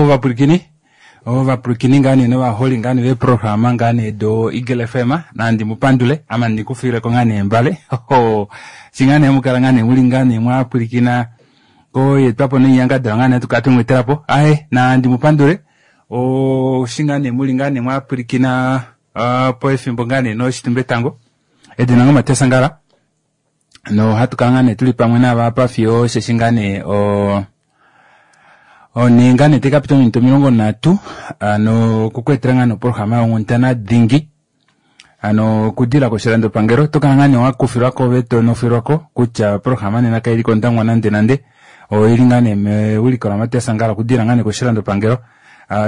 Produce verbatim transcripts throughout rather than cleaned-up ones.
Ovapwilikini ovapwilikini ngaa nee novaholi ngaa nee veeprograma ngaa nee do Eagle F M nandi mupandule ame ndikufileko ngaa nee mbale shi ngaa nee hamukala ngaa nee muli ngaa nee mwapwilikina koyeetwapo noinyangadalwa ngaa nee hatukala twemweetelapo aaye nandi mupandule eshi ngaa nee muli ngaa nee mwapwilikina pefimbo ngaa nee noshitumbetango edina lange Matias Angala nohatukala ngaa nee tuli pamwe naave fiyo osheshi ngaa nee oo onhe ngaa nee taikapita ominute omilongo nhatu hano okukweetela ngaa nee oprograma yonghundana dingi hano okudilila koshilandopangelo otokala ngaa nee wakufilwako ove tonofilwako kutya oprograma nena kaili kOndangwa nande nande oili ngaa nee mewiliko laMatias Angala okudilila ngaa nee koshilandopangelo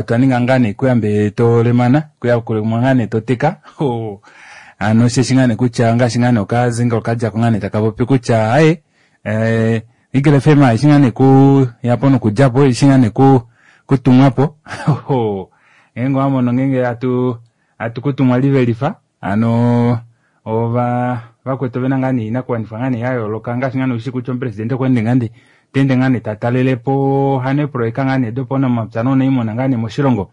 twaninga ngaa nee kuyambe tolemana kuyakulemo ngaa nee toteka hano osheshi ngaa nee kutya ngaashi ngaa nee okazingo kadjako ngaa nee takapopi kutya aaye Eagle F M aishi ngaa nee kuyapo nokudjapo ishi ngaa nee kutumwapo ngeenge owamono ngeenge hatu hatu kutumwa livelifa hano ova vakwetu ovena ngaa nee oinakuwanifwa ngaa nee yayooloka ngaashi ngaa nee ushi kutya omupresidente okweende ngaa nee taende ngaa nee tatalelepo hano eeprojeka ngaa nee dopaunamapya nounaimuna ngaa nee moshilongo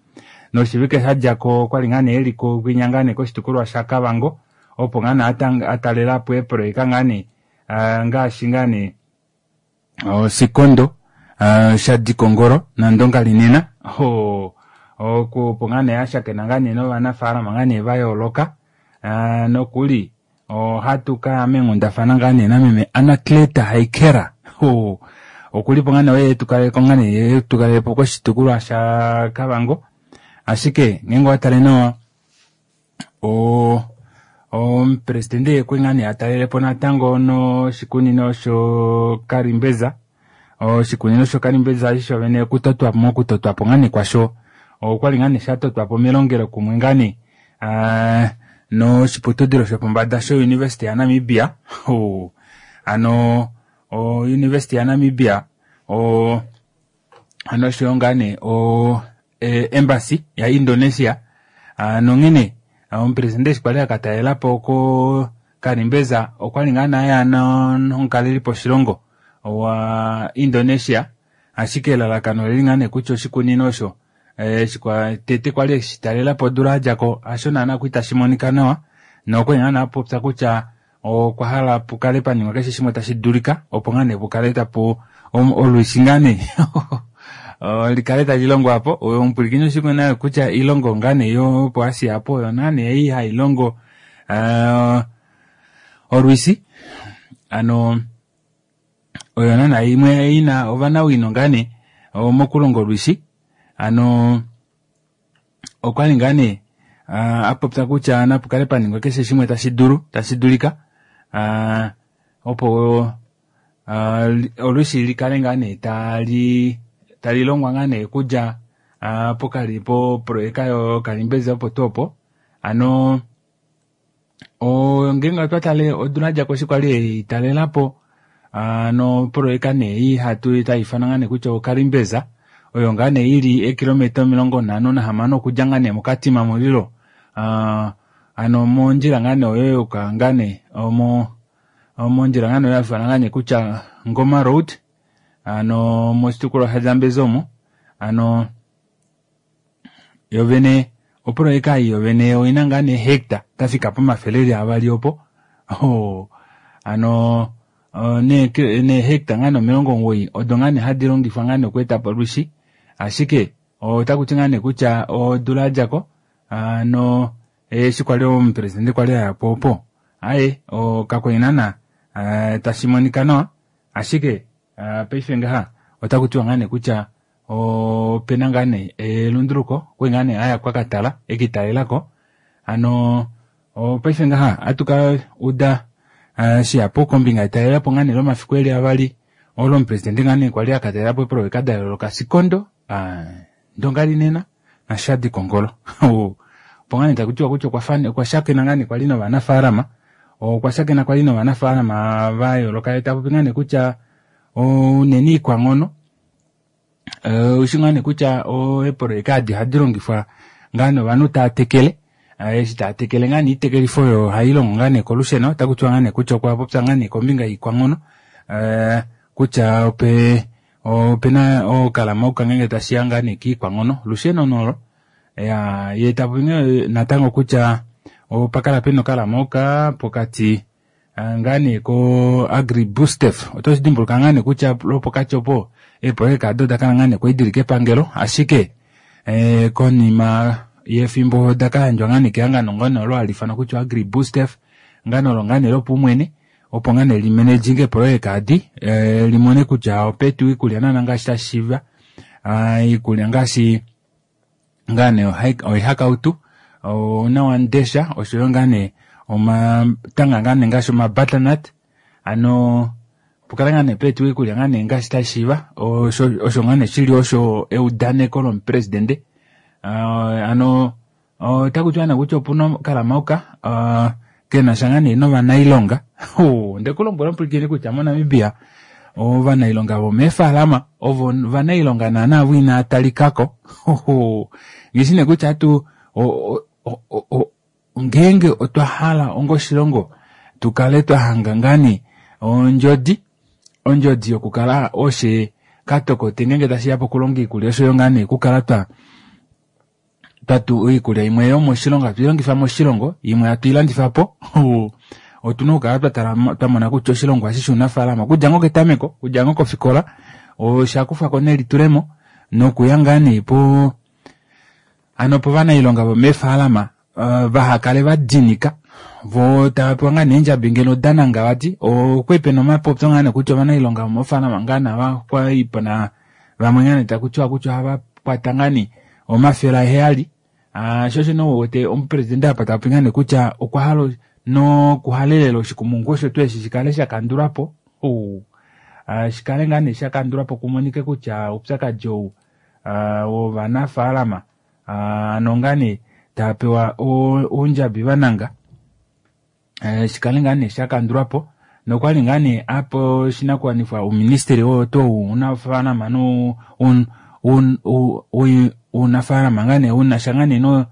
noshivike shadjako okwali ngaa nee eli kwinya ngaa nee koshitukulwa shaKavango opo ngaa nee atalelapo eeprojeka ngaa nee ngaashi ngaa nee Sikondo Shadikongoro naNdonga Linena opo ngaa nee ashakena ngaa nee novanafalama ngaa nee vayooloka nokuli ohatu kaya meenghundafana ngaa nee nameme Anacleta Haikera okulipo ngaa nee oye etukalelepo koshitukulwa shaKavango ashike ngeenge owatale nawa o omupresidente okwali ngaa nee atalelepo natango noshikunino shokarimbeza oshikunino shokarimbeza eshi shovene okutotwapo mokutotwapo ngaa nee kwasho okwali ngaa nee shatotwapo melongelo kumwe ngaa nee noshiputudilo shopombada sho University yaNamibia hano o University yaNamibia o noshoyo ngaa nee o embassy ya Indonesia nonghene omupresidente eshi kwali akatalelapo ko Karimbeza okwali ngaa nee aya nomukalelipo shilongo wa Indonesia ashike elalakano oleli ngaa nee kutya oshikunino osho eshi tete kwali eshitalelapo odula yadjako hasho naana kwali tashi monika nawa nokwali ngaa nee apopya kutya okwa hala pukale paningwa keshe shimwe tashi dulika opo ngaa nee pukale tapu olwishi ngaa nee likale tali longwa po omupwilikini oshikuna kutya ilongo ngaa nee yopo Asia apo oyo naa nee ei hailongo olwishi hano oyo naana imwe ina ovanawino ngaa nee mokulonga olwishi hano okwali ngaa nee apopya kutya napukale paningwa keshe shimwe tashi dulu tashi dulika opo olwishi likale ngaa nee tali talilongwa ngaa nee okudja pokali po projeka yo Karimbeza opo tuu opo hano ngeenge otwatale odula yadjako eshi kwali eitalelapo hano projeka nee ei hatu taifanwa ngaa nee kutya oKarimbeza oyo ngaa nee ili eekilometa omilongo nhano nahamano okudja ngaa nee moKatima Mulilo hano mondjila ngaa nee oyo yuuka ngaa nee omo mondjila ngaa nee oyo haifanwa ngaa nee kutya Ngoma Road hano moshitukulwa shaZambezi omo hano yovene oprojeka ei yovene oina ngaa nee hecta dafika pomafele eli avali opo hano neehecta ngaa nee omilongo omugoyi odo ngaa nee hadi longifwa ngaa nee okweetapo olwishi ashike otakuti ngaa nee kutya odula yadjako hano eshi kwali omupresidente kwali ayapo opo aaye kakwali naana tashi monika nawa ashike paife ngaha otakutiwa ngaa nee kutya opena ngaa nee elunduluko okwali ngaa nee aya kwakatala ekitalelako hano paife ngaha ohatu uda shihapu kombinga yetalelepo ngaa nee lomafiku eli avali olo omupresidente ngaa nee kwali akatalelapo eeprojeka dayooloka Sikondo Ndonga Linena naShadi Kongolo opo ngaa nee takutiwa kutya okwa shakena ngaa nee kwali novanafaalama okwa shakena kwali novanafaalama vayooloka yee tapopi ngaa nee kutya unene iikwanghono ushi ngaa nee kutya eeprojeka edi ohadi longifwa ngaa nee ovanhu tava tekele eshi tava tekele ngaa nee oitekelifo oyo ohailongo ngaa nee kolusheno otakutiwa ngaa nee kutya okwa popya ngaa nee kombinga yoikwanghono kutya ope Opena okalamauka ngenge tashiya ngaa nee kiikwanghono olusheno nolo ya ye tapopi natango kutya opakala pena okalamauka pokati ngaa nee ko Agribusdev oto shidimbuluka ngaa nee kutya lwopokati opo eeprojeka aado odakala ngaa nee kwali dili kepangelo ashike eh, konima yefimbo odakayandjwa ngaa nee kehangano ngaa nee olo hali ifanwa kutya Agribusdev ngaa nee olo ngaa nee lopaumwene opo ngaa nee limanaging eeprojeka adi eh, limone kutya opetu iikulya naana ngaashi tashiiva iikulya ngaashi ngaa nee oihakautu ounawamundesha oshoyo ngaa nee omatanga ngaa nee ngaashi omabutternut ano pukale ngaa nee peetu iikulya ngaa nee ngaashi tashiiva osho osho ngaa nee shili osho eudaneko lomupresidente uh, ano otaku tiwa nee kutya opuna okalamauka uh, kenasha ngaa nee novanailonga ndekulombwela omupwilikini kutya moNamibia ovanailonga vomeefalama ovo ovanailonga naana avo inaa talikako ngishi nee kutya atu ngeenge otwa hala onga oshilongo tukale twahanga ngaa nee ondjodi ondjodi yokukala oshe katokote ngeenge tashiya pokulonga iikulya oshoyo ngaa nee okukala twa twatu iikulya imwe yomoshilongo hatu ilongifa moshilongo imwe hatu ilandifapo otuna okukala twatala twamona kutya oshilongo eshi shuunafalama okudja ngoo ketameko okudja ngoo kofikola oshakufwako nelitulemo nokuya ngaa nee po ano povanailonga vomeefalama uh, vahakale vadinika vo tavapewa ngaa nee eendjabi ngeno dananga vati okwali pena omapopyo ngaa nee kutya ovanailonga vomoofalama ngaa nee kwali pena vamwe ngaa nee takutiwa kutya ohava kwata ngaa nee omafele aheyali uh, sho osho nee uwete omupresidente apa tapopi ngaa nee kutya okwa hala nokuhalelela oshikumungu osho tuu eshi shikale shakandulwapo uh, shikale ngaa nee shakandulwapo kumonike kutya oupyakadi ou uh, wovanafaalama ano ngaa nee taapewa oundjabi vananga uh, shikale ngaa nee shakandulwapo nokwali ngaa nee apo oshinakuwanifwa ouministeli oo tuu unafaalama no un, un, un, unafaalama ngaa nee unasha ngaa nee no,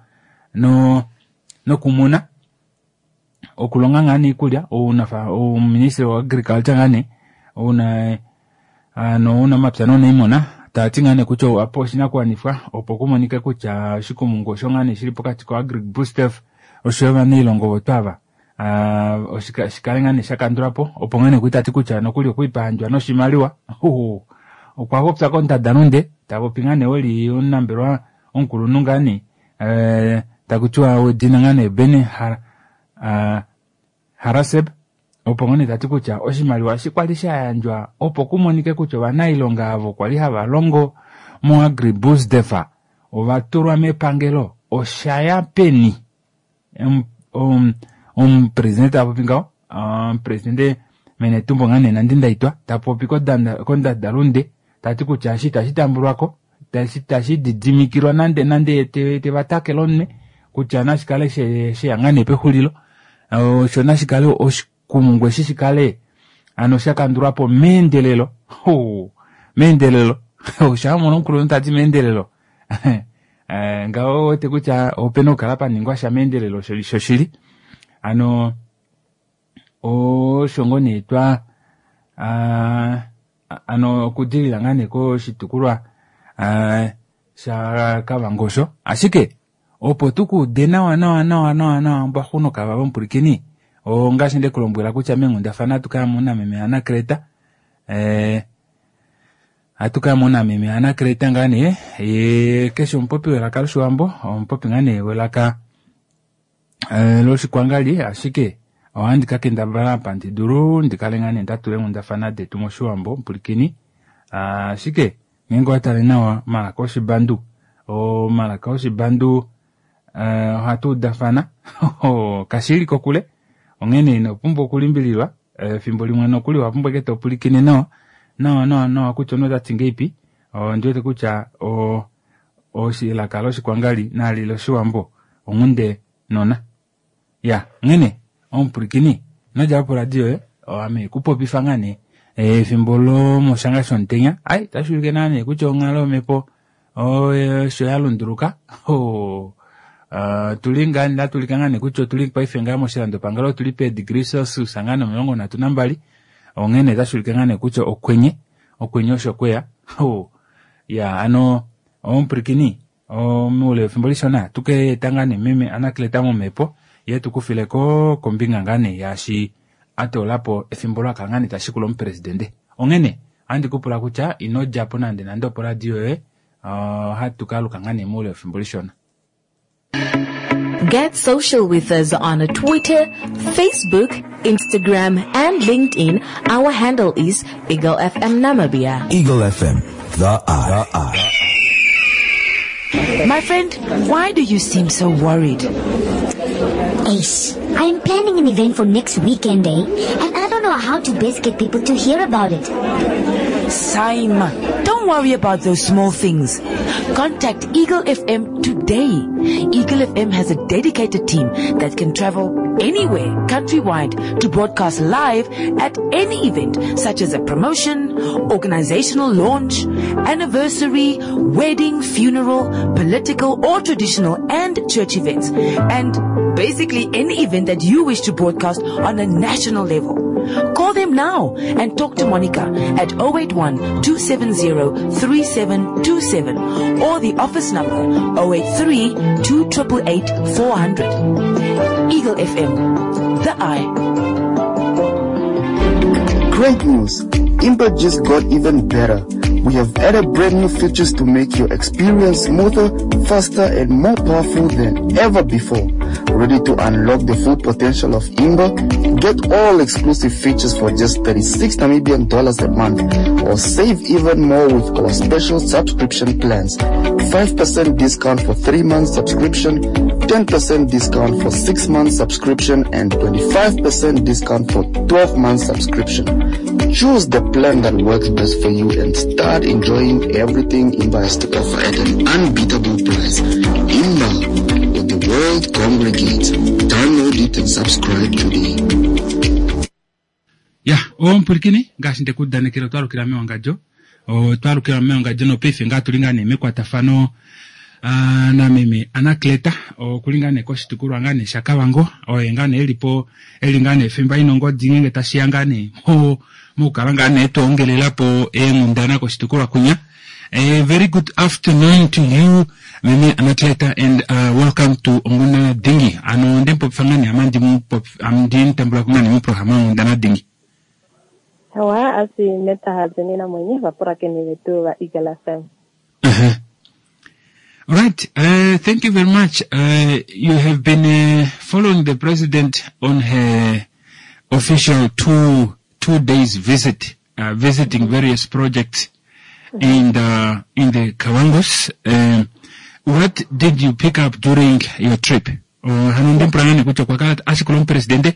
no, nokumuna okulonga ngaa nee iikulya ouministeli wa agriculture ngaa nee una ano uunamapya nuuniimuna taati ngaa nee kutya apo oshinakuwanifwa opo kumonike kutya oshikumungu osho ngaa nee shili pokati ko Agribusdev oshoyo ovanailonga ovo twava uh, shikale ngaa nee shakandulwapo opo ngaa nee tati kutya nokuli okwiipahandjwa noshimaliwa okwa popya kondadalunde tapopi ngaa nee weli omunambelewa omukulunhu ngaa nee uh, takutiwa wedina ngaa nee Ben Har, uh, Haraseb opo ngoo nee tati kutya oshimaliwa eshi kwali shayandjwa opo kumonike kutya ovanailonga avo kwali hava longo mo Agribusdev ovatulwa mepangelo oshaya peni omupresidente tapopi ngaho omupresidente Menetumbo ngaa nee Nandi-Ndaitwah tapopi kondadalunde tati kutya eshi itashi tambulwako tashi didimikilwa nande nande tevatakela omunwe kutya nashikale sheya ngaa nee pexulilo osho nashikale oshikumungu eshi shikale ano shakandulwapo meendelelo meendelelo oshamona omukulunhu tati meendelelo ngaho wete kutya opena okukala paningwa sha meendelelo shoshili ano osho ngoo nee twa ano okudilila ngaa nee koshitukulwa shaKavango osho ashike opo tukuude nawa nawa nawa nawa nawa mbwaxuno kava vomupulikini ongaashi ndekulombwela kutya meenghundafana atukala muna meme Anacleta eh, atukala muna meme Anacleta ngaa nee ye keshe omupopi welaka loshiwambo omupopi ngaa nee welaka eh, loshikwangali ashike ohandi kakendabala apa ndidulu ndikale ngaa nee ndatula eenghundafana detu moshiwambo mupulikini ashike ngeenge owatale nawa omalaka oshibandu omalaka oshibandu uh, ohatu udafana kashili kokule onghene ino pumbwa okulimbililwa efimbo limwe nokuli owapumbwa eke topulikine nawa nawa nawa nawa kutya omunhu otati ngeipi ondiwete kutya elaka loshikwangali nali loshiwambo onghunde nona ya onghene omupulikini inodjapo poradio yoye ame kupopifa ngaa nee efimbo lomoshanga shomutenya ai tashi ulike naa nee kutya onghalo yomhepo osho yalunduluka Uh, tuli ngaa natulika ngaa nee kutya otuli paife ngaa moshilandopangelo otuli pe degree Celsius ngaa nee omilongo nhatu nambali onghene otashi ulike ngaa nee kutya okwenye okwenye osho kweya Ho ya ano omupwilikini moule wefimbo lishona tukeeta ngaa nee meme Anacleta momhepo yee tukufileko kombinga ngaa nee yaashi atoolapo efimbo olo akala ngaa nee tashikula omupresidente. Onghene ohandi kupula kutya ino djapo nande nande opo radio yoye, ohatu kaaluka ngaa nee moule wefimbo lishona. Get social with us on Twitter, Facebook, Instagram, and LinkedIn. Our handle is Eagle F M Namibia. Eagle F M, the eye. The eye. My friend, why do you seem so worried? Ace, I am planning an event for next weekend, eh? And I don't know how to best get people to hear about it. Saima, don't worry about those small things. Contact Eagle F M today. Eagle F M has a dedicated team that can travel anywhere countrywide to broadcast live at any event, such as a promotion, organizational launch, anniversary, wedding, funeral, political or traditional and church events, and basically any event that you wish to broadcast on a national level. Call them now and talk to Monica at oh eight one, two seven zero, three seven two seven or the office number oh eight three, two triple eight, four hundred. Eagle F M, the eye. Great news! Imba just got even better. We have added brand new features to make your experience smoother, faster, and more powerful than ever before. Ready to unlock the full potential of Imba? Get all exclusive features for just thirty-six Namibian dollars a month, or save even more with our special subscription plans. five percent discount for three months subscription, ten percent discount for six months subscription, and twenty-five percent discount for twelve months subscription. Choose the plan that works best for you and start enjoying everything Imba has to offer at an unbeatable price. Imba, where the world congregates. Download it and subscribe today. Ya, ompwilikini, ngaashi ndekudanekele otwalukila mewangadjo. Otwalukila mewangadjo nopaife ngaa tuli ngaa nee mekwatafano, ah, nameme Anacleta, okuli ngaa nee koshitukulwa ngaa nee shaKavango, oye ngaa nee elipo, eli ngaa nee fimba ina ongodi ngenge tashiya ngaa nee mo-, mokukala ngaa nee twoongelelapo eenghundana koshitukulwa kunya. A very good afternoon to you, Meme Anacleta, and, uh, welcome to Onghundana Dingi. Ano ndempopifa ngaa nee ama ndimupopi-, am ndimutambula ku ngaa nee muprograma Onghundana Dingi. Hawa, asi meta hazini na mwenye, vapura keni vetu va Eagle F M. Uh-huh. All right. Uh, thank you very much. Uh, you have been, uh, following the president on her official two, two days visit, uh, visiting various projects in the, in the Kavangos. Um, what did you pick up during your trip? Uh, hano ndi mpula ngane kutya kwa kala ashikula omupresidente,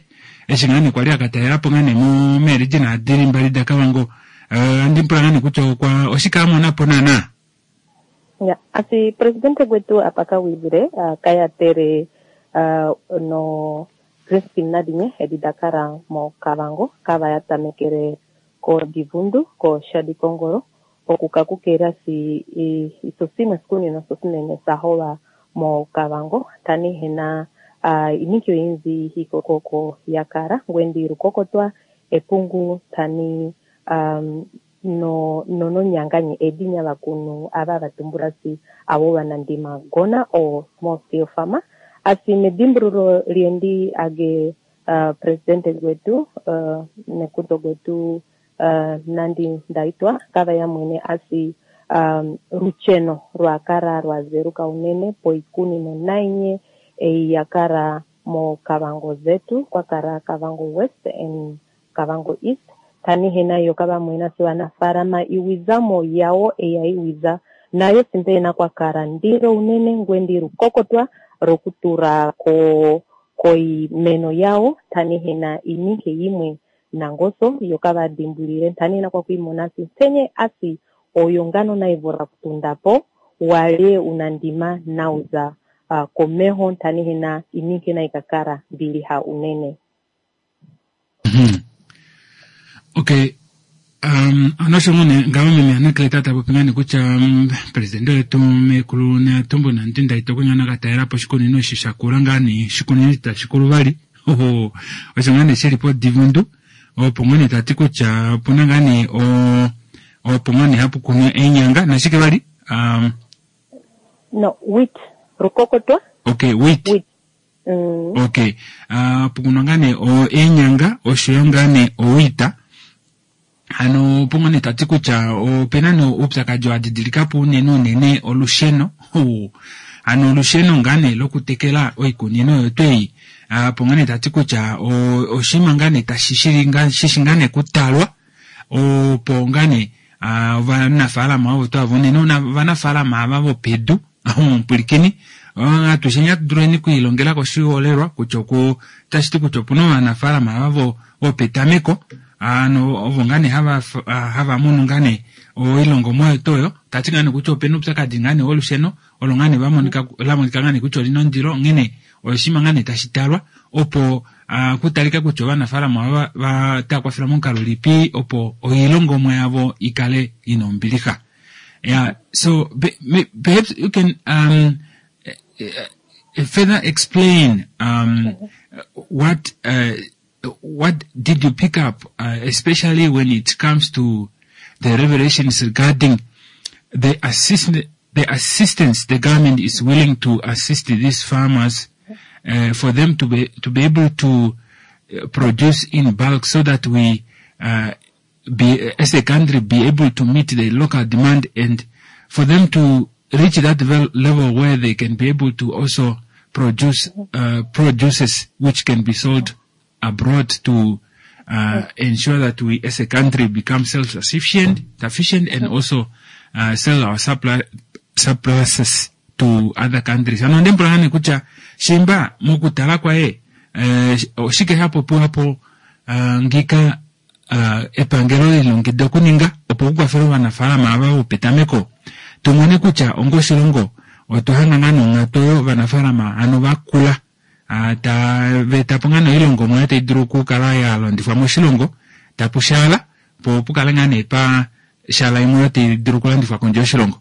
eshi ngane kwali akatalela po ngane mu meeriji naadili mbali da Kavango. Uh, ndi mpula ngane kutya okwa oshikamonapo naana? Ya, asi presidente gwetu apakawilile, uh, kayatere, uh, no Crispin Nadinye edi dakara mo Kavango, kava yatamekele ko Divundu, ko Shadi Kongoro, okukakukela si i, isosimwe sikunino sosinene sahowa mo Kavango, tani hena, uh, inikyo inzi hikokoko yakara, ngwendi rukokotwa, epungu, tani, um, no, no, no nyanganye edinya bakunu aba batumbura si abo banandima gona o small scale farmer. Asi medimbruro liendi age, uh, presidente gwetu, uh, nekuto gwetu, uh, Nandi Ndaitwa kava ya mwene asi, um, rucheno rwakara rwazeruka unene poikuni no nainye e yakara mo Kavango zetu kwakara Kavango West and Kavango East. Tani hena yo kava mwena si wanafarama iwizamo yao eya iwiza nayo simpe na kwakara ndiro unene ngwendi rukokotwa rokutura ko koi meno yao. Tani hena ininke imwe nangoso yo kava dimbulire tani hena kwa kuimona si tenye asi oyongano na ivora kutundapo wale unandima nauza, uh, komeho tani hena ininke na ikakara mbili ha unene. Mm-hmm. Okay. Um, anosho ngone ngawe meme Anacleta tapopi ngane kutya, um, presidente wetu mekulu Netumbo Nandi Ndaitwa kwingana katalela po oshikunino eshi shakula ngane oshikunino itashi kulu vali. Oho, osho ngane shili po Divundu. Opo ngone tati kutya opuna ngane o, Opo ngoo nee hapu kunwa eenyanga nashike vali? Um, No, wheat, rukokotwa. Okay, wheat. Wheat. Mm. Okay. Uh, pukunwa ngaa nee eenyanga oshoyo ngaa nee owheat. Hano opo nee tati kutya opena nee oupyakadi wa didilikapo unene unene olusheno. Hano olusheno ngaa nee lokutekela oikunino oyo twei. Opo ngaa nee tati kutya oshinima ngaa nee tashi shishi ngaa nee kutalwa opo ngaa nee ovanafaalama ovo twava unene ovanafaalama ava vopedu omupulikini atusheni atuduleni okwiilongela koshiholelwa kutya oku tashi ti kutya opuna ovanafaalama ava vopetameko ano ovo ngaa nee hava hava munu ngaa nee oilongomwa yetu oyo tati ngaa nee kutya opena oupyakadi ngaa nee wolusheno olo ngaa nee vamonika lamonika ngaa nee kutya olina ondilo onghene oshinima ngaa nee tashi talwa opo kutalika kutya ovanafaalama vataya kwafela momukalo ulipi opo oilongomwa yavo ikale ina ombilixa. Yeah, so perhaps you can um, further explain um, what uh, what did you pick up, uh, especially when it comes to the revelations regarding the assist the assistance the government is willing to assist these farmers uh, for them to be to be able to produce in bulk so that we uh, be as a country be able to meet the local demand and for them to reach that level where they can be able to also produce uh, produces which can be sold abroad to uh, ensure that we as a country become self-sufficient sufficient and also uh, sell our supply, surpluses to other countries. Ano ndempula ngane kutya shimba mokutala kwaye oshike hapopiwapo ngika epangelo lilongekida okuninga opo kukwafele ovanafaalama ava vopetameko tumone kutya onga oshilongo otwa hanga ngaa nonghatu oyo ovanafaalama ano vakula tava ngaa oilongomwa tai dulu okukala ya longifwa moshilongo tapu shaala po pukale ngaa nee pa shaala imwe tai dulu okulandifwa kondje yoshilongo.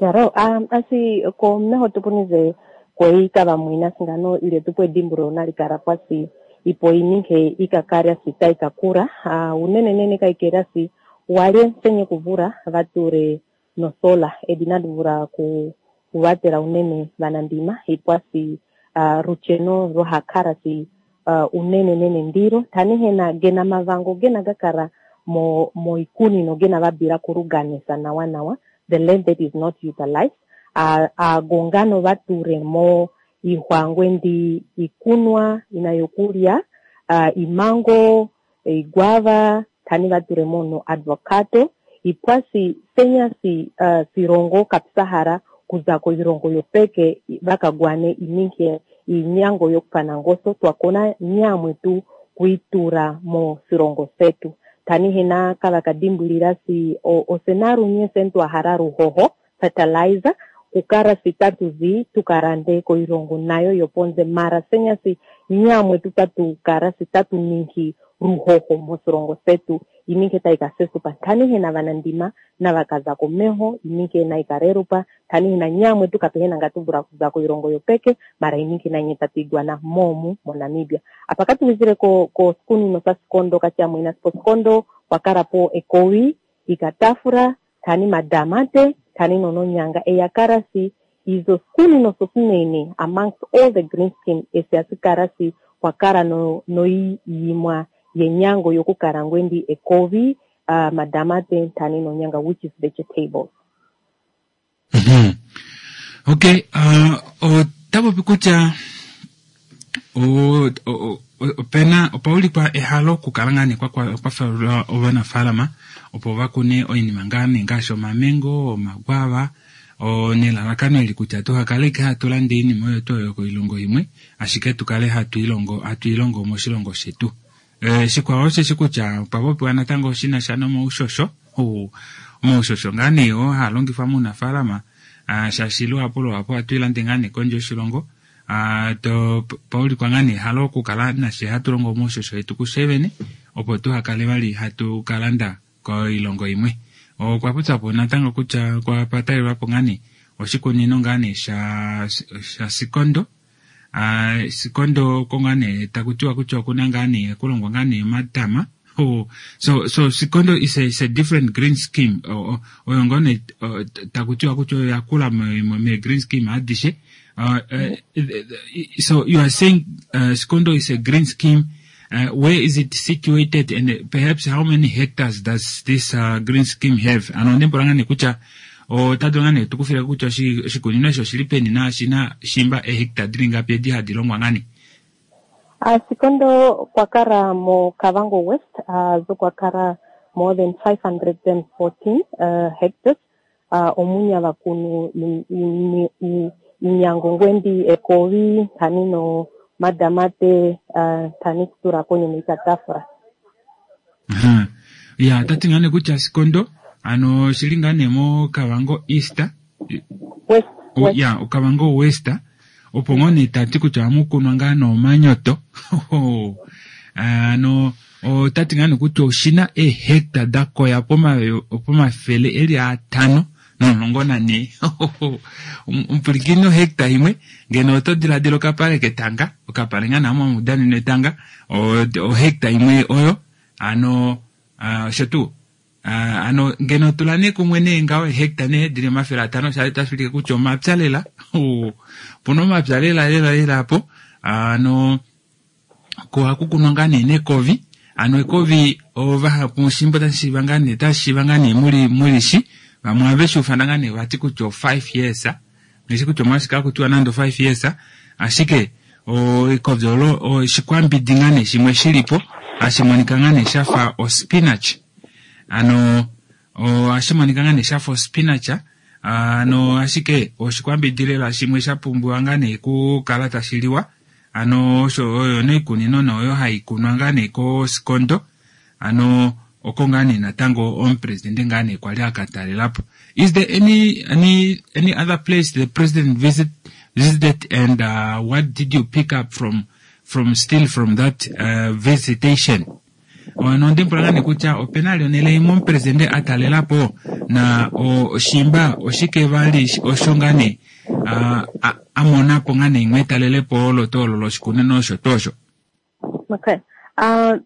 Yaro, um, asi komeho tupunize kweika vamwina singano ile tupo edimbulo nalikala kwasi ipo ininke ikakarya sita ikakura uh, unene nene kaikerasi walye nsenye kuvura vature nosola edinaduvura ku kuvatela unene vanandima ipwasi uh, rucheno rohakarasi uh, unene nene ndiro tanihena gena mavango gena gakara mo moikunino gena vabira kuruganisa nawa nawa the land that is not utilized uh, agongano vature mo ihwangwe ndi ikunwa inayokulya uh, imango iguava tani vature mo no advocato ipwasi senyasi uh, sirongo kapsahara kuzako irongo yopeke vakagwane ininke inyango yokupana ngoso twakona nyamwe tu kuitura mo sirongo setu tani hena kavakadimbulira si osenaru nye sentu ahara ruhoho fertilizer kukara sitatu zi tukarande koirongo nayo yoponze mara senyasi nyamwe tutatu kara sitatu ninki ruhoho mosirongo setu ininke taikasesupa tani hena vanandima na vakazako meho ininke naikarerupa tani hena nyamwe tukapehena ngatuvura kuzako irongo yopeke mara ininke nanye tatigwana momu moNamibia apa katuwizire ko, ko skunino sa sikondo kachamwina sipo sikondo wakarapo ekowi ikatafura tani madamate tani nononyanga eyakarasi izo skunino sosinene amongst all the green skin esiasikarasi wakara no noiyimwa yenyango yokukarangwe ndi ekovi uh, madamate tani nonyanga which is vegetables. Mm -hmm. Okay, uh, otapopi kutya opena opaulikwa ehalo okukala ngaa nee kwafelwa ovanafaalama opo vakune oinima ngaa nee ngaashi omamengo, omagwava nelalakano eli kutya tuhakale ike hatu landa oinima oyo tuu oyo koilongo imwe ashike tukale hatu ilongo hatu ilongo moshilongo shetu. Eh, shikwao osheshi kutya opwa popiwa natango shinasha nomaushosho omaushosho ngaa nee oo haa longifwa muunafaalama shaashi luhapu luhapu ohatu ilande ngaa nee kondje yoshilongo to paulikwa ngaa nee ehalo okukala nashe hatu longo omaushosho etu kushe vene opo tuhakale vali hatu kalanda koilongo imwe. Okwa popyapo natango kutya kwapatalelwapo ngaa nee oshikunino ngaa nee sha sha sikondo Uh, sikondo oko ngaa nee takutiwa kutya okuna ngaa nee kulongwa ngaa nee omatama Oh, so so Sikondo is a, is a different green scheme. Oyo ngoo nee taku tiwa kutya oyo yakula me green scheme adishe. Uh, uh, so you are saying uh, Sikondo is a green scheme. Uh, where is it situated, and perhaps how many hectares does this uh, green scheme have? Ano ndempola nga nee kutya ota dulu nga nee tukufile kutya oshikunino osho oshili peni na oshina shimba ehectare dili ngapi edi hadi longwa ngani? Uh, Sikondo kwakara mo Kavango West, uh, zo kwakara more than five hundred fourteen uh, hectares. Uh, omunya vakunu inyango ngwendi ekovi tani no madamate uh, tani kutura konye neikatafura. Uh-huh. Ya tati ngane kutya Sikondo ano shili ngane mo Kavango East West, o, West. Ya Kavango West opo ngone tati kutya amukunwa ngaa nomanyoto. Ano otati ngane kutya oshina ehectare dakoya pomafele eli atano nomulongo nane. Omupulikini hectare imwe ngeno oto diladila okapale ketanga, okapale nga namo amudanene etanga, ohectare imwe oyo ano osho tuu. Ano ngeno tula nee kumwe nee ngaho ehectare nee dili omafele atano shali tashi ulike kutya omapya lela. Opuna omapya lela lela lela po. Ano ko ohaku kunwa ngaa nee nekovi. Ano ekovi ovahapu oshimbo tashi shiiva ngaa nee, tashi shiiva ngaa nee muli muli shi. Vamwe ohave shi ufana ngaa nee vati kutya o five years. Ngeshi kutya omwashike haku tiwa nande o five years. Ashike ekovi olo oshikwambidi ngaa nee shimwe shilipo hashi monika ngaa nee shafa o spinach. Ano ohashi monika ngaa nee shafa o spinach. Ano ashike oshikwambidi lela shimwe sha pumbiwa ngaa nee kukala tashi liwa. Ano osho oyo noikunino noyo hai kunwa ngaa nee koSikondo. Ano oko ngaa nee natango omupresidente ngaa nee kwali akatalelapo. Is there any, any, any other place the president visit, visited, and uh, what did you pick up from, from still from that uh, visitation? Ono ndimpola nga nee kutya opena onele imwe omupresidente atalelapo na oshimba oshike vali osho nga nee amonapo nga nee imwe etalelepo olo tuu olo loshikunino osho tuu osho. Okay. Uh,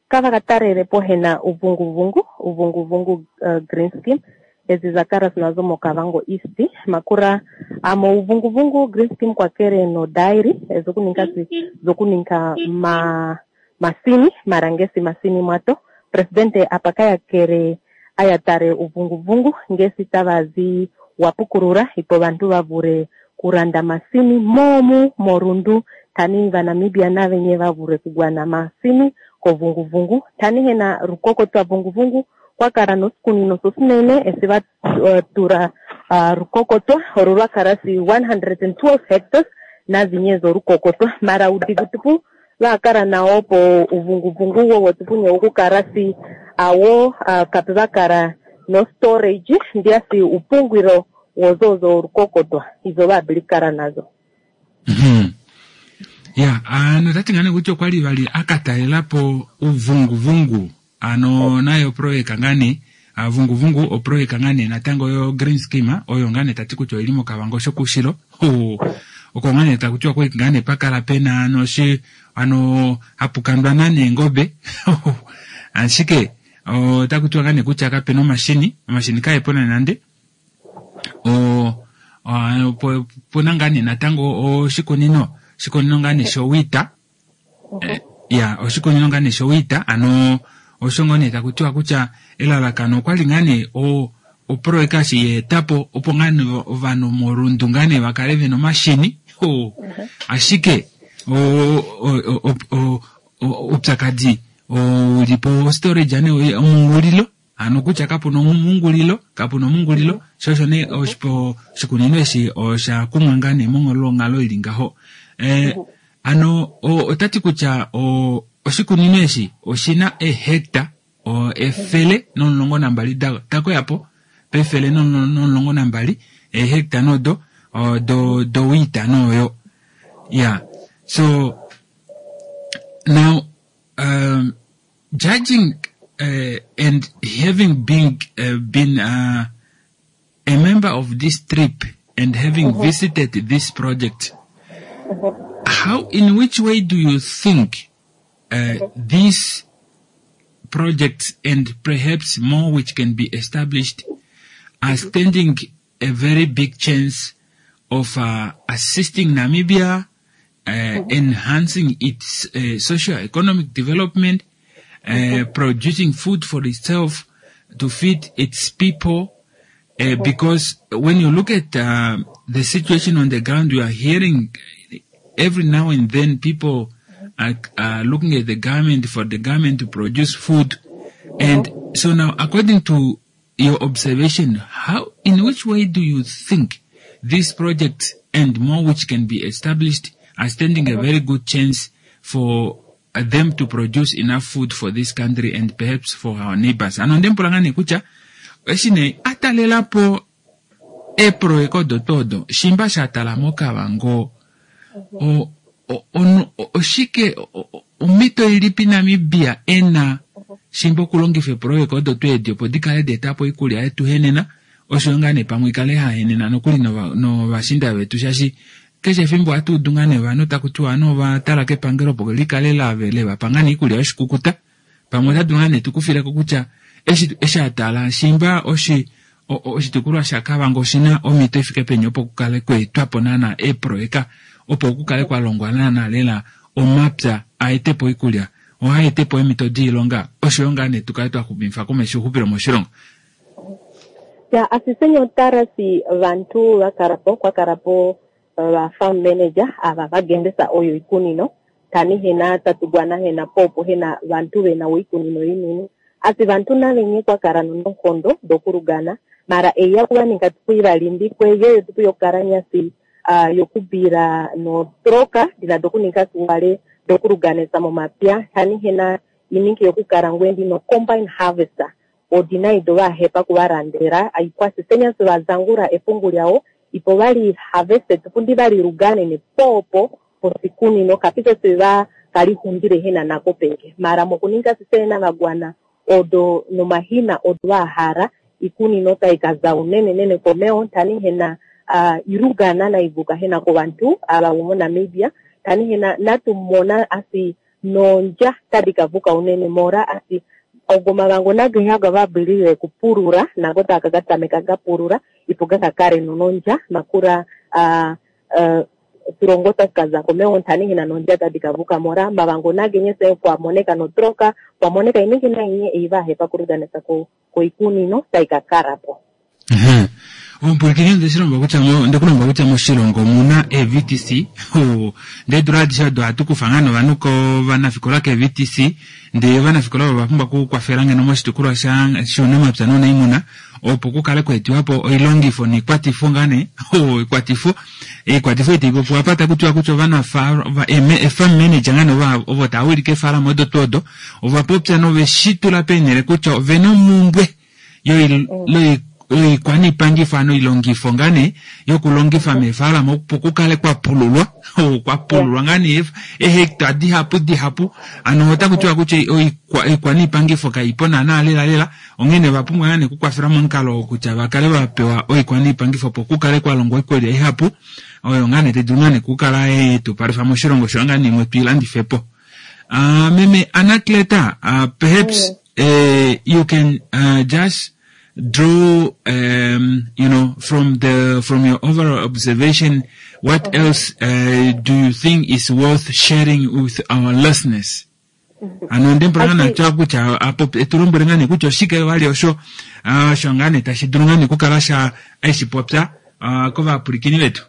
kava katalelepo hena uvunguvungu, uvunguvungu uh, green scheme ezi zakara zinazo moKavango East makura amo uvunguvungu green scheme kwakere no dairy zokuninka zokuninka ma masini marangesi masini mwato presidente apakayakere ayatare uvunguvungu ngesi tavazi wapukurura ipo vantu vavure kuranda masini momu morundu tani vaNamibia navenye vavure kugwana masini kovunguvungu tani hena rukoko twa vunguvungu kwakara nosikunino sosinene esi vatura uh, rukokotwa oro lwakara si one hundred twelve hectares nazinye zorukokotwa mara udigutupu vakara nawo po uvunguvungu wowo tupunye okukara si awo uh, kape vakara no storage ndiasi upungwiro wozozo rukokotwa izo vabilikara nazo. Mm-hmm. Ya, ano tati ngane kutya okwali vali akatalelapo uvunguvungu ano nayo projeka ngane vunguvungu oprojeka ngane natango yo green scheme oyo ngane tati kutya oili moKavango shokushilo. Oko ngane takutiwa kwali ngane pakala pena ano shi ano hapukandwa nane ngobe. Ashike otakutiwa ngane kutya kapena omashini, omashini kaepo nande. O pona ngane natango oshikunino, oshikunino ngane showita. Ya, oshikunino ngane showita ano osho ngone takutiwa kutya elalakano okwali ngane o oprojeka shi yeetapo opo ngane ovanhu morundu ngane vakale vena omashini. Ashike upyakadi ulipo storage ane omungulilo ano kutya kapuna omungulilo, kapuna omungulilo shosho ne oshikunino eshi osha kumwa ngane monghalo ili ngaho. Eh, ano otati kutya oshikunino eshi oshina ehectare efele nomulongo nambali takoyapo pefele nomulongo nambali ehectare nodo do do wita noyo. Yeah. So now um, judging uh, and having been uh, been uh, a member of this trip and having mm-hmm. visited this project, mm-hmm. how in which way do you think uh, this projects and perhaps more which can be established are standing a very big chance of uh, assisting Namibia, uh, enhancing its uh, socio-economic development, uh, producing food for itself to feed its people. Uh, because when you look at uh, the situation on the ground, you are hearing every now and then people are, are looking at the government for the government to produce food. And so now, according to your observation, how, in which way do you think these projects and more which can be established are standing a very good chance for them to produce enough food for this country and perhaps for our neighbors? Ano ndemupula ngaa nee kutya eshi nee atalelapo eeproyeka odo tuu odo shimba shatala moKavango o- o- onu- o- oshike o- o- omhito ilipi Namibia ena shimba okulongifa eeproyeka odo tuu edi opo dikale daetapo oikulya yetu henena osho ngaa nee pamwe ikale hahenena nokuli nova- novashinda vetu shaashi keshe efimbo ohatu udu ngaa nee ovanhu taku tiwa ovanhu ova tala kepangelo opo likale lave levapa ngaa nee iikulya yoshikukuta pamwe ota dulu ngaa nee tukufileko kutya eshi eshi atala shimba oshi o- o- oshitukulwa shaKavango oshina omhito ifike peni opo kukale kweetwapo naana eeproyeka opo kukale kwa longwa naana lela omapya aetepo oikulya ohaetepo eemhito diilonga oshoyo ngaa nee tukale twaxumifa komesho ouxupilo moshilongo. Ya asisenyo tarasi vantu vakarapo kwakarapo va farm manager ava vagendesa oyo ikunino tani hena tatugwana hena popo hena vantu vena oikunino inini asi vantu navenye kwakara nononkondo dokurugana mara eya kuvaninga tukuivalimbikwe yeyo tukuyokara nyasi uh, yokubira notroka ndina dokuninga siwale dokuruganisa momapya tani hena iningi yokukara ngwendi no combine harvester odina ido vahepa kuvarandera aikwasisenya sivazangura epungu lyawo ipo vali harvested pundi valirugane nepopo posikunino kapito siva kalihundile hena nako peke mara mokuninga sisena vagwana odo nomahina odo vahara ikunino taikaza unene nene komeo tani hena uh, irugana naivuka hena kovantu ava vomo Namibia tani hena natumona asi nonja tadikavuka unene mora asi ogo mavango nagehaga vabilile kupurura nago takagatameka gapurura ipo gakakare nononja makura uh, uh, turongota kaza komeo ntani hina nonja tadikavuka mora mavango nagenyese kwamoneka notroka kwamoneka iningi nainye eivahepa kuruganisa ko koikunino taikakarapo. Omupulikini ndeshilomba kutya mo- ndekulomba kutya moshilongo omuna e V T C ndee dula adishe odo ohatu kufa ngaa novanhu kovanafikola ke V T C ndee ovanafikola ovo ovapumbwa okukwafela ngeno moshitukulwa sha shuunamapya nounaimuna opo kukale kweetiwapo oilongifo noikwatifo ngaa nee oikwatifo oikwatifo itaipopiwa apa takutiwa kutya ovanafarm manager ngaa nee ovo tava wilike eefalama odo tuu odo ovapopya noveshitula peenhele kutya ovena omumbwe yoikwaniipangifo ano oilongifo ngaa nee yokulongifa meefalama opo kukale kwapululwa kwapululwa ngaa nee eehecta dihapu dihapu ano otakutiwa kutya oikwaniipangifo kaipo naana lela lela onghene ovapumbwa ngaa nee okukwafela momukalo kutya vakale vapewa oikwaniipangifo opo kukale kwalongwa oikulya ihapu oyo ngaa nee taidulu ngaa nee okukala yetupalifa moshilongo sho ngaa nee imwe tuilandifepo. Uh, Meme Anacleta, uh, perhaps uh, you can uh, just draw, um, you know, from the from your overall observation, what else uh, do you think is worth sharing with our listeners? Ano ndempula ngaa natya kutya apo etulombwele ngaa nee kutya oshike vali osho osho ngaa nee tashi dulu ngaa nee okukala sha eshipopya kovapwilikini vetu.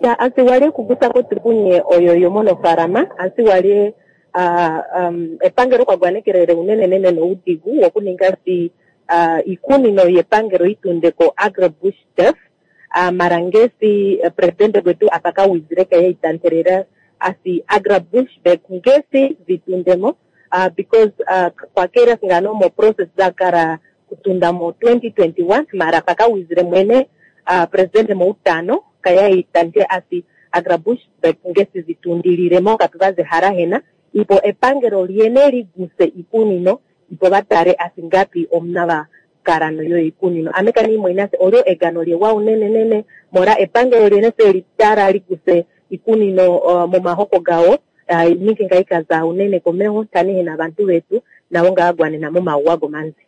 Ya asi wali kugusako tukunye oyo yomonofarama asi wali uh, um, epangelo kwagwanekelele unene nene noudigu wokuninga si uh, ikunino yepangelo itundeko agribush turf uh, mara ngesi uh, presidente gwetu apakawizireka yaitanterera asi agribush back ngesi vitundemo uh, because uh, kwakera singano mo process zakara kutunda mo twenty twenty-one mara pakawizire mwene uh, presidente moutano kayaitante asi agribush back ngesi zitundiliremo kapi hena ipo epangelo liene liguse ikunino ipo vatare asi ngapi omuna vakarano yo ikunino amekani mwene olyo egano lyewa unene nene mora epangelo liene se litara liguse ikunino uh, momahoko gawo uh, ningi ngaikaza unene komeho tani hena vantu vetu Nago nga gwanena momauwa gomanzi.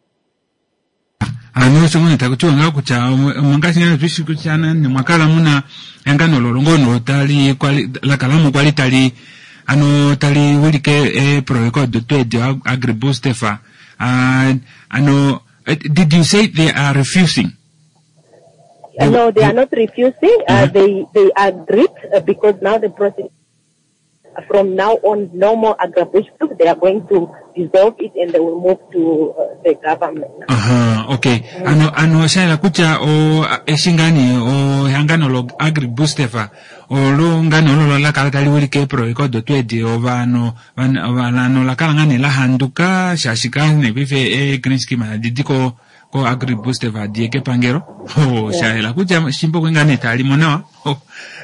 Ano osho ngone takutiwa ngaho kutya omongaashi ngane tushi kutya nani mwakala muna ehangano lolongo no tali kwali lakalamo kwali tali ano tali wilike eeprojeka odo tweedi agriboostefa. Uh, ano did you say they are refusing? They, no, they are not refusing. Uh, uh-huh. They they agreed uh, because now the process from now on, no more Agribush. They are going to dissolve it and they will move to uh, the government. Uh-huh, okay. Mm. Ano ano shaila kutya o eshingani o ehangano lo Agriboostefa olo ngano olo lakala tali wilike eprojeka odo tweedi ovanhu vanhu lakala ngane lahanduka shaashi ne pife e green scheme adidi ko ko Agriboostefa adiye kepangelo. Oh, shaela kutya shimbo kwengane talimo nawa. Oh,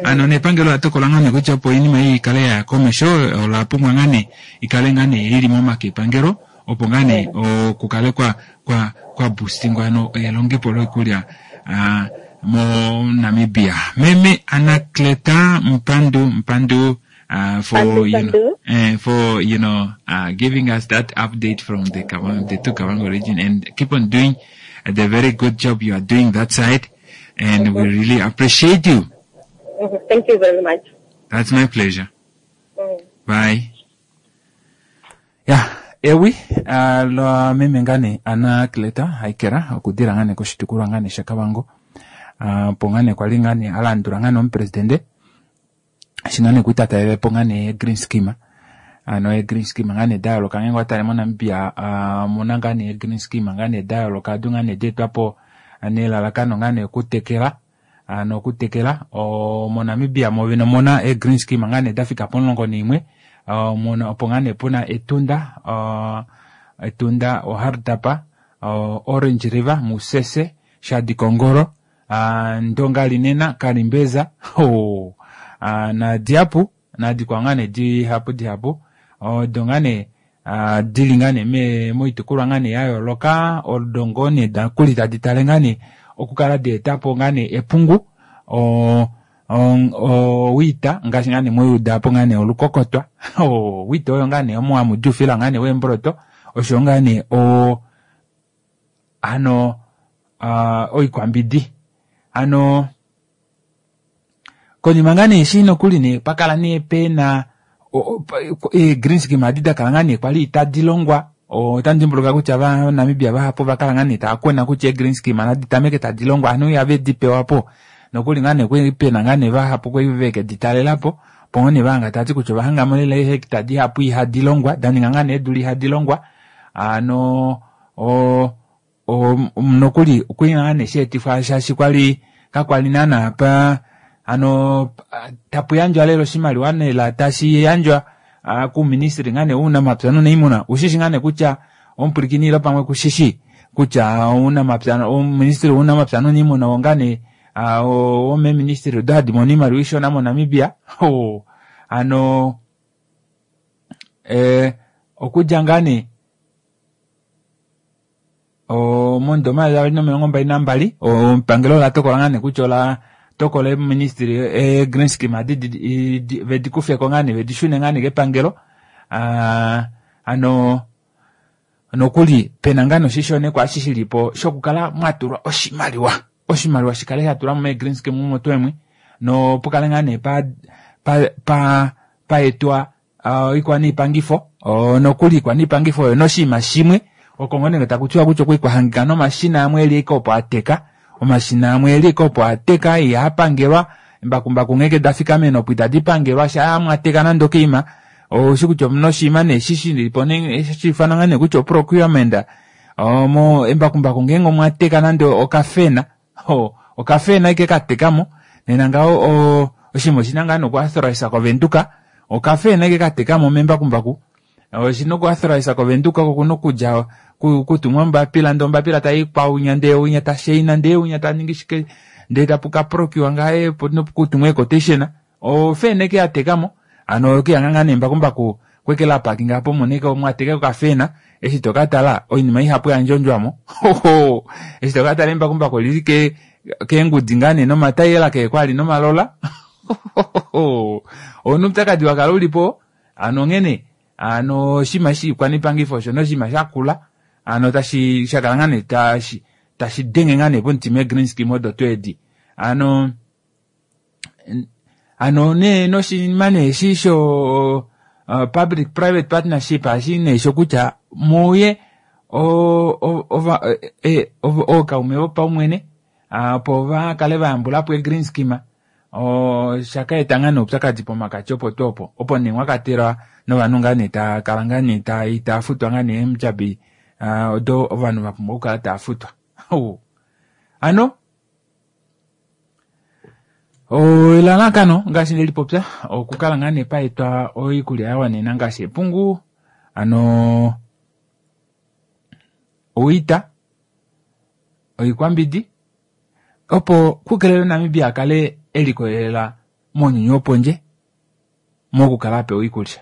ano nepangelo latokola ngane kutya opo iinima iyi ikale ya komesho ola pumbwa ngane ikale ngane ili momake epangelo opo ngane okukale kwa kwa kwa boostingwa ano elongepo loikulya uh, mo Namibia. Meme Anacleta Mpandu Mpandu uh, for you know uh, for you know uh, giving us that update from the Kavango, the two Kavango region, and keep on doing the very good job you are doing that side, and mm-hmm. we really appreciate you. Mm-hmm. Thank you very much. That's my pleasure. Mm. Bye. Yeah, ewi uh, la meme ngane Anacleta Haikera okudira ngane koshitukulwa ngane shaKavango. Uh, po ngane kwali ngane alandula ngane omupresidente shingane kuitatalelepo ngane green scheme. Ano e green scheme ngane dayooloka ngenge watale moNamibia uh, muna ngane green scheme ngane dayooloka adu ngane deetwapo nelalakano ngane okutekela ano okutekela o moNamibia movene omuna e green scheme ngane dafika pomulongo naimwe muna opo ngane puna Etunda uh, Etunda oHardap uh, Orange River Musese Shadikongoro uh, Ndonga Linena Kalimbeza oh, uh, na Diapu na dikwa ngane dihapu dihapu odo ngane uh, dili ngane me moitukulwa ngane ya yooloka odo ngone dakuli tadi tale ngane okukala deetapo ngane epungu o o wita ngaashi ngane moyudapo ngane olukokotwa o wita oyo ngane omo hamudufila ngane wembroto osho ngane o ano uh, oikwambidi ano konima ngane eshi nokuli ne pakala ne pena e green scheme adi dakala ngane kwali itadi longwa otandimbuluka kutya va Namibia vahapu vakala ngane taakwena kutya e green scheme nadi tameke tadi longwa anu yave dipewapo nokuli ngane kwe pena ngane vahapu kwe veke ditalelapo pongone vanga tati kutya vahangamo lela ehekta dihapu ihadi longwa daninga ngane edula ihadi longwa ano o o nokuli kwina ngane sheetifwa shaashi kwali kakwali nana pa ano tapu yandjwa lelo oshimaliwa nela tashi yandjwa uh, kuministry ngane uunamapya nuuniimuna ushishi ngane kutya omupulikinilo pamwe kushishi kutya uunamapya oministry wuunamapya nuuniimuna ongane uh, womeministry odo hadi mono iimaliwa ishona moNamibia. Oh, ano eh, okudja ngane o mondoma ya nomilongo mbali nambali epangelo ola tokola ngane kutya ola tokola ministry e green scheme adi vedikufeko ngane vedishune ngane kepangelo uh, ano nokuli pena ngane oshishonekwa eshi shilipo shokukala mwatulwa oshimaliwa oshimaliwa shikale shatulwa mo green scheme omo twemwe no pukale ngane pa pa pa paetwa uh, ikwaniipangifo uh, nokuli ikwaniipangifo oyo noshinima shimwe oko ngonenge takutiwa kutya okwikwahangika nomashina amwe eli ike opo ateka omashina amwe eli ike opo ateka ihapangelwa embakumbaku ngeke dafikamena opo itadi pangelwa sha mwateka nande okeima oshi kutya omuna oshinima nee shi shilipo shifana ngane kutya oprocurement omo embakumbaku ngenge omwateka nande okafena okafena ike katekamo nena ngaho oshinima oshina ngaa nokuauthorize koVenduka okafena ike katekamo membakumbaku oshina okuauthorize koVenduka kokuna okudja kutumwa ombapila ndee ombapila tayikwaunya ndee unya tashaina ndee unya taningi shike ndee tapuka procure ngaye kutumwa equotation ofena ike yatekamo ano okuyanga ngaa nembakumbaku kwekela parkinga apo moneke omwateka okafena eshi tokatala oinima ihapu yandjondjwamo eshi tokatala embakumbaku olili ke keengudi ngaa nee nomatayela keekwali nomalola onoupyakadi wakala ulipo ano onghene Ano oshinima shiikwanipangifo osho noshinima shakula ano tashi shakala ngaa nee tashi tashi denge ngaa nee pomutima ee-green scheme odo tuu edi. Ano ano nee noshinima nee eshi sho uh, public private partnership ashi nee shokutya muye ova ookaume vopaumwene opo vakale vayambulapo ee-green scheme oshaka eta ngaa nee oupyakadi pomakati opo tuu opo opo nee mwakatelwa novanhu ngaa nee taakala ngaa nee itaafutwa ngaa nee eendjabi odo ovanhu vapumbwa okukala taafutwa. Ano elalakano ngaashi ndelipopya okukala ngaa nee paetwa oikulya yawanena ngaashi epungu ano oita oikwambidi opo kukelelwe Namibia akale elikolelela mounyuni wopondje mokukala apewa oikulya.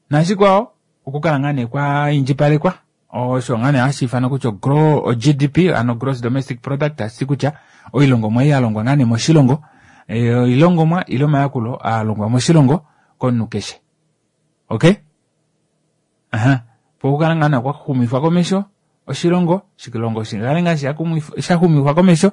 Nashikwao okukala ngaa nee kwa indjipalekwa osho ngaa nee hashi ifanwa kutya G D P ano gross domestic product, tashi ti kutya oilongomwa ei yalongwa ngaa nee moshilongo, oilongomwa ile omayakulo alongwa moshilongo komunhu keshe. Okay? Aha. Po okukala ngaa nee kwaxumifwa komesho oshilongo, oshilongo shikale ngaa shaxumifwa komesho,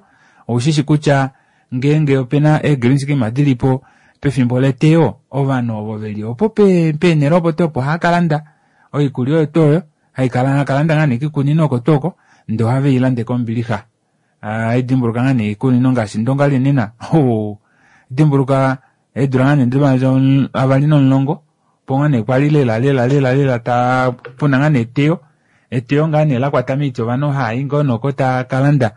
oushishi kutya ngeenge opena ee-green scheme dilipo pefimbo leteyo, ovanhu ovo veli opo peenhele opo tuu opo ohaakalanda oikulya oyo tuu oyo, hakalanda ngaa nee kiikunino oko tuu oko, ndee ohaveilande kombilixa. Haidimbuluka ngaa nee iikunino ngaashi Ndonga linena, dimbuluka eedula ngaa nee avali nomulongo, opo ngaa nee kwali lela lela lela lela ta puna ngaa nee eteyo, eteyo ngaa nee lakwata miiti ovanhu ohaayi ngoo noko taakalanda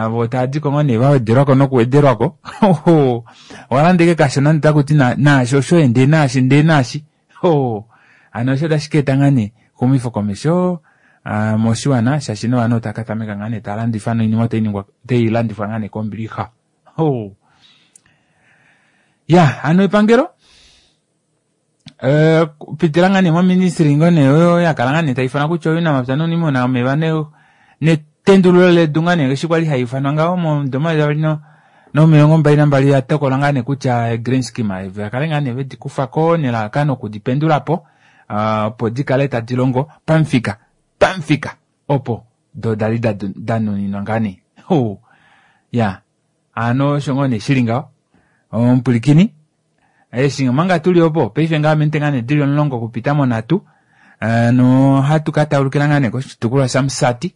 vo taadiko ngoo nee vawedelwako nokuwedelwako. Owalanda ashike kashona ndee otakuti naashi oshoye ndee naashi ndee naashi. Hano osho otashi ka eta ngaa nee exumifo komesho moshiwana shaashi novanhu otava katameka ngaa nee taalandifa noinima otailandifwa ngaa nee kombilixa. Ya, hano epangelo kupitila ngaa nee moministry ngoo nee oyo yakala ngaa nee taifanwa kutya ounamapya nouniimuna omeva netendululo ledu ngaa nee eshi kwali haifanwa ngaho momudo omayovi avali nomilongo mbali nambali oya tokola ngaa nee kutya green scheme vakale ngaa nee vedikufako nelalakano okudipendulapo opo dikale tadi longo pamufika pamufika opo do dali danuninwa ngaa nee. Ya, hano osho ngoo nee shili ngaho omupwilikini eshi omanga tuli opo paife ngaa mente ngaa nee dili omulongo okupita monhatu no hatu ka taulukila ngaa nee koshitukulwa shaMusati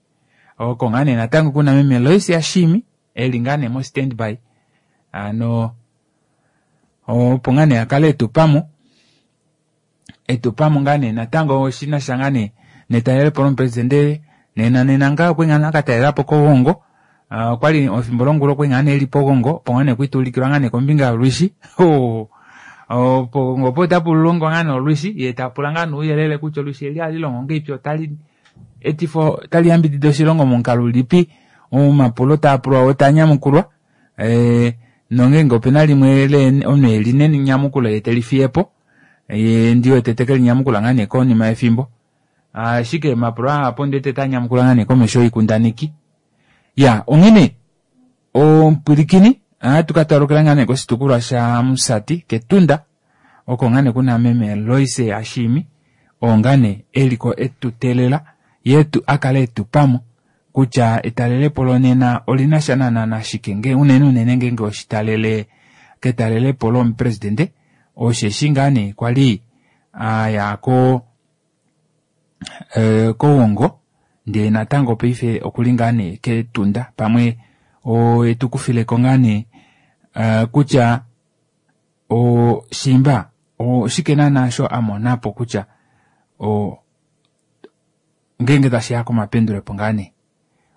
oko ngaa nee natango kuna meme Lois Ashimi eli ngaa nee mo standby ano opo ngaa nee akale etupamo etupamo ngaa nee natango oshinasha ngaa nee netalelepo lomupresidente nena nena ngaa okwe ngaa akatalelapo kOgongo. Okwali efimbo longula okwe ngaa nee eli pOgongo opo ngaa nee kwituulikilwa ngaa nee kombinga yolwishi. Pogongo opo otapu longwa ngaa nee olwishi ye tapula ngaa nee ouyelele kutya olwishi eli ohali longo ngahelipi, otali etifo otali yambidida oshilongo momukalo ulipi, omapulo taapulwa oo tanyamukulwa nongeenge opena limwe omunhu eli nenyamukulo ye telifiyepo ye ndiwete tekelinyamukulwa ngaa nee konima yefimbo. Ashike omapulo ahapu ondiwete tanyamukula ngaa nee komesho yoikundaneki. Ya, onghene omupwilikini ohatu ka talukila ngaa nee koshitukulwa shaMusati kEtunda oko ngaa nee kuna meme Lois Ashimi oo ngaa nee eliko etutelela yetu akale etupamo kutya etalelepo lonena olinasha naana nashike nge unene unene ngeenge oshitalele ketalelepo lomupresidente osheshi ngaa nee kwali aya ko kOgongo ndee natango paife okuli ngaa nee kEtunda pamwe etukufileko ngaa nee kutya oshimba oshike naana sho amonapo kutya ngeenge tashiya komapendulepo ngaa nee.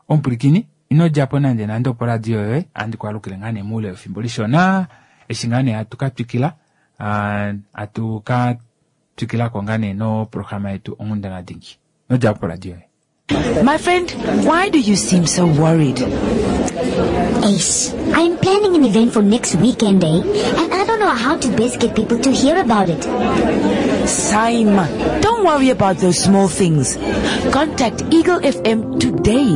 Omupwilikini ino djapo nande nande opo radio yoye andi kwalukile ngaa nee moule wefimbo lishona eshi ngaa nee hatu ka twikila hatu ka twikilako ngaa nee noprograma yetu Onghundana Dingi. Ino djapo poradio yoye. My friend, why do you seem so worried? Ace, I'm planning an event for next weekend, eh? And I don't know how to best get people to hear about it. Saima, don't worry about those small things. Contact Eagle F M today.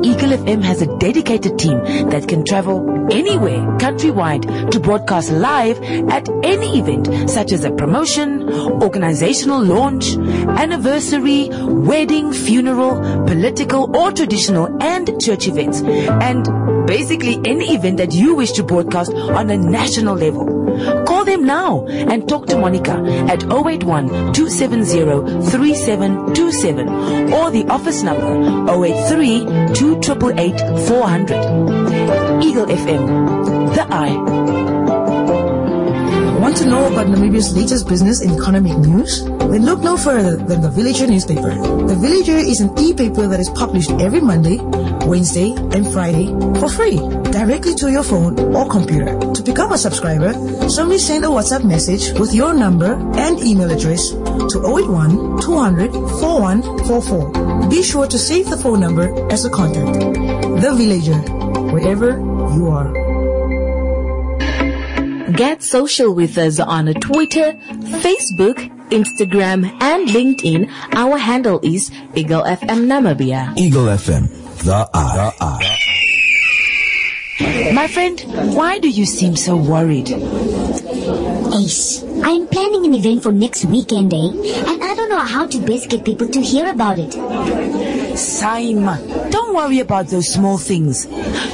Eagle F M has a dedicated team that can travel anywhere countrywide to broadcast live at any event such as a promotion, organizational launch, anniversary, wedding, funeral, political or traditional and church events, and basically any event that you wish to broadcast on a national level. Call them now and talk to Monica at oh eight one, two seven zero, three seven two seven or the office number oh eight three, two triple eight, four hundred. Eagle F M, the eye. Want to know about Namibia's latest business and economic news? Then look no further than The Villager newspaper. The Villager is an e-paper that is published every Monday, Wednesday, and Friday for free, directly to your phone or computer. To become a subscriber, simply send a WhatsApp message with your number and email address to oh eight one, two hundred, four one four four. Be sure to save the phone number as a contact. The Villager, wherever you are. Get social with us on Twitter, Facebook, Instagram, and LinkedIn. Our handle is Eagle F M Namibia. Eagle F M, the eye. The eye. My friend, why do you seem so worried? Ace, I'm planning an event for next weekend, eh? And I don't know how to best get people to hear about it. Saima, don't worry about those small things.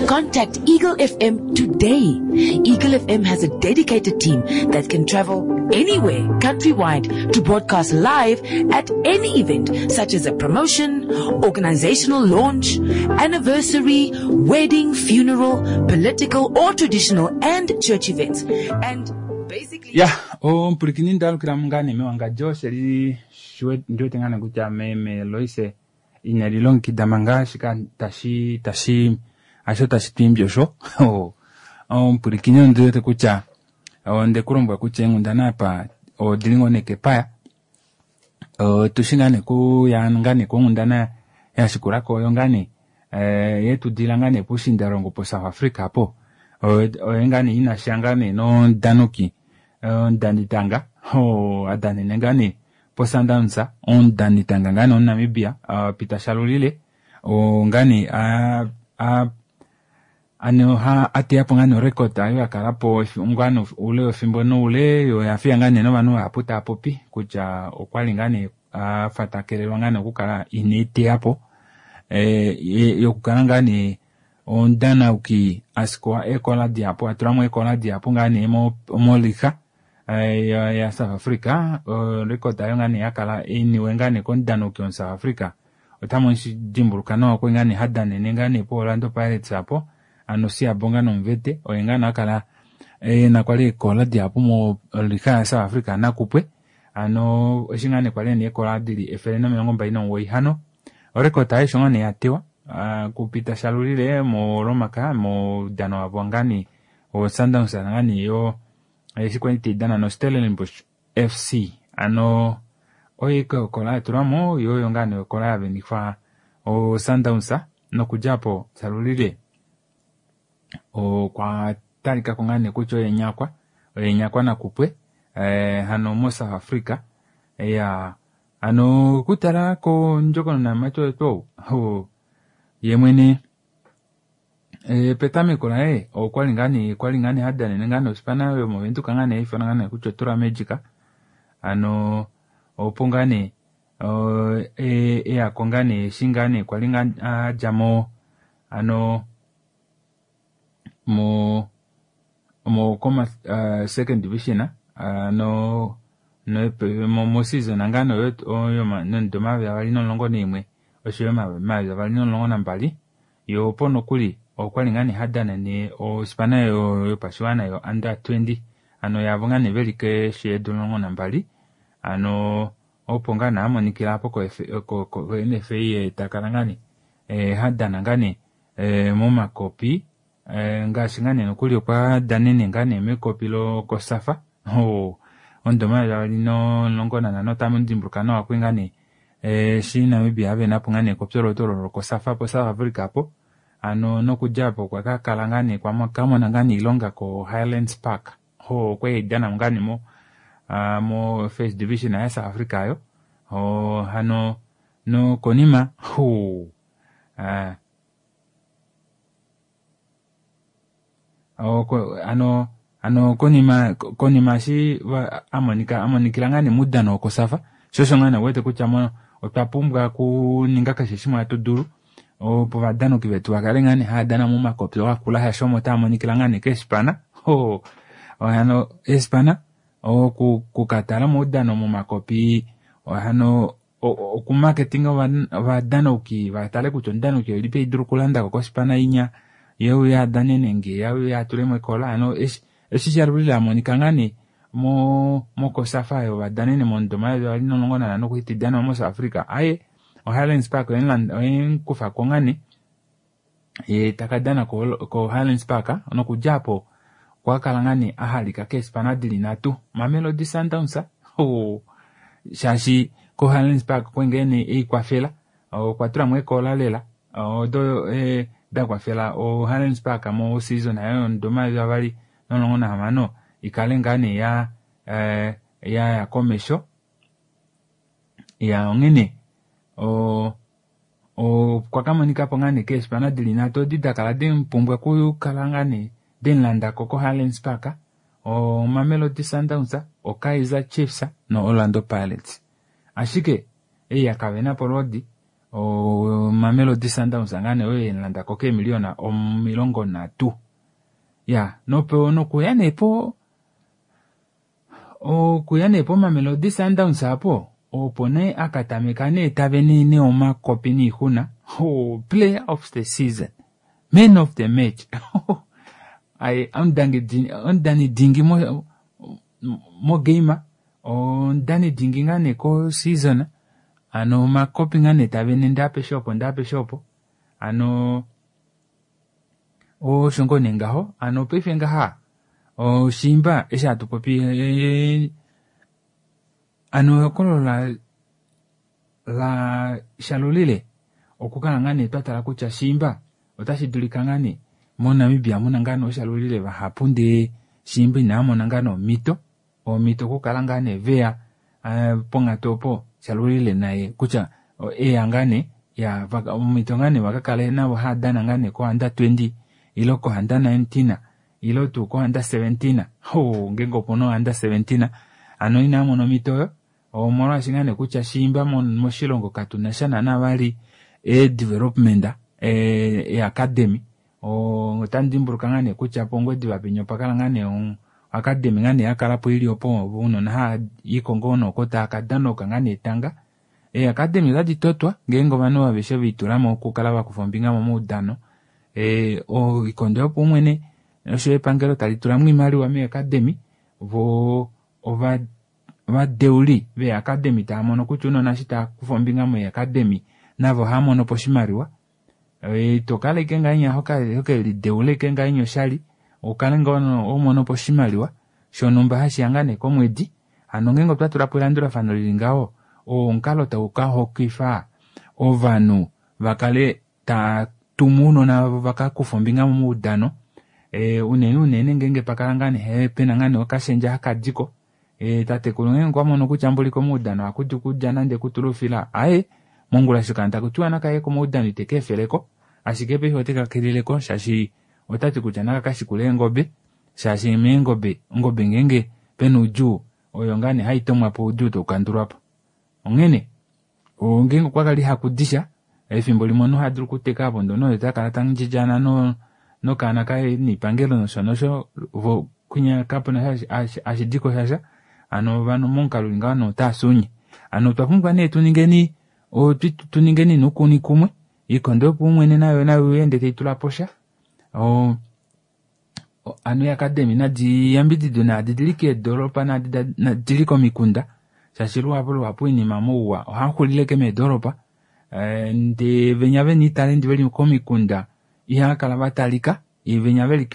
Contact Eagle F M today. Eagle F M has a dedicated team that can travel anywhere countrywide to broadcast live at any event such as a promotion, organizational launch, anniversary, wedding, funeral, political or traditional and church events. And basically... Yeah, oh, mpurikini ndalukila mungane me wanga Jose li shwe ndio tengana kutya me me loise ina lilongekida manga shika tashi tashi asho tashi timbyo sho. Oh, oh, mpurikini ndio te kutya onde kulombwa kutya engundana apa odilingo neke paya. O, tushingane ku ya ngane ku ngundana ya shikurako yo ngane, eh, yetu dila ngane pushindarongo po South Africa po. O, o, ngane ina shangane no danuki, o, ndanitanga, o, adanene ngane po Sundowns, o, ndanitanga ngane o Namibia, a, Peter Shalulile, o, ngane, a, a, ano ha ate apo ngane record ayo akala po ngano ule ofimbo no ule yo afia ngane no vanu aputa apopi kutya okwali ngane a fatakelelwa ngane okukala inete apo eh yokukala ngane ondana uki askoa ekola diapo atulamo ekola diapo ngane mo molika ya, ya South Africa record ayo ngane yakala iniwe ngane kondana uki on South Africa otamo nshidimburuka no ko ngane hadanene ngane po Orlando Pirates apo ano siyabonga nomvete oyengana akala eh na kwali ekola diapo mo lika ya South Africa nakupwe ano oshingane kwali ni ekola dili efele no milongo mbali nomugoyi hano orekota ayo shongane yatewa uh, kupita Shalulile mo Romaka mo dano wabongani o Sundowns ngani yo esikwenti dana no Stellenbosch F C ano oyiko kola turamo yo yongane kola ya benifa o Sundowns no kujapo Shalulile o kwa talika kongane kucho yenyakwa yenyakwa na kupwe eh, hano mo South Africa ya ano kutala ko njoko na macho to ho yemwene eh, petame kola eh o kwalingani kwalingani hadane ngani osipana yo momentu kangane ifana ngane kucho tura magica ano opongane o e e akongane shingane kwalingani ajamo ano mo mo koma uh, second division uh, no no mo, mo season angano yo yo ma no ndoma ya bali no longo nimwe osho ma ma ya bali no longo nambali yo pono kuli okwalingani hadana ni o spana yo yo paswana yo under twenty ano yabongane belike she longo nambali ano oponga na amonikila apo ko ko ko N F A takalangani eh hadana ngani eh mo makopi eh ngaashi ngane nokuli okwa danene ngane mekopi lo kosafa o ondoma ya lino longo na no tamu ndimbuka no akwingane Eshi Namibia ave napo ngaa nee kopyoloto olo lokosafa po South Africa po ano nokudja po okwa kakala ngaa nee kamona ngaa nee iilonga ko Highlands Park ho okwali haidana ngaa nee mo mo first division ya South Africa ayo ho hano nokonima ho ano ano konima konima eshi amonika amonikila ngaa nee moudano wokosafa sho osho ngaa nee uwete kutya mo otwa pumbwa okuninga keshe shimwe hatu dulu opo ovadanoki vetu vakale ngaa nee hava dana momakopi akula shaashi omo tava monikila ngaa nee keespana ho hano eespana okukatala omaudano momakopi hano okumarketinga ovadanauki vatale kutya omudanauki oilipi haidulu okulandako kospana inya yeuye adane nenge yeuye atulemo ekola hano eshi shalulile amonika ngaa nee mo mokosafa oyo vadanene momudo omayovi avali nomulongo nanhano kwali taidanwa mo South Africa aye o Highlands Park oyemukufako ngaa nee ye takadana ko Highlands Park nokudja aapo okwa kala ngaa nee ahalika keespana dili nhatu Mamelodi Sundowns shaashi ko Highlands Park okwali ngoo nee eikwafela okwa tulamo ekola lela odo dakwafela o Highlands Park mo season ayo yomudo omayovi avali nomulongo nahamano ikale ngaa nee ya yaya komesho ya onghene okwa kamonikapo ngaa nee keespana dili nhatu odi dakala demupumbwa okukala ngaa nee demulandako ko Highlands Park o Mamelodi Sundowns, o Kaizer Chiefs no Orlando Pirates. Ashike ei yakavenapo olwoodi o Mamelodi Sundowns ngaa nee oyo yemulandako keemiliyona omilongo nhatu. Ya nopo nokuya nee po okuya nee po Mamelodi Sundowns apo opo nee akatameka nee tavene nee omakopi niixuna oh, player of the season, man of the match aye omudani dingi mo mogame omudani dingi ngaa nee ko season ano omakopi ngaa nee tavene ndee apeshe opo ndee apeshe opo ano osho ngoo nee ngaho ano paife ngaha oshimba eshi hatu popi ano ehokololo la la shalulile okukala ngaa nee twatala kutya shimba otashi dulika ngaa nee moNamibia muna ngaa nee ooshalulile vahapu ndee shimba inamona ngaa nee omhito omhito okukala ngaa nee veya ponghatu opo shalulile naye kutya eya ngaa nee ya omhito ngaa nee vakakale navo haadana ngaa nee ko under twenty ile ko under nineteen ile tuu ko under seventeen ho ngeenge opuna under seventeen ano inamona omhito oyo omolwaashi ngaa nee kutya shimba moshilongo katuna sha naana vali e-development e-academy otandi dimbuluka ngaa nee kutya pOngwediva penya opakala ngaa nee academy ngaa nee yakalapo ili opo ounona haaiko ngoo nooko tava kadanoka ngaa nee etanga. Ee-academy otadi totwa ngeenge ovanhu aveshe veitulamo okukala vakufa ombinga momaudano oikondo yopaumwene oshoyo epangelo tali tulamo oimaliwa mee-academy vo ovadeuli vee-academy tava mono kutya ounona eshi tava kufa ombinga mee-academy navo ohava monopo oshimaliwa. Ito kala ashike ngahenya hokelideula ashike ngahenya oshali ukale ngoo homonopo oshimaliwa shonumba hashiya ngaa nee komwedi. Hano ngeenge otwa tulapo elandulafano lili ngaho oo omukalo tau kahokifa ovanhu vakale tava tumu ounona vavo vakakufe ombinga momaudano unene unene ngeenge pakala ngaa nee pena ngaa nee okashendja hakadiko tatekulu ngeenge okwa mono kutya mboli komaudano ohakudi okulya nande okutula oufila aaye mongula eshi okaana takutiwa nakaye komaudano iteka efeleko ashike paife oteka keleleko shaashi otati kutya naka kashikule eengobe shaashi meengobe ongobe ngeenge pena oudjuu oyo ngaa nee haitomwapo oudjuu taukandulwapo. Onghene ngeenge okwa kala ihakudisha efimbo limwe omunhu ohadulu okuteka apo ndee omunhu otakala tandjidjana nokaana kaye niipangelo nosho nosho vo kwinya kapuna hashidiko shasha hano ovanhu momukalo uli ngaho otaasuunye. Hano otwa pumbwa nee tuningeni tuningeni nuukuni kumwe oikondo yopaumwene nayo nayo ende taitulapo sha hano ee-academy nadi yambididwe naadi dili keedoropa naadi dili komikunda shaashi luhapu luhapu oinima mouwa ohaxulile ashike meedoropa ndee venya vena oitalendi veli komikunda ihakala vatalika venya veli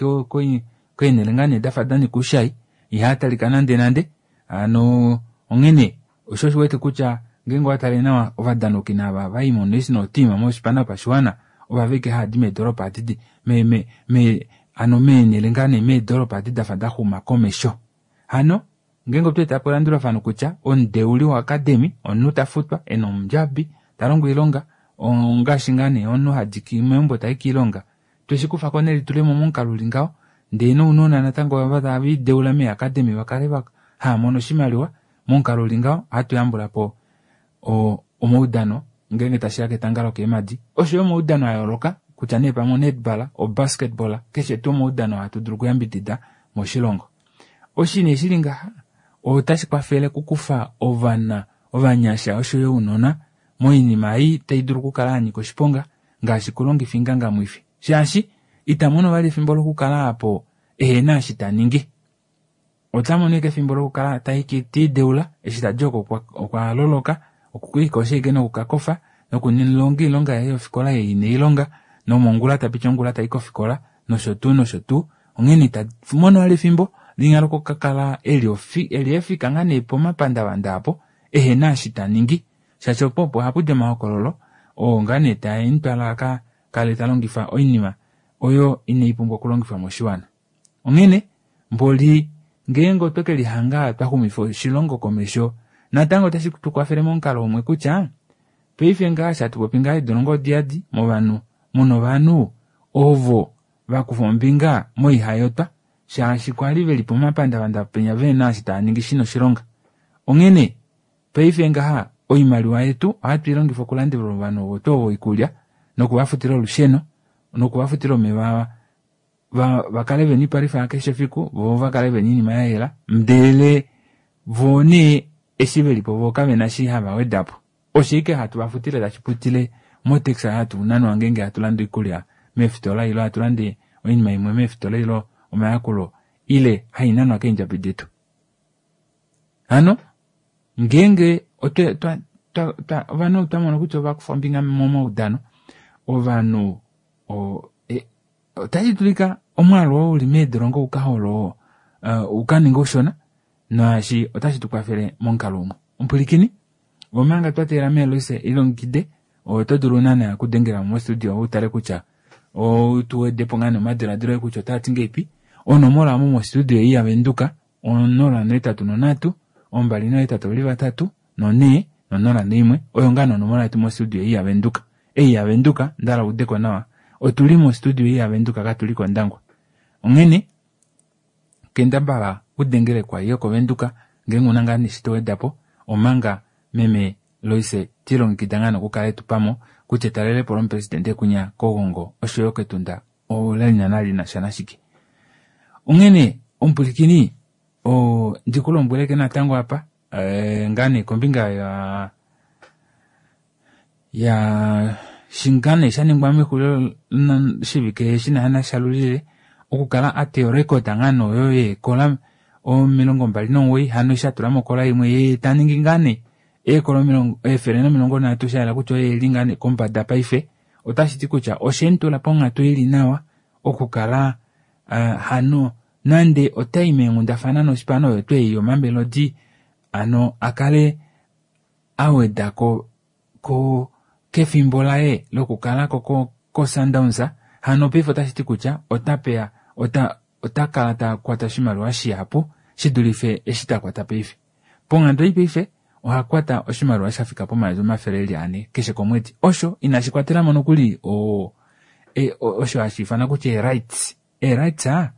keenele ngaa nee dafa danika oushai ihatalika nande nande hano onghene osho osho uwete kutya Ngeenge owa tale nawa ovadanoki nava vai mo national team moshipana yopashiwana ovaveke haadi meedoropa adi me me me ano meenhele ngaa nee meedoropa adi dafa daxuma komesho. Hano ngeenge otwa eta po elandulafano kutya omudeuli woacademy omunhu tafutwa ena omundjabi talongo oilonga ongaashi ngaa nee omunhu hadi meumbo tai kiilonga tweshikufako nelitulemo momukalo uli ngaho ndee nounona natango ava tave lideula meeacademy vakale haamono oshimaliwa momukalo uli ngaho ohatu yambulapo omaudano ngeenge tashiya ketanga lokeemadi oshoyo omaudano a yooloka kutya nee pamwe onetball, obasketball keshe tuu omaudano hatu dulu okuyambidida moshilongo. Oshi nee shili ngaha otashi kwafele okukufa ovana ovanyasha oshoyo ounona moinima ei tai dulu okukala yanyika oshiponga ngaashi kulongifa ingangamwifi shaashi ita mono vali efimbo lokukala apo ehena eshi taningi. Ota mono ashike efimbo lokukala tiideula eshi tadi oko okwa loloka okwiikosha ashike nokukakofa nokulonga oilonga yaye yofikola ei ine ilonga nomongula tapiti ongula tai kofikola nosho tuu nosho tuu. Onghene ita mono vali efimbo linya lokukakala eli efika ngaa nee pomapandavanda apo ehena eshi taningi shaashi opo opo ohapudi omahokololo oo ngaa nee taemutwala aka kale talongifa oinima oyo inaipumbwa okulongifwa moshiwana. Onghene mboli ngeenge otwe kelihanga twaxumifa oshilongo komesho natango otashi tukwafele momukalo umwe kutya paife ngaa shatupopi ngaa eedolongo odiyadi movanhu muna ovanhu ovo vakufa ombinga moihayotwa shaashi kwali veli pomapandavanda penya vena eshi taaningi shina oshilonga. Onghene paife ngaha oimaliwa yetu ohatu ilongifa okulandela ovanhu ovo tuu oikulya nokuvafutila olusheno nokuvafutila omeva vakale vena oipalwifa yakeshe efiku voo vakale vena oinima yayela ndele voo nee eshi velipo voo kavena eshi hava wedapo. Osho ashike hatu vafutile tashi putile motax hatu nanwa ngeenge hatu lande oikulya meefitola ile hatu lande oinima imwe meefitola ile omayakulo ile hainanwa keendjabi detu. Hano ngeenge ovanhu otwa kutya ovakufa ombinga momaudano ovanhu otashi dulika omwaalu oo uli meedolongo ukaholo ukaninge ushona naashi otashi tukwafele momukalo umwe. Omupwilikini omanga twa teelela meeloise ilongekide oto dulu naana okudengela mostudio utale kutya otuwedepo ngaa nee omadiladilo oye kutya otaati ngeipi. Onomola omo mostudio ei yavenduka onola nohetatu nonhatu ombali nohetatu ovali vatatu nonhee nonola noimwe oyo ngaa nee onomola yetu mostudio ei yavenduka. Ei yavenduka ndahala udeko nawa otuli mostudio ei yavenduka katuli kOndangwa. Onghene kendabala udengele kwai yokovenduka ngeenge una ngaa neshi towedapo omanga meme Loise tilongekida ngaa nokukala etupamo kutya etalelepo lomupresidente kunya kOgongo oshoyo kEtunda olali naana linasha nashike. Onghene omupwilikini ndikulombweleke natango apa ngaa nee kombinga ya ya shinga nee shaningwa mexulilo shivike shina shalulile okukala ateya orecord ngaa nee oyo yeekola omilongo mbali nomugoyi hano eshi atulamo okola imwe yee taningi ngaa nee eekola efele nomilongo nhatu shayela kutya oye eli ngaa nee kombada paife otashi ti kutya oshemutula ponghatu ili nawa okukala hano nande otai meenghundafana noshipano oyo tuu ei yoMamelodi ano akale awedako ko kefimbo laye lokukala ko koSundowns hano paife otashi ti kutya otapeya ota otakala takwata oshimaliwa shihapu shidulife eshi takwata paife. Ponghatu ei paife ohakwata oshimaliwa shafika pomayovi omafele eli ane keshe komwedi. Osho inashi kwatelamo nokuli o osho hashi ifanwa kutya ee-rights. Ee-rights aa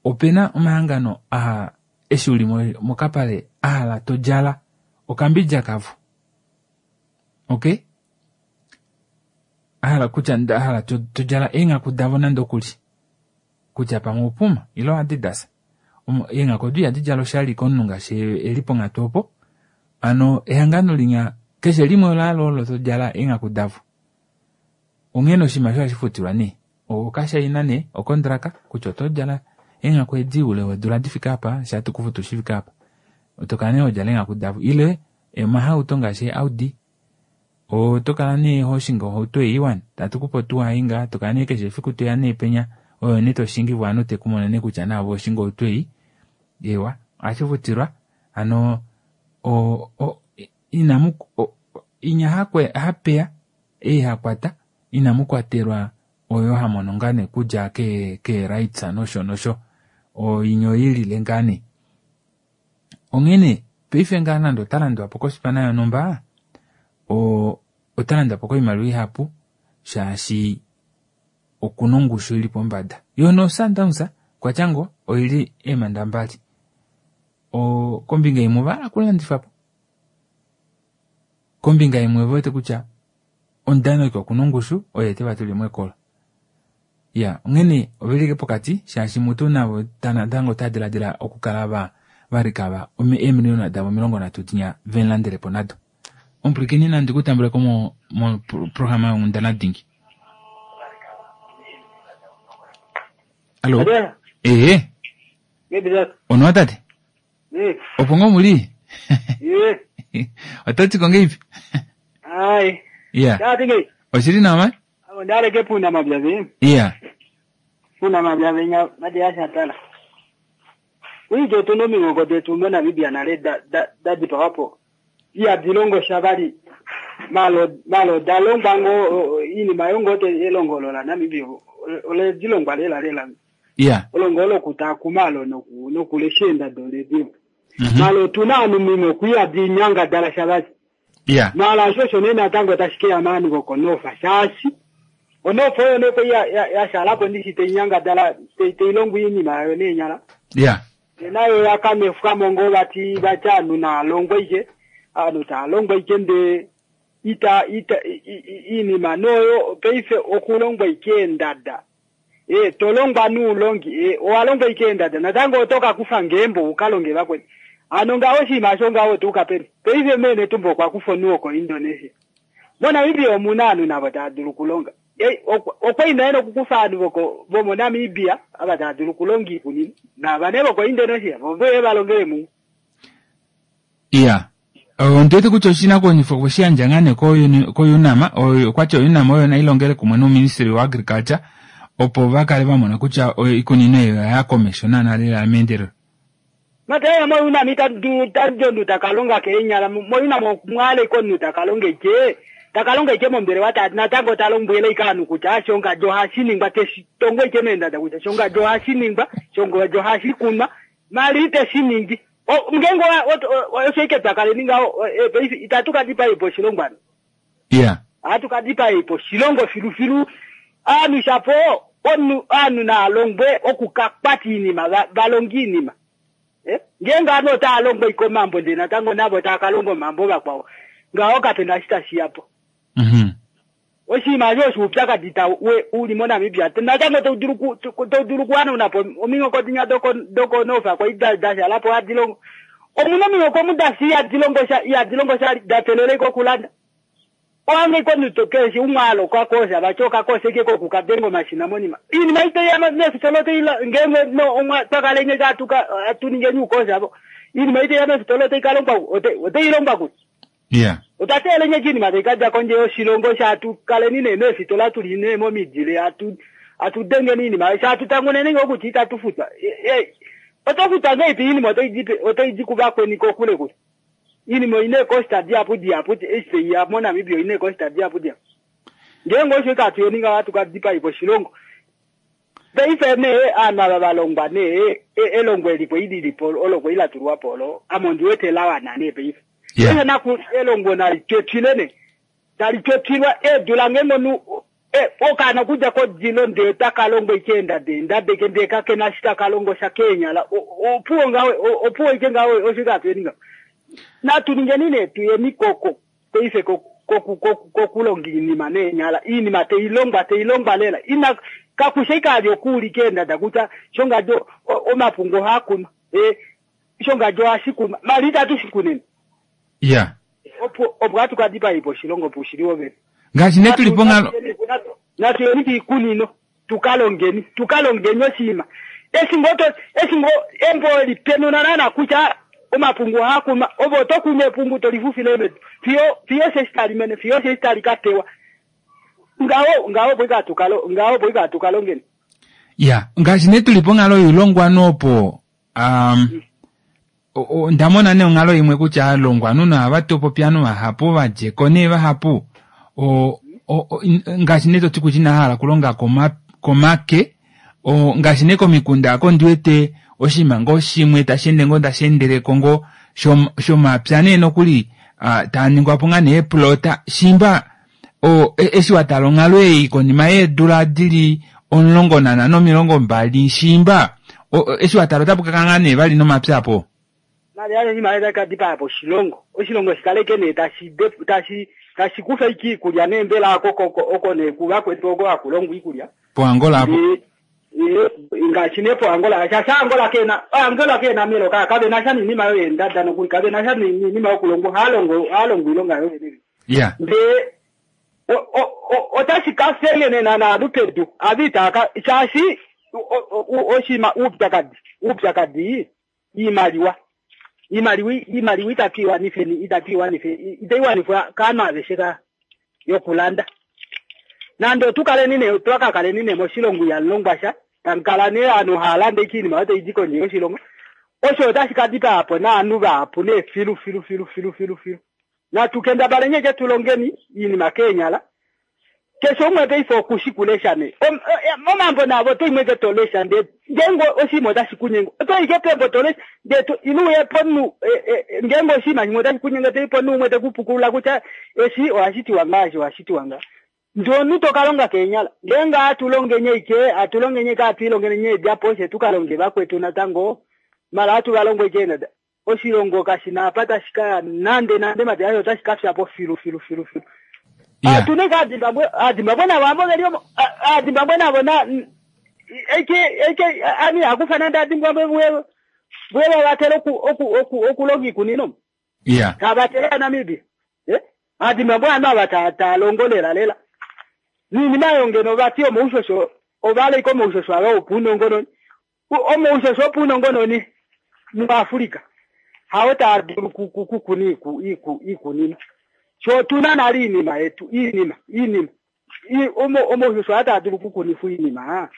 opena omahangano aha eshi uli mokapale ahala todjala okambidja kavo. Okay? Ahala kutya ahala todjala eenghaku davo nande okuli. Kutya pamwe oPuma ile Adidas. Eenghaku odo ihadi djala oshali komunhu ngaashi eli ponghatu opo. Hano ehangano linya keshe limwe olaalo olo todjala eenghaku davo. Onghene oshinima osho ohashi futilwa nee. Okashaina nee okondraka kutya oto djala eenghaku edi oule weedula difike apa sha tukufutu shifike apa. Oto kala nee hodjala eenghaku davo ile omahauto ngaashi Audi oto kala nee hoshingi ohauto ei wani tatukupe otuwa ei ngaa tokala nee keshe efiku toya nee penya oyo nee toshingi ovanhu tekumona nee kutya naave oshinga ohauto ei ewa ohashi futilwa hano o, o, inamu inya hakwe hapeya ei hakwata inamu kwatelwa oyo hamono ngaa nee kudja ke ke rights nosho nosho oinya oilile ngaa nee. Onghene paife ngaa nande ota landwa po kospana yonhumba o ota landwa po koimaliwa ihapu shaashi okuna ongushu ili pombada. Yo no Sundowns kwatyango oili eemanda mbali. O kombinga imwe ovahala okulandifa po. Kombinga imwe ove wete kutya omudanoki okuna ongushu oye teva tulemo ekolo. Ya, onghene ovelike pokati shaashi mutu navo natango ota diladila okukala va valikava eemiliyona davo omilongo nhatu dinya vemulandelepo nado. Omupwilikini nandi kutambuleko mo mo programa yonghundana dingi. Allo. Eh. Ono tate? Eh. Opo ngo muli? Eh. Otati ko ngeipi? Ai. Yeah. Tati ngei. Oshili nawa? Abo ndale ke puna mabyavi. Yeah. Puna mabyavi nya madi asha tala. Uijo tuno mingo detu mo Namibia nale da da da dipapo. Iya dilongo shabali. Malo malo dalongwa ngo inima yongo te elongolo la Namibia. Ole dilongwa lela lela. Yeah. Olongolo kutakumalo noku nokuleshenda dole dio. Mm -hmm. Malo tunanu mimo kuya dinyanga dala shabali. Yeah. Mala shosho nena tango tashikia amani gokonofa shashi. Onofo yo noko ya ya, ya shalapo ndishi te nyanga dala te, te ilongu inima yo ne nyala. Yeah. Nayo yakamefuka mongo bati bachanu na longwe ije anu ta longwe ije nde ita ita inima noyo peife okulongwa ike ndada. E tolongwa nuulongi e owalongwa ike ndada natango otoka kufa ngembo ukalonge bakwe. Ano ngawo shima sho ngawo tuka peni. Peife mene tumbo kwa kufa nuo ko Indonesia. Mbona omuna anu nabo tadulu kulonga. E okwa ino kukufa anu boko bomo Namibia aba tadulu kulongi kunini. Na banebo ko Indonesia bobe balongele mu. Yeah. Ondete kutya oshinakwanifwa oshiyandja ngaa nee koUNAM, okwati oUNAM oyo nailongele kumwe nouministry wa agriculture opo vakale vamona kutya iikunino eyo oya komesho naana lela meendelelo. Mataya mo UNAM itadu tajondu takalonga kenyala mo UNAM mwale konu takalonge je takalonga ike mombele wata natango talombwele ikanu kutya shonga jo hashiningwa teshitongo ike menda da kutya shonga jo hashiningwa shonga jo hashikunwa mali teshiningi o ngengo oshoike takale ninga itatuka dipa ipo shilongwana. Yeah. Atuka dipa ipo shilongo filu filu anu shapo onu anu na longwe okukakpati inima balongi inima. Eh? Ngenga ano ta longwe iko mambo ndena tango nabo takalongo mambo bakwawo. Ngawo kapenda shita shiapo. Mhm. Oshima jo shupya dita we uli mo Namibia. Natango to duru to duru kwa na po omingo ko dinya doko doko nofa kwa ida dasha lapo adilongo. Omuno mingo ko mudasi ya dilongo sha ya dilongo sha datelele ko kulanda. Oange ko nitokeshi umwalo kwa kosa bachoka kose ke ko kukadengo mashina monima. Ini maite ya nesi tolote ila ngenge no omwa takalenye katuka atuninge nyukosa abo. Ini maite ya nesi tolote ikalongwa ote ote ilongwa ku. Yeah. Otatele nye chini matekaja konje yoshilongo shatu kale nine nesi tola tuline mo midile atu atudenge nini ma shatu tangone ningo kuchita tufuta. Eh otofuta ngeipi ini moto ijipe oto ijikuba kweni kokule kule. Ini mo ine costa diapu diapu este ya mo Namibia ine costa diapu diapu. Ngengo shika tuyeninga watu kadipa ipo shilongo. Peife ne ana balongwa ne elongwe lipo ili lipo olokwe ila turwa polo amondi wete lawa nane peife. Yeah. Na ku elongo na litwetile talitwetilwa edula ngengo nu e okana kuja ko dilo nde takalongo ikenda de ndadeke ndeka kena shita kalongo sha Kenya la opuo ngawe opuo ike ngawe oshika tweninga. Na tuninge nine tuye mikoko peife ko ko ko kulongi ni mane nyala ini mate ilongwa te ilongwa lela ina kakushika lyokuli kenda dakuta shonga jo omapungo hakuna e shonga jo ashikuma malita tushikunene. Yeah. Opo opo kadipa ipo shilongo pushiliwo be. Ngashi ne tulipo ngalo na tuyeni kunino tukalongeni tukalongeni oshima. Esingo to esingo embo lipenuna na kucha omapungu hakuma obo tokunye pungu tolifufile medu. Fiyo fiyo sestali mene fiyo sestali katewa. Ngawo ngawo boika tukalo ngawo boika tukalongeni. Yeah, ngashi ne tulipo ngalo yulongwa nopo um mm. Onda mona nee onghalo imwe kutya aalongwanhu nohavatopopi ovanhu vahapu vadjeko nee vahapu o, o, ngaashi nee toti kutya inahala okulonga komake, ngaashi nee komikunda ako ndiwete oshinima ngoo shimwe tashi ende ngoo tashi endeleko ngoo shomapya nee nokuli taa ningwa po ngaa nee eplota shimba eshi watala onghalo ei konima yeedula dili omulongo nanhano omilongo mbali shimba eshi watala otapu kakala ngaa nee vali nomapya apo mali imali takadipa po oshilongo oshilongo shikaleke nee tashi tashi tashi kufa iki ikulya nee mbela oko oko nee kuvakwetu oko hakulongwa iikulya poAngola apo ngaashi nee poAngola shaashi Angola kena Angola kena melo ka kave nasha niinima yoyendada nokuli kave nasha niinima yokulongwa haalongo haalongo iilonga yoyene ya ndee otashi kafele nana pedu avitaka shaashi oshima uupyakadi uupyakadi iimaliwa iimaliwa iimaliwa itatu iwanifeni itatu iwanife itaiwanifwa kaanhu aveshe ka yokulanda nande otukaleni ne twakakaleni ne moshilongo ihamulongwa sha tamukala nee aanhu haalanda ike iinima yo taidi kondje yoshilongo osho otashi kadipa po naanhu vahapu nee filu filu filu filu filu filu natukendabale nyeke tulongeni iinima keenyala keshe umwe paife okushikulesha ne omambo navo toimweke tolesha nde ngeenge oshinima otashi kunyenga otoike pembo tolesha nde ino uye pomunhu ngeenge oshinima shimwe otashi kunyenga toi pomunhu umwe tekupukulula kutya eshi ohashi tiwa ngaa eshi ohashi tiwa ngaa ndee omunhu tokalonga keenyala ngeenge atulongenye ike atulongenye ike atwiilongeni eedjapo she tukalonge vakwetu natango mala atuvalongo ike nada oshilongo kashina apa tashi kaya nande nande mati asho otashi kafyapo filu filu filu filu atune ka Zimbabwe aZimbabwe navo ambo veli omo aZimbabwe navo na eke eke ani akufana nda Zimbabwe vwe vwe vavatela oku oku oku okulonga iikunino yeah kavatela Namibia eh aZimbabwe ano ava ta talongo lela lela niinima oyo ngeno vati omoushosho ovalaika omoushosho ava wopuunongononi omoushosho wopuunongononi muAfrika hawo taa dulu kukuna iikunino sho tuna nale iinima yetu iinima iinima omoushosho aa taa dulu kukunifwa iinima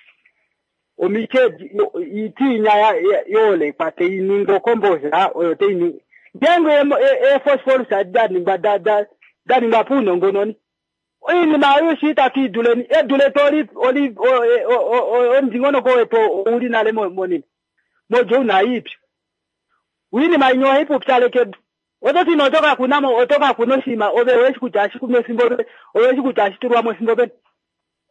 omike itiinya yoolekwa teiningi okombosa oyo teiningi ngeenge eephosphorus daningwa daningwa puunongononi iinima oyo shi itatu iduleni edu letu oli oli omudingonoko wetu ouli nale monima modjo una iipyu iinima inya ohai pupyaleke edu ototi nee otoka kunamo otoka kuna oshinima ove oweshi kutya hashi kunwa efimbo oweshi kutya hashi tulwamo efimbo peni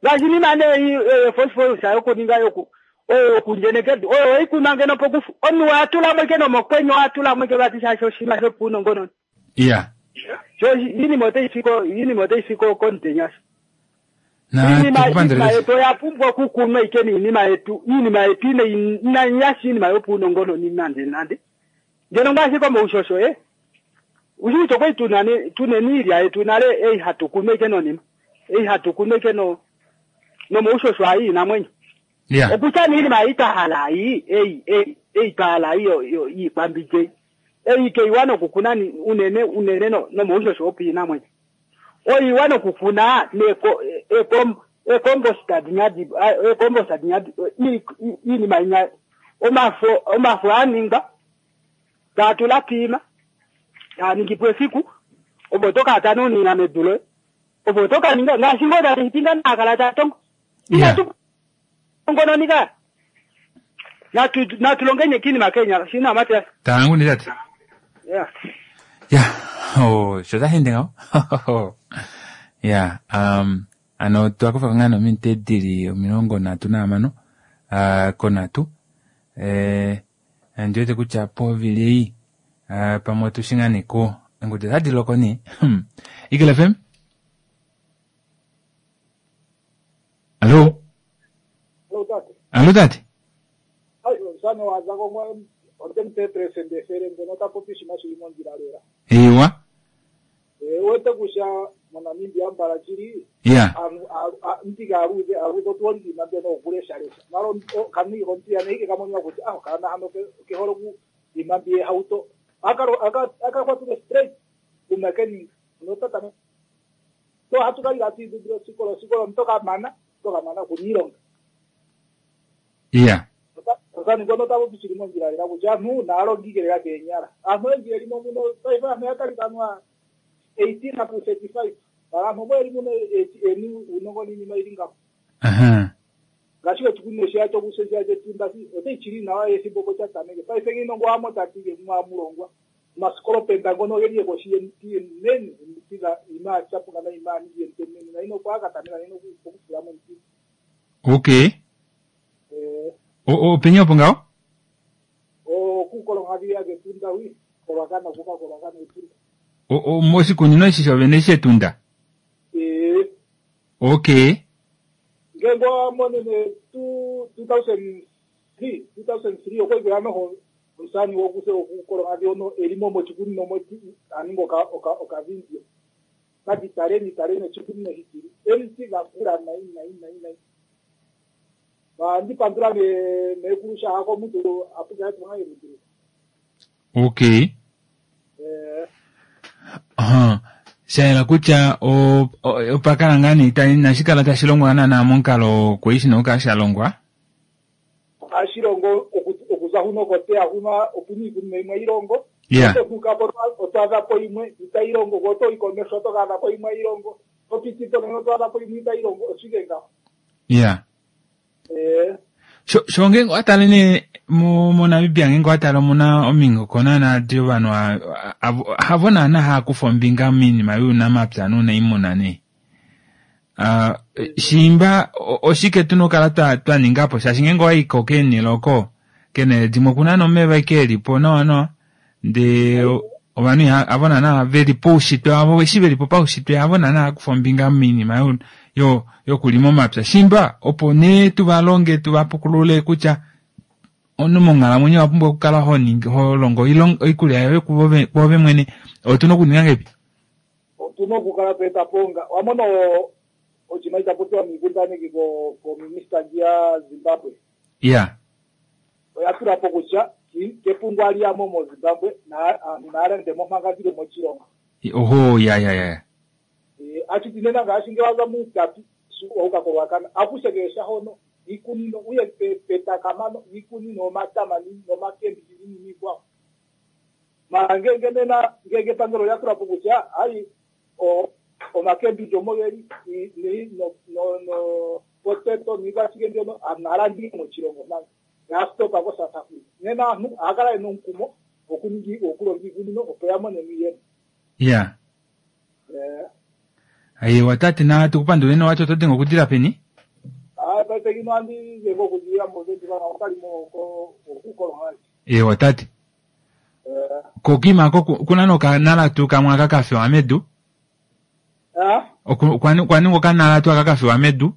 ngaashi inima nee phosphorus yokuninga yoku oyo yokundjeneka edu oyo oikunwa ngeno pokufu omunhu watulamo ike nomokwenye watulamo ike vati shaashi oshinima shopuunongononi ya sho iinima otai fiko iinima otai fiko komutenya sho iinima yetu oya pumbwa okukunwa ike niinima yetu iinima yetu ine inayashi iinima yopuunongononi nande nande ngeno ngaashi komoushosho e ushi kutya okwali tuna tuneni iilya yetu nale ei hatu kunu ike nonima ei hatu kunu ike no nomoushosho ayi iinamwenyo okutya niinima ei twahala ei ei ei ei twahala iikwambidja ei ei keiwa nokukuna unene unene nomoushosho wopiinamwenyo oiwa nokukuna neko ekombosta dinya ekombosta dinya iinima inya omafo omafo aningwa taatula piima taningipo efiku opo tokata nonina medu loye opo tokaninga ngaashi ngoo tati naakala tatongo inatu ngononi ka natu natulongenye kiinima keenyala shina Matias tangu ni tate yeah ya oh sho tashi ende ngaho ya um ano twakufa ngaa nominute dili omilongo nhatu nahamano uh, konhatu eh ndiwete kutya povili ei uh, pamwe otushi ngaa neko engudu otadi loko nee Eagle F M Allo Allo tate Ewa wete kusha moNamibia mbala chili ya ntika aluze aluze otuolima mbeno okuleshalesha malo kani kontia neike kamonywa kuti ah kana hano keholo ku lima mbie hauto akalo akakwatule straight kumekeni notata to hatukali ati sikolo sikolo mtoka mana toka mana kunilonga ya Osani ngono ta popi shili mondjila lela kutya aantu naalongi lela keenyala. Aantu oyendji yeli mo muno paife aantu oya talika anuwa eighteen up to thirty five. Mara aantu omo yeli muno eni uunongo niinima yili ngaho. Aha. Ngaashi oshikunino shiya chokusesha chetunda otayi chili nawa ethimbo opo sha tameke. Paife ngino ngo wamo tatike mwamulongwa. Omasikolo ngono geli ekoshi yemiti enene emiti dha ima chapuka na ima ningi emiti enene na ino kwa katameka ino okufula mo emiti. Okay. Eh O openi opo ngaho? okukolonga ya ketunda wi kolwakana kuka kolwakana etunda. O o moshikunino eshi shovene shetunda. Eh Okay. ngenge wamonene two two thousand three two thousand three okwekela noho omusani wokuse okukolonga ono elimo mochikunino moti aninga oka oka okavindio. Kati taleni taleni ochikunino hikiri. Emiti gakula nai nai nai nai. Ba ndipandula ne nekurusha hako muntu apuka yetu ngaye muntu. Okay. Eh Aha. Shayela kutya o o- opakala ngaa nee ita inashikala tashi longwa naanaa momukalo kweishi nokukala sha longwa. ashilongo oku- okuza huno koteya huno opuna iikunino yimwe ilongo. Yeah. Ototukapo otwaadhapo yimwe itayi longo ko otoyi komesho otokaadhapo yimwe ilongo. Topitipo nena otwaadhapo yimwe itayi longo oshike ngaho. Yeah. Eh Sho sho ngenge watale nee mo moNamibia ngenge watale omuna omingoko naanaa di ovanhu a- a- avo- havo naana haakufa ombinga miinima yuunamapya nuunaimuna nee. Ah, shimba o- oshike tuna okukala twa twa ningapo shaashi ngenge owayiko keenhele oko keenhele dimwe okuna nomeva ike elipo nawa nawa ndee o- ovanhu iha- havo naana veli poushitwe wavo eshi velipo paushitwe havo naana haakufa ombinga miinima yo yo yokulima omapya shimba opo nee tuvalonge tuvapukulule kutya omunhu monghalamwenyo owa pumbwa okukala ho ningi ho longo oilonga oikulya yoye kuove kuove mwene otuna okuninga ngahelipi? otuna okukala tweetapo nga wamona oshinima itapopiwa miikundaneki ko kominista ya Zimbabwe. Yeah. Oya tulapo kutya ki- kepungu aliyamo mo Zimbabwe na aantu naalande mo manga dhili moshilongo. Oho ya ya ya. Eh, achiti nena ngaashi nge waza muutapi wauka kolwakana akushekesha hono iikunino uye pe- petakamano iikunino omatama ni- nomakembiji niinima iikwawo. Mara ngenge nena ngenge epangelo lya tulapo kutya ayi o omakembiji omo geli ni ni no no no potato niikwashike mbyono naalandile moshilongo manga yastopa ko South Africa. Nena aantu ohaya yena omukumo okuningi okulonga iikunino opo ya mone mo iiyemo. Yeah. Eh Aye tate na tukupanduleni wati oto denge okudila peni? Ah, paife kino andi ngengo okudilira movenduka okalimo okukolonga. Ewa tate. Eh Kokima ko kuna nokanala tuu kamwe aka kafewa medu? ah Oku- kwani kwani okanala tuu aka kafewa medu?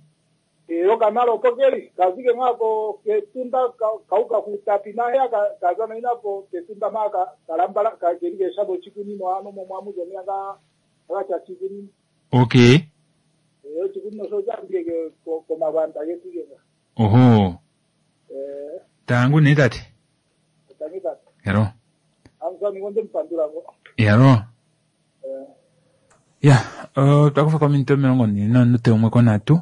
eh okanala opo keli kazike ngako ketunda ka- kauka kutapi nahe ka kaza inapo ketunda maka kalambala kakeli keshabo chikunino ano momwamuzo myanga akacha chikunino. Okay. Eh chikunino so chambike ko komabanda ketukenga. Oho. Eh Tangu ne tate. tangita Yaro. amsami ngonde mpandula ngo. Yaro. Eh Ya, uh, twakufa kominute omilongo nhee nominute umwe konhatu.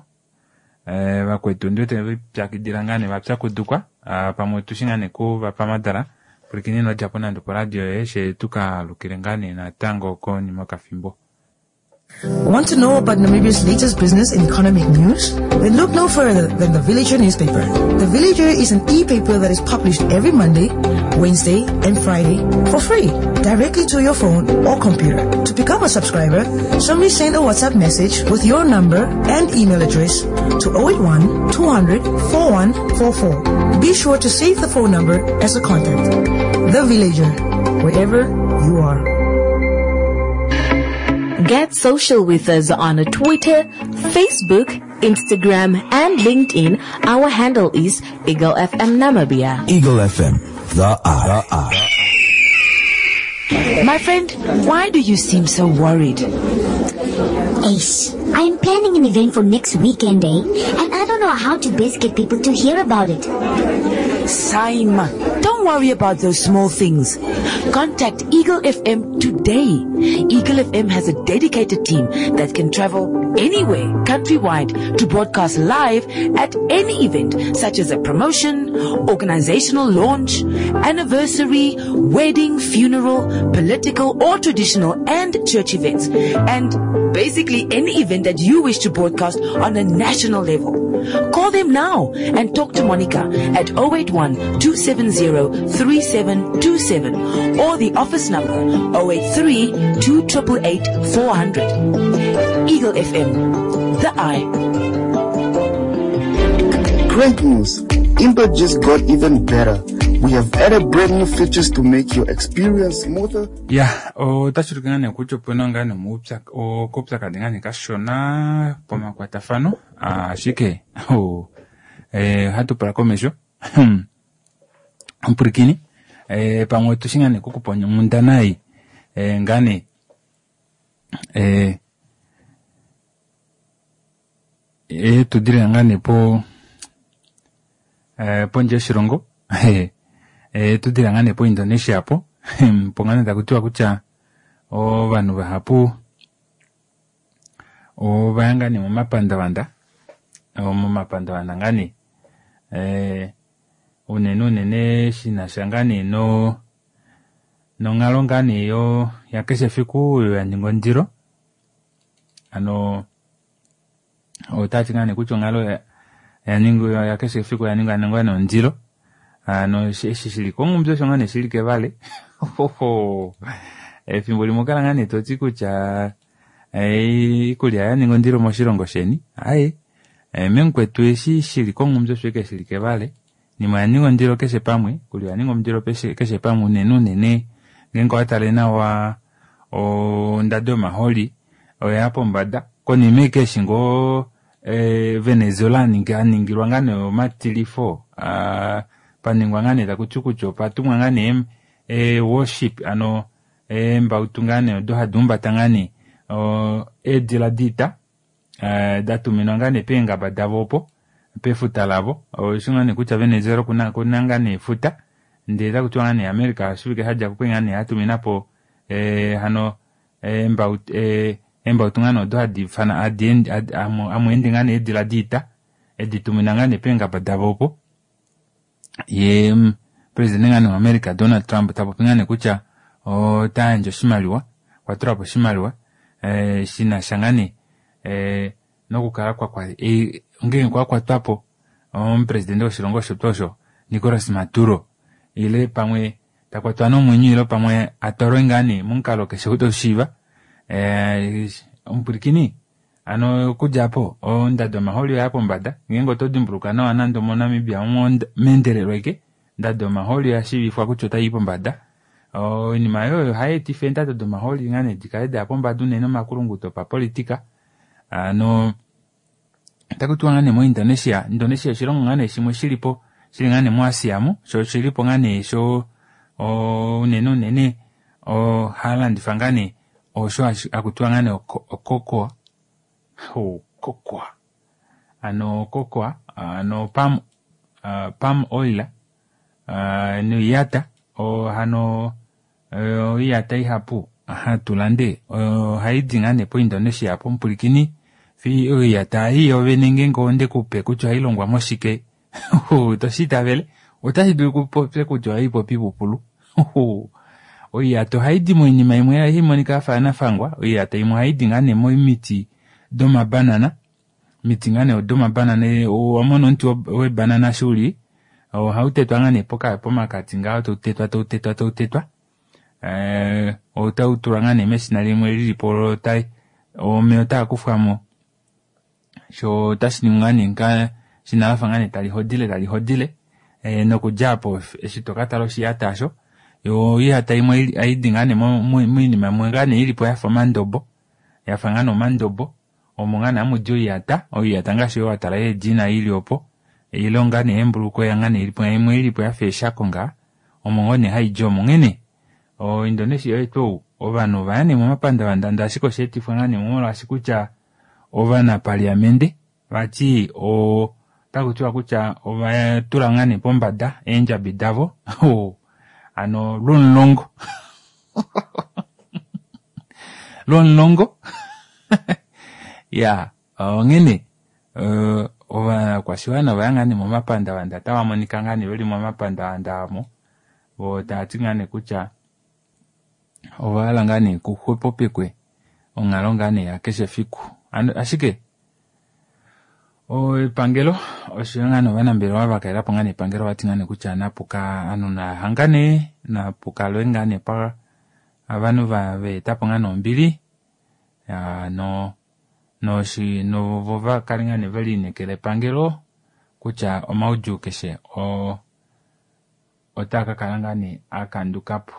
Eh, vakwetu ndiwete vipyakidila ngaa nee vapyakudukwa ah, pamwe tushi ngaa nee kuvapamadala pwilikini odjapo nande poradio yoye she tukalukile ngaa nee natango konima yokafimbo. Want to know about Namibia's latest business and economic news? Then look no further than the Villager newspaper. The Villager is an e-paper that is published every Monday, Wednesday, and Friday for free, directly to your phone or computer. To become a subscriber, simply send a WhatsApp message with your number and email address to oh eight one, two hundred, four one four four. Be sure to save the phone number as a contact. The Villager, wherever you are. Get social with us on Twitter, Facebook, Instagram, and LinkedIn. Our handle is Eagle F M Namibia. Eagle F M, the eye. The eye. My friend, why do you seem so worried? Ace, I am planning an event for next weekend, eh? And I don't know how to best get people to hear about it. Saima, don't worry about those small things. Contact Eagle F M today. Eagle F M has a dedicated team that can travel anywhere, countrywide, to broadcast live at any event, such as a promotion, organizational launch, anniversary, wedding, funeral, political or traditional and church events, and basically any event that you wish to broadcast on a national level. Call them now and talk to Monica at oh eight one, two seven zero, three seven two seven or the office number oh eight three, two triple eight, four hundred. Eagle F M, the eye. Great news! Impact just got even better. We have added brand new features to make your experience smoother. Yeah, otashi ulike ngaa kutya opuna ngaa nee oupyakadhi ngaa nee kashona pomakwatafano, ashike ohatu pula komesho. Omupulikini, pamwe otushi ngaa nee okukupa onghundana ei ngaa nee etudile ngaa nee po pondje yoshilongo, etudile ngaa nee po Indonesia po, po ngaa nee taku tiwa kutya ovanhu vahapu ovaya ngaa nee momapandavanda, momapandavanda ngaa nee unene unene shinasha ngaa nee no nonghalo ngaa nee yo yakeshe efiku oyo ya ninga ondilo. Ano otati ngaa nee kutya onghalo ya ninga yakeshe efiku ya ninga ngaa nee ondilo. Ano eshi shili kongumbi osho ngaa nee shili kevale. Efimbo limwe okala ngaa nee toti kutya iikulya ya ninga ondilo moshilongo sheni. Aye, memukwetu eshi shili kongumbi osho ike shili kevale. Nima ya ninga ondilo keshe pamwe, iikulya ya ninga ondilo keshe pamwe unene unene ngeenge owatale nawa ondado yomaholi oya pombada. Konima ike eshi ngoo Venezuela aningilwa ngaa nee omatilifo, paningwa ngaa nee taku ti kutya opatumwa ngaa nee warship, ano eembautu ngaa nee odo hadi humbata ngaa nee eedila diita datuminwa ngaa nee peengaba davo opo pefuta lavo. Oshi ngaa nee kutya Venezuela okuna ngaa nee efuta, ndele taku tiwa ngaa nee America oshivike shadja ko ngaa nee atuminapo hano eembautu ngaa nee odo hadi ifana hamu ende ngaa nee eedila diita editumina ngaa nee peengaba davo opo. Ye president ngaa nee waAmerica Donald Trump tapopi ngaa nee kutya ota yandje oshimaliwa, okwa tula po oshimaliwa shinasha ngaa nee nokukala kwa ngeenge kwa kwatwa po omupresidente woshilongo osho tuu osho Nicolas Maduro, ile pamwe takwatwa nomwenyo ile pamwe atwalwe ngaa nee momukalo keshe ou toshiiva. Omupulikini, ano okudja po ondado yomaholi oya pombada. Ngeenge oto dimbuluka nawa nande moNamibia meendelelo eke ondado yomaholi oya shiivifwa kutya otai pombada. Oinima oyo ohayi etifa eendado domaholi ngaa nee dikale daya pombada unene omakulunguto opapolitika. Ano otaku tiwa ngaa nee moIndonesia, Indonesia oshilongo ngaa nee shimwe shilipo shili ngaa nee moAsia mo, sho oshilipo ngaa nee sho unene unene ohalandifa ngaa nee osho hakutiwa ngaa nee ococoa, cocoa, ano cocoa, ano palm, palm oil, noiyata, hano oiyata ihapu hatu lande ohaidi ngaa nee po Indonesia po. Omupulikini, oiyata ei yovene ngeenge onde kupe kutya ohayi longwa moshike, toshi itavele, otashi dulu kupopye kutya ohayi popi ipupulu. Oiyata ohaidi moinima imwe hayi monika yafa yanafangwa. Oiyata imwe ohaidi ngaa nee momiti domabanana, miti ngaa nee domabanana, owamona omuti webanana shi uli ohau tetwa ngaa nee pomakati ngaho, tau tetwa tau tetwa tau tetwa, otau tulwa ngaa nee meshina limwe lilipo, omeya otaa kufwamo, sho otashi ningwa ngaa nee ngaa shina lafa ngaa nee tali hodile tali hodile, nokudja apo eshi tokatala oshiyata osho. Yo oiyata imwe ohaidi ngaa nee moinima imwe ngaa nee ilipo yafa omandobo, yafa ngaa nee omandobo, omo ngaa nee hamudi oiyata, oiyata ngaashi oyo watala yeedina ili opo, ile ngaa nee eembulukweya ngaa nee ilipo, imwe ilipo yafa eeshako ngaa, omo ngoo nee haidi omo. Onghene O Indonesia oyetu ovanhu ovaya nee momapandavanda ndee ashike osheetifwa ngaa nee molwaashi kutya ovanapaliamente vati otaku tiwa kutya ovatula ngaa nee pombada eendjabi davo hano lwomulongo lwomulongo iya onghene ovakwashiwana ovaya ngaa nee momapandavanda otava monika ngaa nee veli momapandavanda amo voo tavati ngaa nee kutya ovahala ngaa nee kuxwepopekwe onghalo ngaa nee yakeshe efiku ashike epangelo oshoyo ngaa nee ovanambelewa vakalelapo ngaa nee epangelo ovati ngaa nee kutya napuka ovanhu nahangane napukalwe ngaa nee ovanhu vaetapo ngaa nee ombili no noshi novo vakale ngaa nee velineekela epangelo kutya omaudjuu keshe oo otaa kakala ngaa nee akandukapo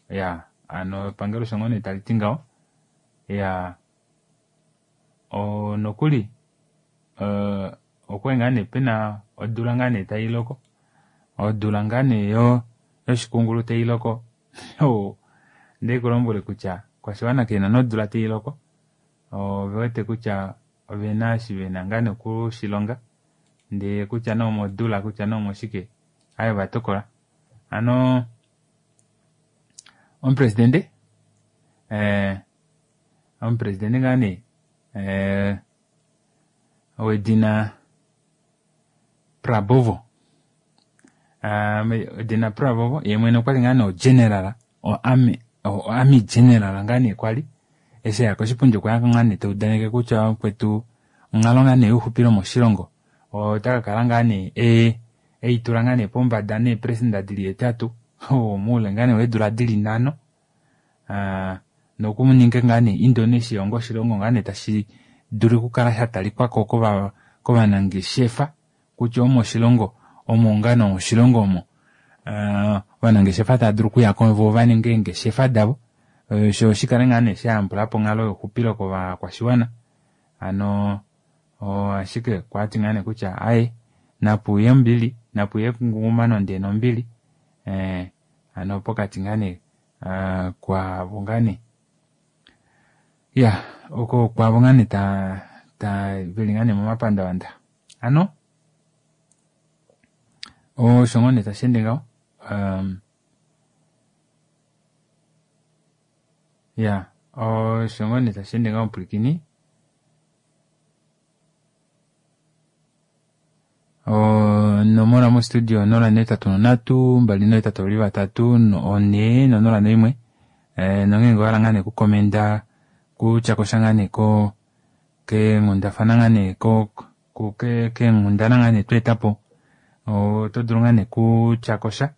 ya hano epangelo osho ngoo nee taliti ngaho ya nokuli okwali ngaa nee pena odula ngaa nee tailoko odula ngaa nee yoshikungulu tailoko ondekulombwele kutya kwashiwana kena nodula tailoko ovewete kutya ovena eshi vena ngaa nee okushilonga ndee kutya nee omodula kutya nee omoshike aaye ovatokola hano omupresidente omupresidente ngaa nee wedina Prabowo wedina Prabowo yee mwene okwali ngaa nee ogeneral o army o army general ngaa nee kwali eshi eya koshipundi okweya ngaa nee taudaneke kutya mukwetu onghalo ngaa nee youxupilo moshilongo ota kakala ngaa nee eitula ngaa nee pombada neepresenda dili hetatu moule ngaa nee weedula dili nhano nokuninga ngaa nee Indonesia onga oshilongo ngaa nee tashi dulu okukala shatalikwako kovanangeshefa kutya omo oshilongo omo ngaa nee oshilongo omo ovanangeshefa tava dulu okuyako voo vaninge eengeshefa davo shoo shikale ngaa nee shayambulapo onghalo youxupilo kovakwashiwana hano ashike okwati ngaa nee kutya aaye napuye ombili napuye engungumano ndee nombili hano pokati ngaa nee kwaavo ngaa nee iya oko kwaavo ngaa nee ta veli ngaa nee momapandavanda hano osho ngoo nee tasheende ngaho iya osho ngoo nee tasheende ngaho omupwilikini onomola mostudio onola nehetatu nonhatu mbali nohetatu vavali vatatu onhee nonola noimwe nongenge owahala ngaa nee okukomenda kutyakosha ngaa nee keenghundafana ngaa nee keenghundana ngaa nee tweetapo oto dulu ngaa nee kutyakosha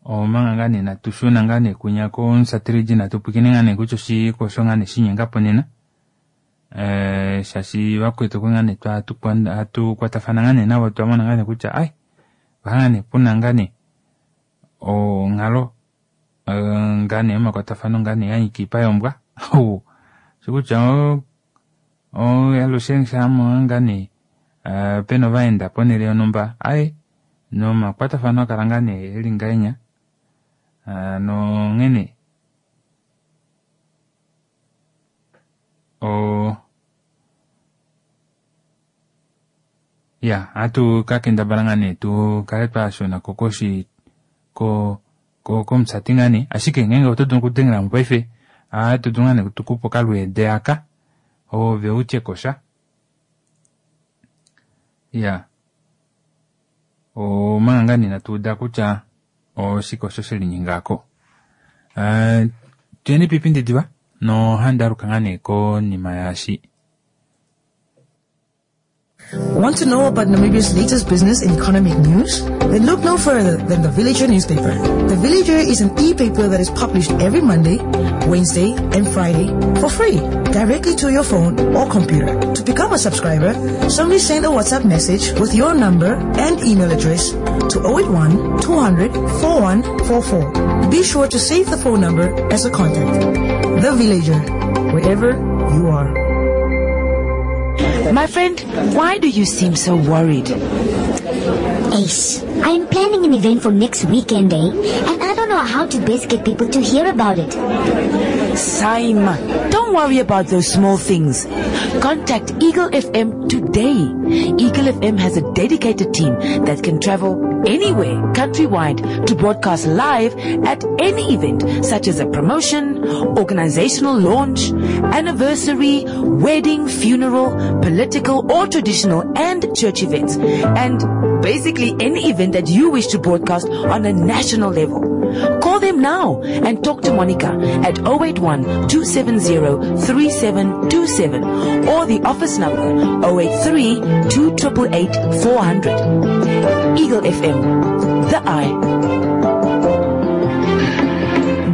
omanga ngaa nee natushuna ngaa nee kunya komusateligi natupwiikine ngaa nee kutya oshike osho ngaa nee shinyengapo nena shaashi vakwetu okwali ngaa nee hatukwatafana ngaa nee navo twamona ngaa nee kutya ai opa ngaa nee puna ngaa nee onghalo ngaa nee yomakwatafano ngaa nee yanyika oipa yombwa shokutya alushe shama ngaa nee pena ovaenda ponele yonumba aaye nomakwatafano akala ngaa nee eli ngahenya nonghene o iya ohatu kakendabala ngaa nee tukale twashunako koshi ko komusati ngaa nee ashike ngeenge oto dulu okudengelamo paife ohatu dulu ngaa nee tukupe okalweede aka ove utyekosha iya omanga ngaa nee inatuuda kutya oshike osho shelinyengako tuyeni piipindi diva nohandaluka ngaa nee konima yaashi. Want to know about Namibia's latest business and economic news? Then look no further than the Villager newspaper. The Villager is an e-paper that is published every Monday, Wednesday, and Friday for free, directly to your phone or computer. To become a subscriber, simply send a WhatsApp message with your number and email address to oh eight one, two hundred, four one four four. Be sure to save the phone number as a contact. The Villager, wherever you are. My friend, why do you seem so worried? Ace, I am planning an event for next weekend, eh? And I don't know how to best get people to hear about it. Saima, don't worry about those small things. Contact Eagle F M today. Eagle F M has a dedicated team that can travel anywhere countrywide to broadcast live at any event such as a promotion, organizational launch, anniversary, wedding, funeral, political or traditional and church events, and basically any event that you wish to broadcast on a national level. Call them now and talk to Monica at oh eight one, two seven zero, three seven two seven or the office number oh eight three, two triple eight, four hundred. Eagle F M, the eye.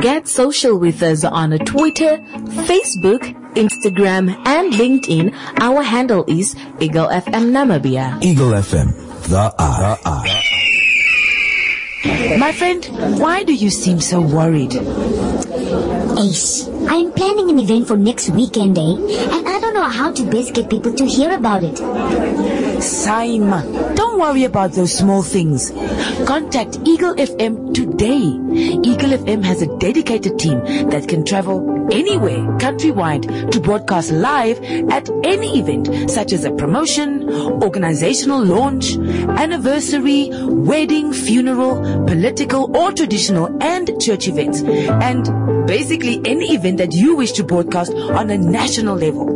Get social with us on Twitter, Facebook, Instagram, and LinkedIn. Our handle is Eagle F M Namibia. Eagle F M, the eye. The eye. My friend, why do you seem so worried? Ace, I'm planning an event for next weekend, eh? And I don't know how to best get people to hear about it. Saima, don't worry about those small things. Contact Eagle F M today. Eagle F M has a dedicated team that can travel anywhere countrywide to broadcast live at any event such as a promotion, organizational launch, anniversary, wedding, funeral, political or traditional and church events, and basically any event that you wish to broadcast on a national level.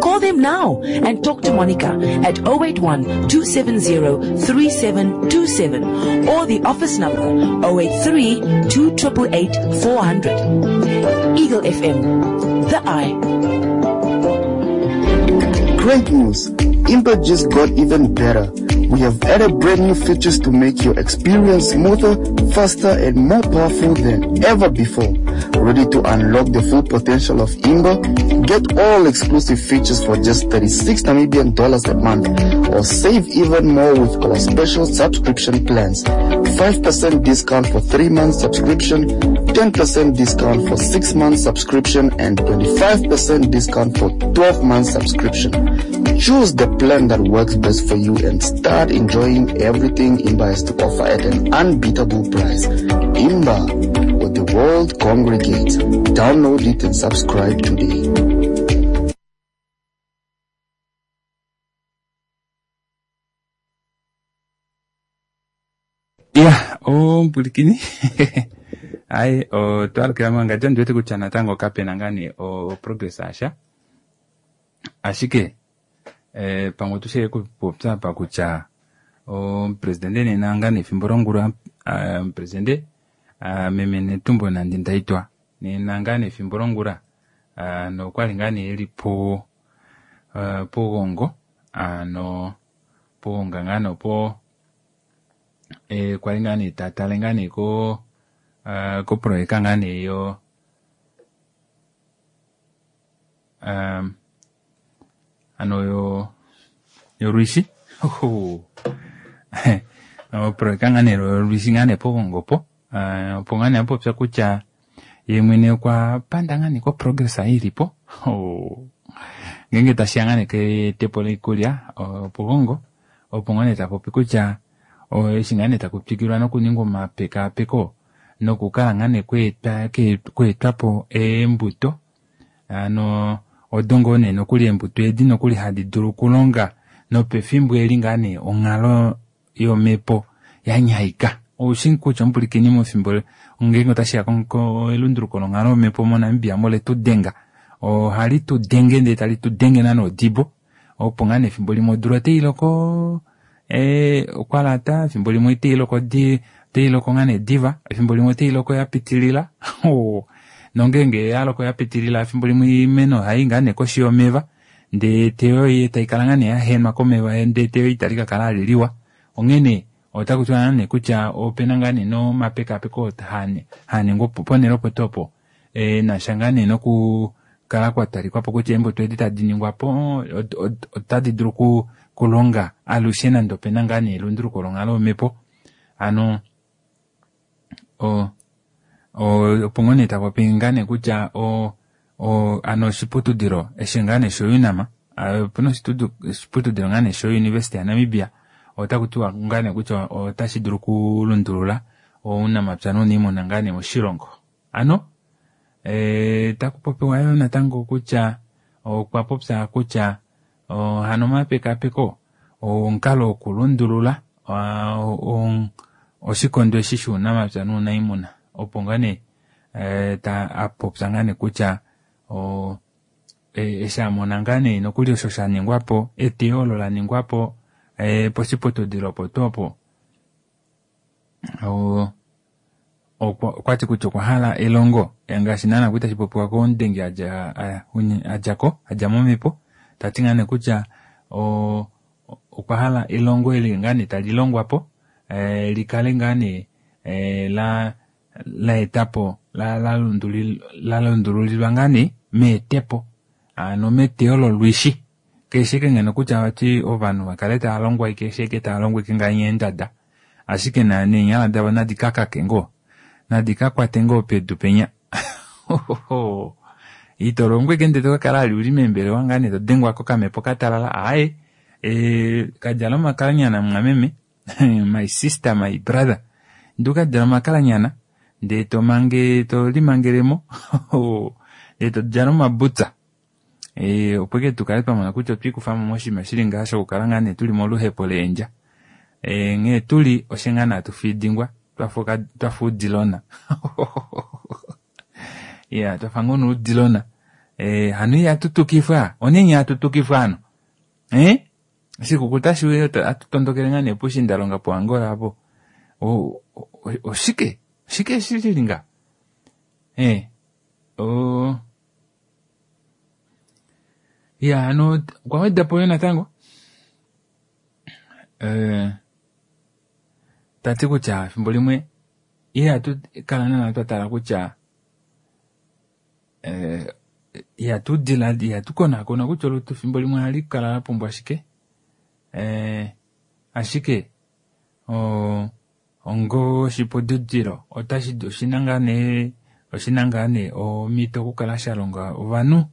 Call them now and talk to Monica at oh eight one, two seven zero, three seven two seven or the office number oh eight three, two triple eight, four hundred. Eagle F M, the eye. Great news! Imba just got even better. We have added brand new features to make your experience smoother, faster, and more powerful than ever before. Ready to unlock the full potential of Imba? Get all exclusive features for just thirty-six Namibian dollars a month, or save even more with our special subscription plans. five percent discount for three month subscription, ten percent discount for six month subscription, and twenty-five percent discount for twelve month subscription. Choose the plan that works best for you and start enjoying everything Imba has to offer at an unbeatable price. Imba, where the world congregates. Download it and subscribe today. Yeah, oh, Mpulikini. Ai, oh, twalukila mwanga ndiwete kutya natango kapena ngani o progress asha. Ashike, eh, pamwe tushe kupopya pa kutya o presidente nena ngani efimbo longula, ah, presidente, ah, meme Netumbo Nandi Ndaitwah nena ngani efimbo longula, ah, nokwali ngani eli po, ah, pogongo, ah, no pogonga ngano po, eh, kwali ngani tatale ngani ko, ah, ko projeka ngani yo, um, ano yo, yo lwishi. Oho. O projeka ngani yo lwishi ngani pogongo po. Ah, opo ngani apopya kutya ye mwene okwa panda ngani ko progress ilipo. Oh. Ngenge tashiya ngani ke tepo loikulya, o, pogongo. Opo ngani tapopi kutya, o, eshi ngani takupikilwa nokuningwa omapekapeko, nokukala ngani kweetwa, ke, kweetwapo eembuto. Ano, odongo nee nokuli eembuto edi nokuli hadi dulu okulonga nopefimbo eli ngani onghalo yomhepo ya nyaika. Oushi kutya omupulikini mefimbo ngeenge otashiya ko elunduluko longhalo yomhepo moNamibia mo letu denga. Ohali tu denge ndele tali tu denge nana odibo. Opo ngane efimbo limwe odula otai loko, eh, okwa lata, efimbo limwe otai loko di, otai loko ngane diva, efimbo limwe otai loko ya pitilila. Oh, nongeenge ya loko ya pitilila, efimbo limwe iimeno ohai ngane koshi yomeva, ndee teyo ye tai kala ngane ya henwa komeva, ndee teyo itali ka kala aliliwa. Onghene otaku tiwa ngane kutya opena ngane nomapekapeko hane, haningwa opo ponhele opo tuu opo. Eh, nasha ngane noku kala kwa talikwa po kutya eembuto edi tadi ningwa po, ot-, ot-, otadi dulu ku-, kulonga alushe nande opena ngane elunduluko longhalo yomhepo. Ano, o, o, opo ngoo nee tapopi ngane kutya o, o, ano oshiputudilo eshi ngane sho UNAM, a, opena oshitudu-, oshiputudilo ngane sho University ya Namibia, Otaku tiwa ngaa nee kutya otashi dulu okulundulula ounamapya nouniimuna ngaa nee moshilongo. Ano e, taku popiwa yo natango kutya okwa popya kutya hano omapekapeko omukalo wokulundulula oshikondo eshi shuunamapya nuunaimuna opo ngaa nee ta apopya ngaa nee kutya eshi amona ngaa nee nokuli osho sha ningwapo eteyo olo la ningwapo poshiputudilo opo tuu opo okwati kutya okwa hala elongo ngaashi naana kwali tashi popiwa komudengi adjako adja momhepo tati ngaa nee kutya okwa hala elongo eli ngaa nee tali longwapo likale ngaa nee la la etapo la la lundululilwa ngaa nee meetepo ano meteyo lolwishi keshe ngeno kutya vati ovanhu vakale tava longwa keshe eke tava longwa ike ngaa eendada ashike neenyala davo nadi kakake ngoo nadi kakwate ngoo pedu penya ito longwa ike ndee tokakala ali uli meembelewa ngaa nee todengwa kokamhepo katalala aaye e, kadjala omakalanyana mumwameme my sister my brother ndi ukadjala omakalanyana ndee tomange tolimangelemo ndee todjala omabutsa e, opo ike tukale twamona kutya otwiikufamo moshinima shili ngaa shokukala ngaa nee tuli moluhepo leendja e, nghee tuli oshe ngaa nee tufidingwa twafa uudilona ya twafa ngoo nuudilona e, hano ihatutukifwa oneni hatutukifwa hano eh? Shikukuta shiuye atutondokele ngaa nee pushindalonga po Angola apo oshike oshike shili nga eh o ya hano okwa wedapo yo natango eh tati kutya efimbo limwe ihatu kala naana twatala kutya eh ihatu diladi ihatu konakona kutya olutu efimbo limwe ohali kala la pumbwa shike eh ashike o ongo oshiputudilo otashi oshina ngaa nee oshina ngaa nee omhito okukala sha longa ovanhu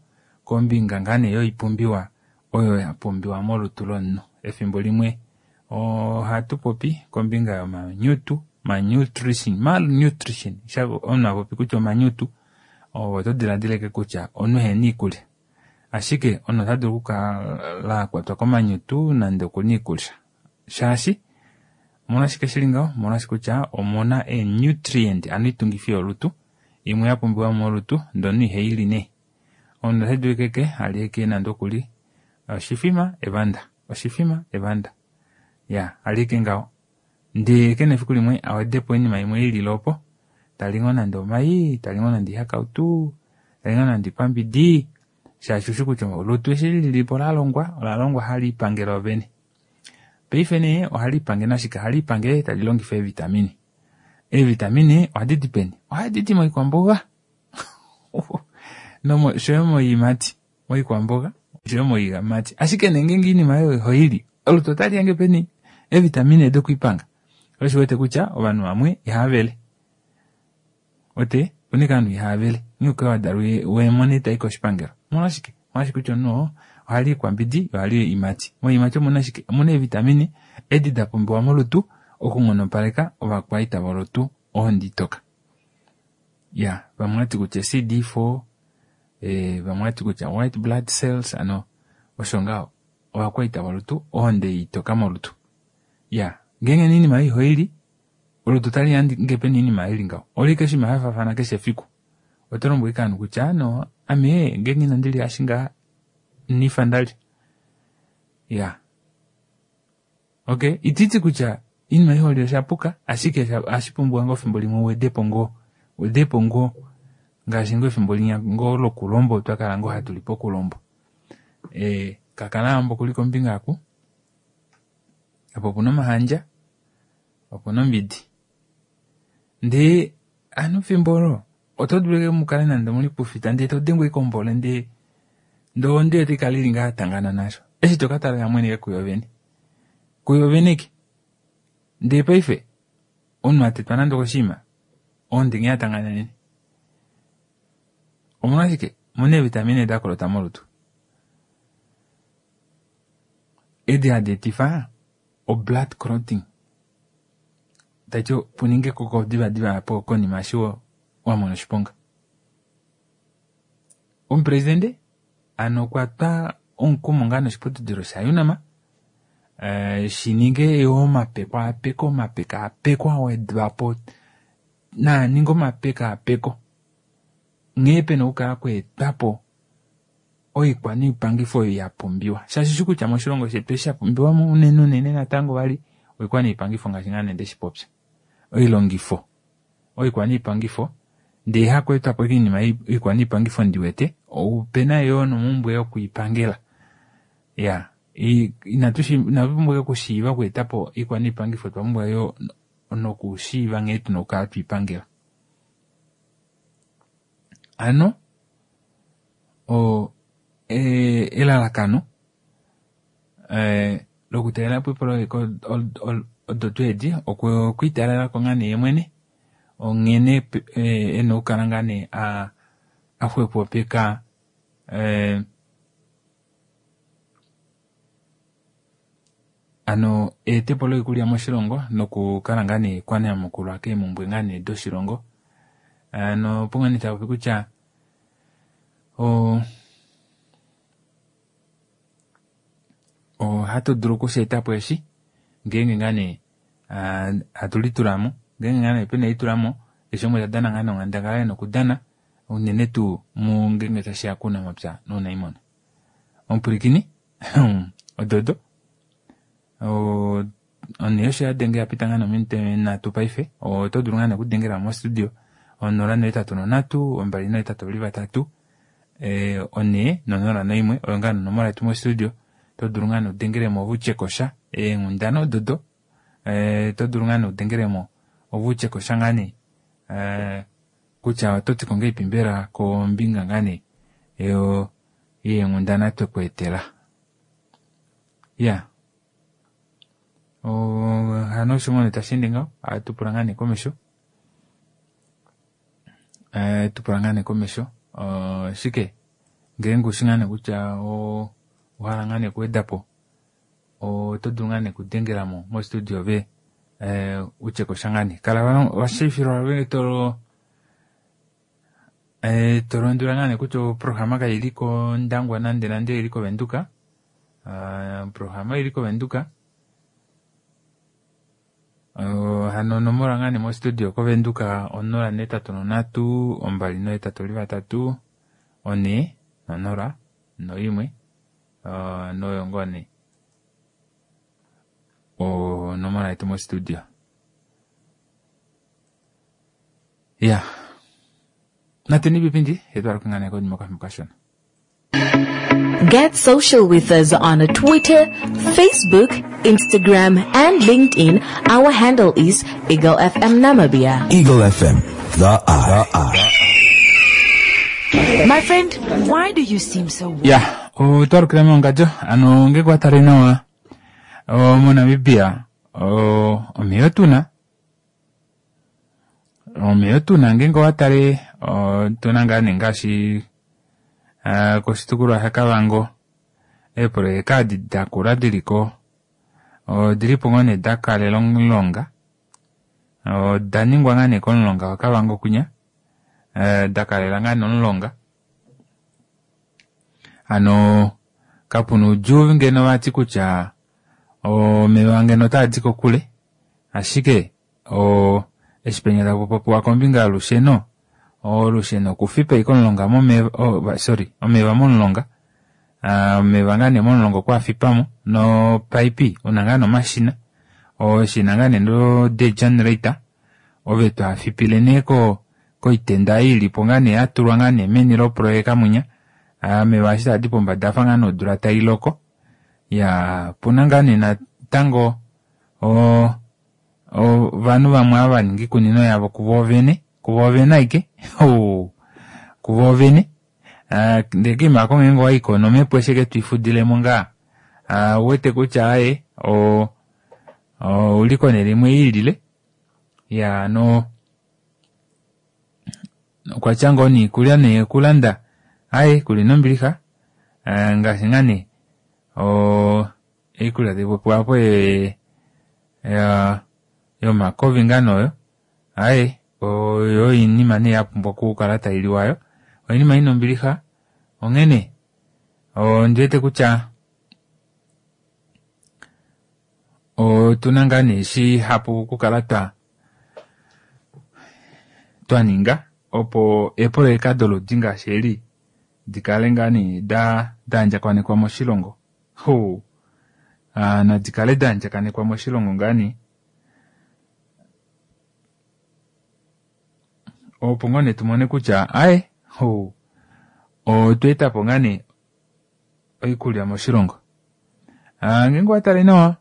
kombinga ngaa nee yoipumbiwa oyo ya pumbiwa molutu lomunhu. Efimbo limwe ohatu popi kombinga yomanyutu malnutrition malnutrition omunhu apopi kutya omanyutu oto diladileke kutya omunhu ehena iikulya ashike omunhu ota dulu okukala akwatwa komanyutu nande okuna iikulya shaashi omolwashike shili ngaho omolwashi kutya omuna ee-nutrient ano itungifi yolutu imwe ya pumbiwa molutu ndono ihaili nee omunhu ota dulu keke alye nande okuli oshifima evanda oshifima evanda ya alye ngaho ndee kena efiku limwe awedepo oinima imwe ilile opo tali ngoo nande omai tali ngoo nande ihakautu tali ngoo nande ikwambidi shaashi ushi kutya olutu eshi lilipo lalongwa olalongwa hali ipangele ovene paife nee ohali ipange nashike ohali ipange tali longifa eevitamine eevitamine ohadi di peni ohadi di moikwamboga noshoyo moiimati moikwamboga oshoyo moiimati ashike nee ngeenge oinima oyo ihoili olutu otali yange peni eevitamine dokwiipanga osho wete kutya ovanhu vamwe ihavele ote opuna ike ovanhu ihavele nghee wadalwa weemone tai koshipangelo omolwashike omolwashike kutya omunhu ohali ikwambidi ohali oiimati moiimati omuna shike omuna eevitamine edi da pumbiwa molutu okunghonopaleka ovakwaita volutu onditoka ya vamwe vati kutya C D four eh, vamwe vati kutya white blood cells ano osho ngaho ovakwaita volutu ohonde itoka molutu ya ngeenge oinima ihoili olutu tali yange peni oinima ili ngaho oli keshe hafaafana keshe efiku oto lombwele ike ovanhu kutya no ame ngeenge inandi lya shinga nifa ndalya ya okay ititi kutya oinima iholi oshapuka ashike ohashi pumbiwa ngoo efimbo limwe uwedepo ngoo uwedepo ngoo ngaashi ngoo efimbo linya ngoo lokulombo twakala ngoo hatu li pokulombo e, kakala ambo kuli kombinga aku opo opuna omahandja opuna ombidi ndee ano efimbo olo oto dulu mukale nande muli pufita ndee todengwa ike ombole ndee ndee onde otaikala ili ngaa yatangana nasho eshi tokatala yamweneke kuyo vene kuyo vene ke ndee paife omunhu atetwa nande okoshinima onde nghee yatangana nene omolwashike omuna eevitamine dakolota molutu edi hadi etifa o-blood clotting taiti puninge ekoko divadiva po konima eshi wamona oshiponga. Omupresidente ano okwa twa omukumo ngaa noshiputudilo shaUNAM shininge yo omapekapeko omapekapeko awedwapo naaninge omapekapeko nghee pena okukala kweetwapo oikwaniipangifo oyo yapumbiwa shaashi shi kutya moshilongo shetu eshi shapumbiwa unene unene natango vali oikwaniipangifo ngaashi ngaa nee ndeshipopya oilongifo oikwaniipangifo ndee hakweetwapo oinima oikwaniipangifo ndiwete opena yoo nomumbwe yokwiipangela ya inatu pumbwa okushiiva okweetapo oikwaniipangifo otwa pumbwa yoo nokushiiva nghee tuna okukala twiipangela. Ano o elalakano lokutalelapo eepoloyeka odo tuu edi okwiitalelako ngaa nee yemwene onghene ena okukala ngaa nee axwepopeka hano eetepo loikulya moshilongo nokukala ngaa nee kwanyamukulwa keemumbwe ngaa nee doshilongo. Hano opo ngoo nee tapopi kutya ohatu dulu okusheetapo eshi ngeenge ngaa nee hatu litulamo ngeenge ngaa nee pena elitulamo keshe umwe tadana ngaa nee onghandangala ena okudana unene tuu ngeenge tashiya kounamapya nounaimuna. Omupwilikini ododo onhe osho yadenge yapita ngaa nee ominute nhatu paife oto dulu ngaa nee okudengela mo studio onola nohetatu nonhatu ombali nohetatu ovali vatatu onhe nonola noimwe oyo ngaa nee onomola yetu mo studio oto dulu ngaa nee udengelemo ove utyekosha eenghundana ododo oto dulu ngaa nee udengelemo ove utyekosha ngaa nee kutya ototiko ngahelipi mbela kombinga ngaa nee yeenghundana twekweetela. Iya hano osho ngoo nee tasheende ngaho ohatu pula ngaa nee komesho tupula ngaa nee komesho shike ngeenge ushi ngaa nee kutya owahala ngaa nee okuwedapo oto dulu ngaa nee okudengelamo mo studio ove utyekosha ngaa nee kala washiivifilwa ove tolo tolondwelwa ngaa nee kutya oprograma kaili kOndangwa nande nande oili koVenduka oprograma oili koVenduka hano onomola ngaa nee mo studio koVenduka onola nohetatu nonhatu ombali nohetatu ovali vatatu onhe nonola noimwe noyo ngoo nee onomola yetu mo studio. Iya nateni pipindi etwaluke ngaa nee konima okafimbo kashona. Get social with us on Twitter, Facebook, Instagram, and LinkedIn. Our handle is Eagle F M Namibia. Eagle F M, the eye. My friend, why do you seem so worried? Yeah, otwalukila meongadjo ano ngeke watale nawa moNamibia omeya otuna omeya otuna ngeenge owatale otuna ngaa nee ngaashi koshitukulwa shaKavango eepoloyeka edi dakula diliko odilipo ngoo nee dakalela omulonga oda ningwa ngaa nee komulonga waKavango kwinya dakalela ngaa nee omulonga hano kapuna oudjuu ngeno vati kutya omeva ngeno otaadi kokule ashike eshi penya takupopiwa kombinga yolusheno olusheno okufipa ashike omulonga momeva sorry omeva momulonga omeva ngaa nee momulonga okwaafipamo nopaipi una ngaa nee omashina eshina ngaa nee lo degenerator ove twaafipile nee koitenda ei ilipo ngaa nee yatulwa ngaa nee meni loproyeka mwinya omeva eshi taadi pombada afa ngaa nee odula tailoko ya opuna ngaa nee natango ovanhu vamwe ava vaninga iikunino yavo kuvoovene kuvoovene aike kuvoovene ndee koima aako ngeenge owaiko nomhepo eshi ashike twiifudilemo ngaa ouwete kutya aaye ouli konele imwe iilile iya hano okwatya ngoo nee iikulya nee okulanda aaye kuli nombilixa ngaashi ngaa nee oikulya taipopiwa apo ya yomakovi ngaa nee oyo aye oyo oinima nee yapumbwa okukala tailiwa yo oinima ina ombilixa onghene ondiwete kutya otuna ngaa nee shihapu okukala twa twaninga opo eepoloyeka doludi ngaashi eli dikale ngaa nee da daandjakanekwa moshilongo ho nadikale daandjakanekwa moshilongo ngaa nee opo ngoo nee tumone kutya aye ho otweetapo ngaa nee oikulya moshilongo. Ngeenge owatale nawa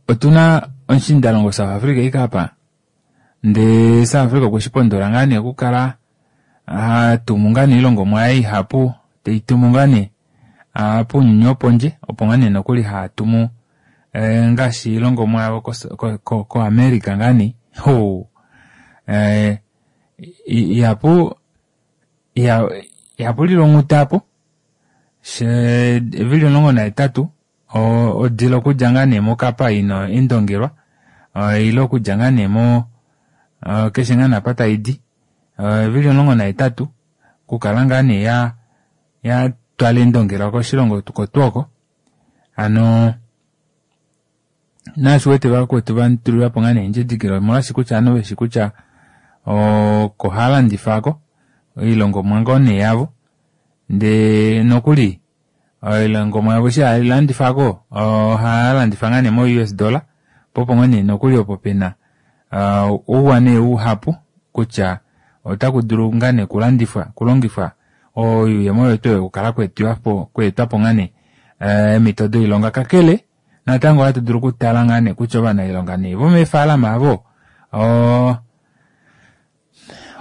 otuna omushindalongo South Africa ikapa ndee South Africa okweshipondola ngaa nee okukala hatumu ngaa nee oilongomwa yaye ihapu teitumu ngaa nee pounyuni wopondje opo ngaa nee nokuli hatumu ngaashi oilongomwa yavo ko America ngaa nee ho ihapu ihapu lilwa onghuta aapo evili omulongo nahetatu odila okudja ngaa nee mokapa ina endongelwa ile okudja ngaa nee mo keshe ngaa nee apa taidi evili omulongo nahetatu okukala ngaa nee ya ya twala endongelwa koshilongo kotwoko hano naashi uwete vakwetu vatulilapo ngaa nee endjidikilo omolwaashi kutya ovanhu veshi kutya oko halandifako oilongomwa ngoo nee yavo ndee nokuli oilongomwa yavo eshi hailandifako ohalandifa ngaa nee mo U S dollar po opo ngoo nee nokuli opo pena ouwa nee uhapu kutya otakudulu ngaa nee okulandifwa okulongifwa oyuuyemo oyo tuu okukala kweetwapo ngaa nee eemhito doilonga kakele natango ohatu dulu okutala ngaa nee kutya ovanailonga nee vomeefalama avo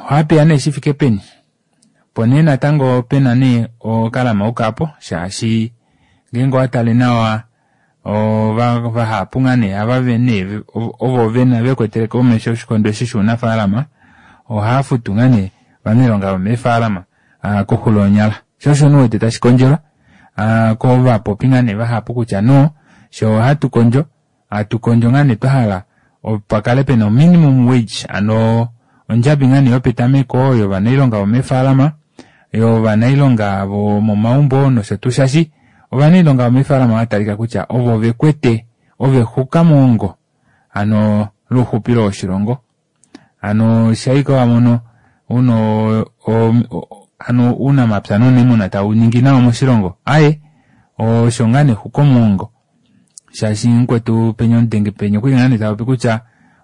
ohapeya nee shifike peni opo nee natango pena nee okalamauka apo shaashi ngeenge owatale nawa vahapu ngaa nee ava nee ovo vena vekwetele komesho oshikondo eshi shounafaalama ohaafutu ngaa nee ovanailonga vomeefalama koxulo yonyala sho osho nuwete tashi kondjelwa kovapopi ngaa nee vahapu kutya no sho hatu kondjo hatu kondjo ngaa nee twahala opakale pena minimum wage ano ondjabi ngaa nee yopetameko yovanailonga vomeefalama yovanailonga vomomaumbo nosho tuu shashi ovanailonga vomeefalama vatalika kutya ovo vekwete ovexuka moongo ano louxupilo woshilongo ano shaika wamono uno ano uunamapya nouniimuna tauningi nawa moshilongo aye osho ngaa nee xuka omuongo shaashi mukwetu penya omudenge penya okwali ngaa nee tapopi kutya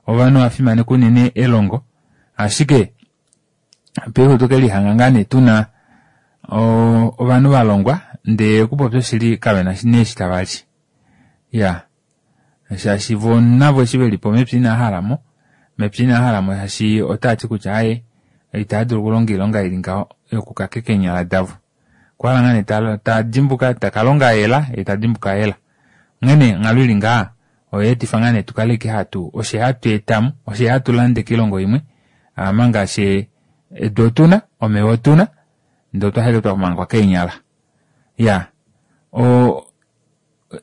ovanhu ovafimaneka unene elongo ashike paife otokelihanga ngaa nee tuna ovanhu valongwa ndee okupopya oshili kavena nee eshi tavali ya shaashi vo navo eshi velipo mepya inahalamo mepya inahalamo shaashi otaati kutya aye itaadulu okulonga oilonga ili ngaho yokukakeka eenyala davo okwahala ngaa nee tadimbuka takalonga hela ye tadimbuka hela onghene onghalo ili ngaha oyeetifa ngaa nee tukale ike hatu oshe hatu etamo oshe hatu lande koilongo imwe manga she edu otuna omeva otuna ndee otwahala twamangwa keenyala ya o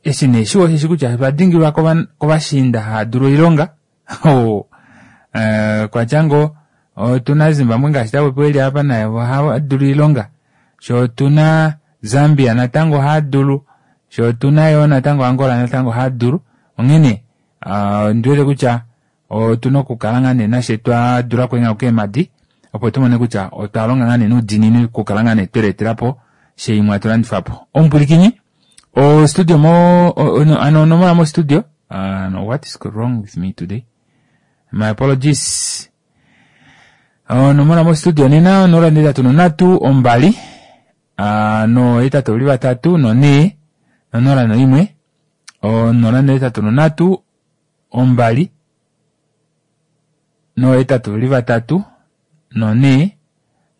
eshi nee shiwa osheshi kutya otwadingilwa kovashiinda haadulu oilonga kwatya ngoo otuna Zimbabwe ngaashi tapopiwa eli apa naye ohadulu oilonga sho otuna Zambia natango ohadulu sho otuna yoo natango Angola natango ohadulu onghene ondiwete kutya otuna okukala ngaa nee nashe twadula okwenga keemadi opo tumone kutya otwalonga ngaa nee noudiinini okukala ngaa nee tweleetelapo sheimwe atulandifapo omupwilikini o studio mo ano onomola mo studio uh, what is wrong with me today my apologies onomola mo studio nena onola netatu nonhatu ombali no hetatu ovali vatatu nonhee nonola noimwe onola netatu nonhatu ombali nohetatu ovali vatatu nonhee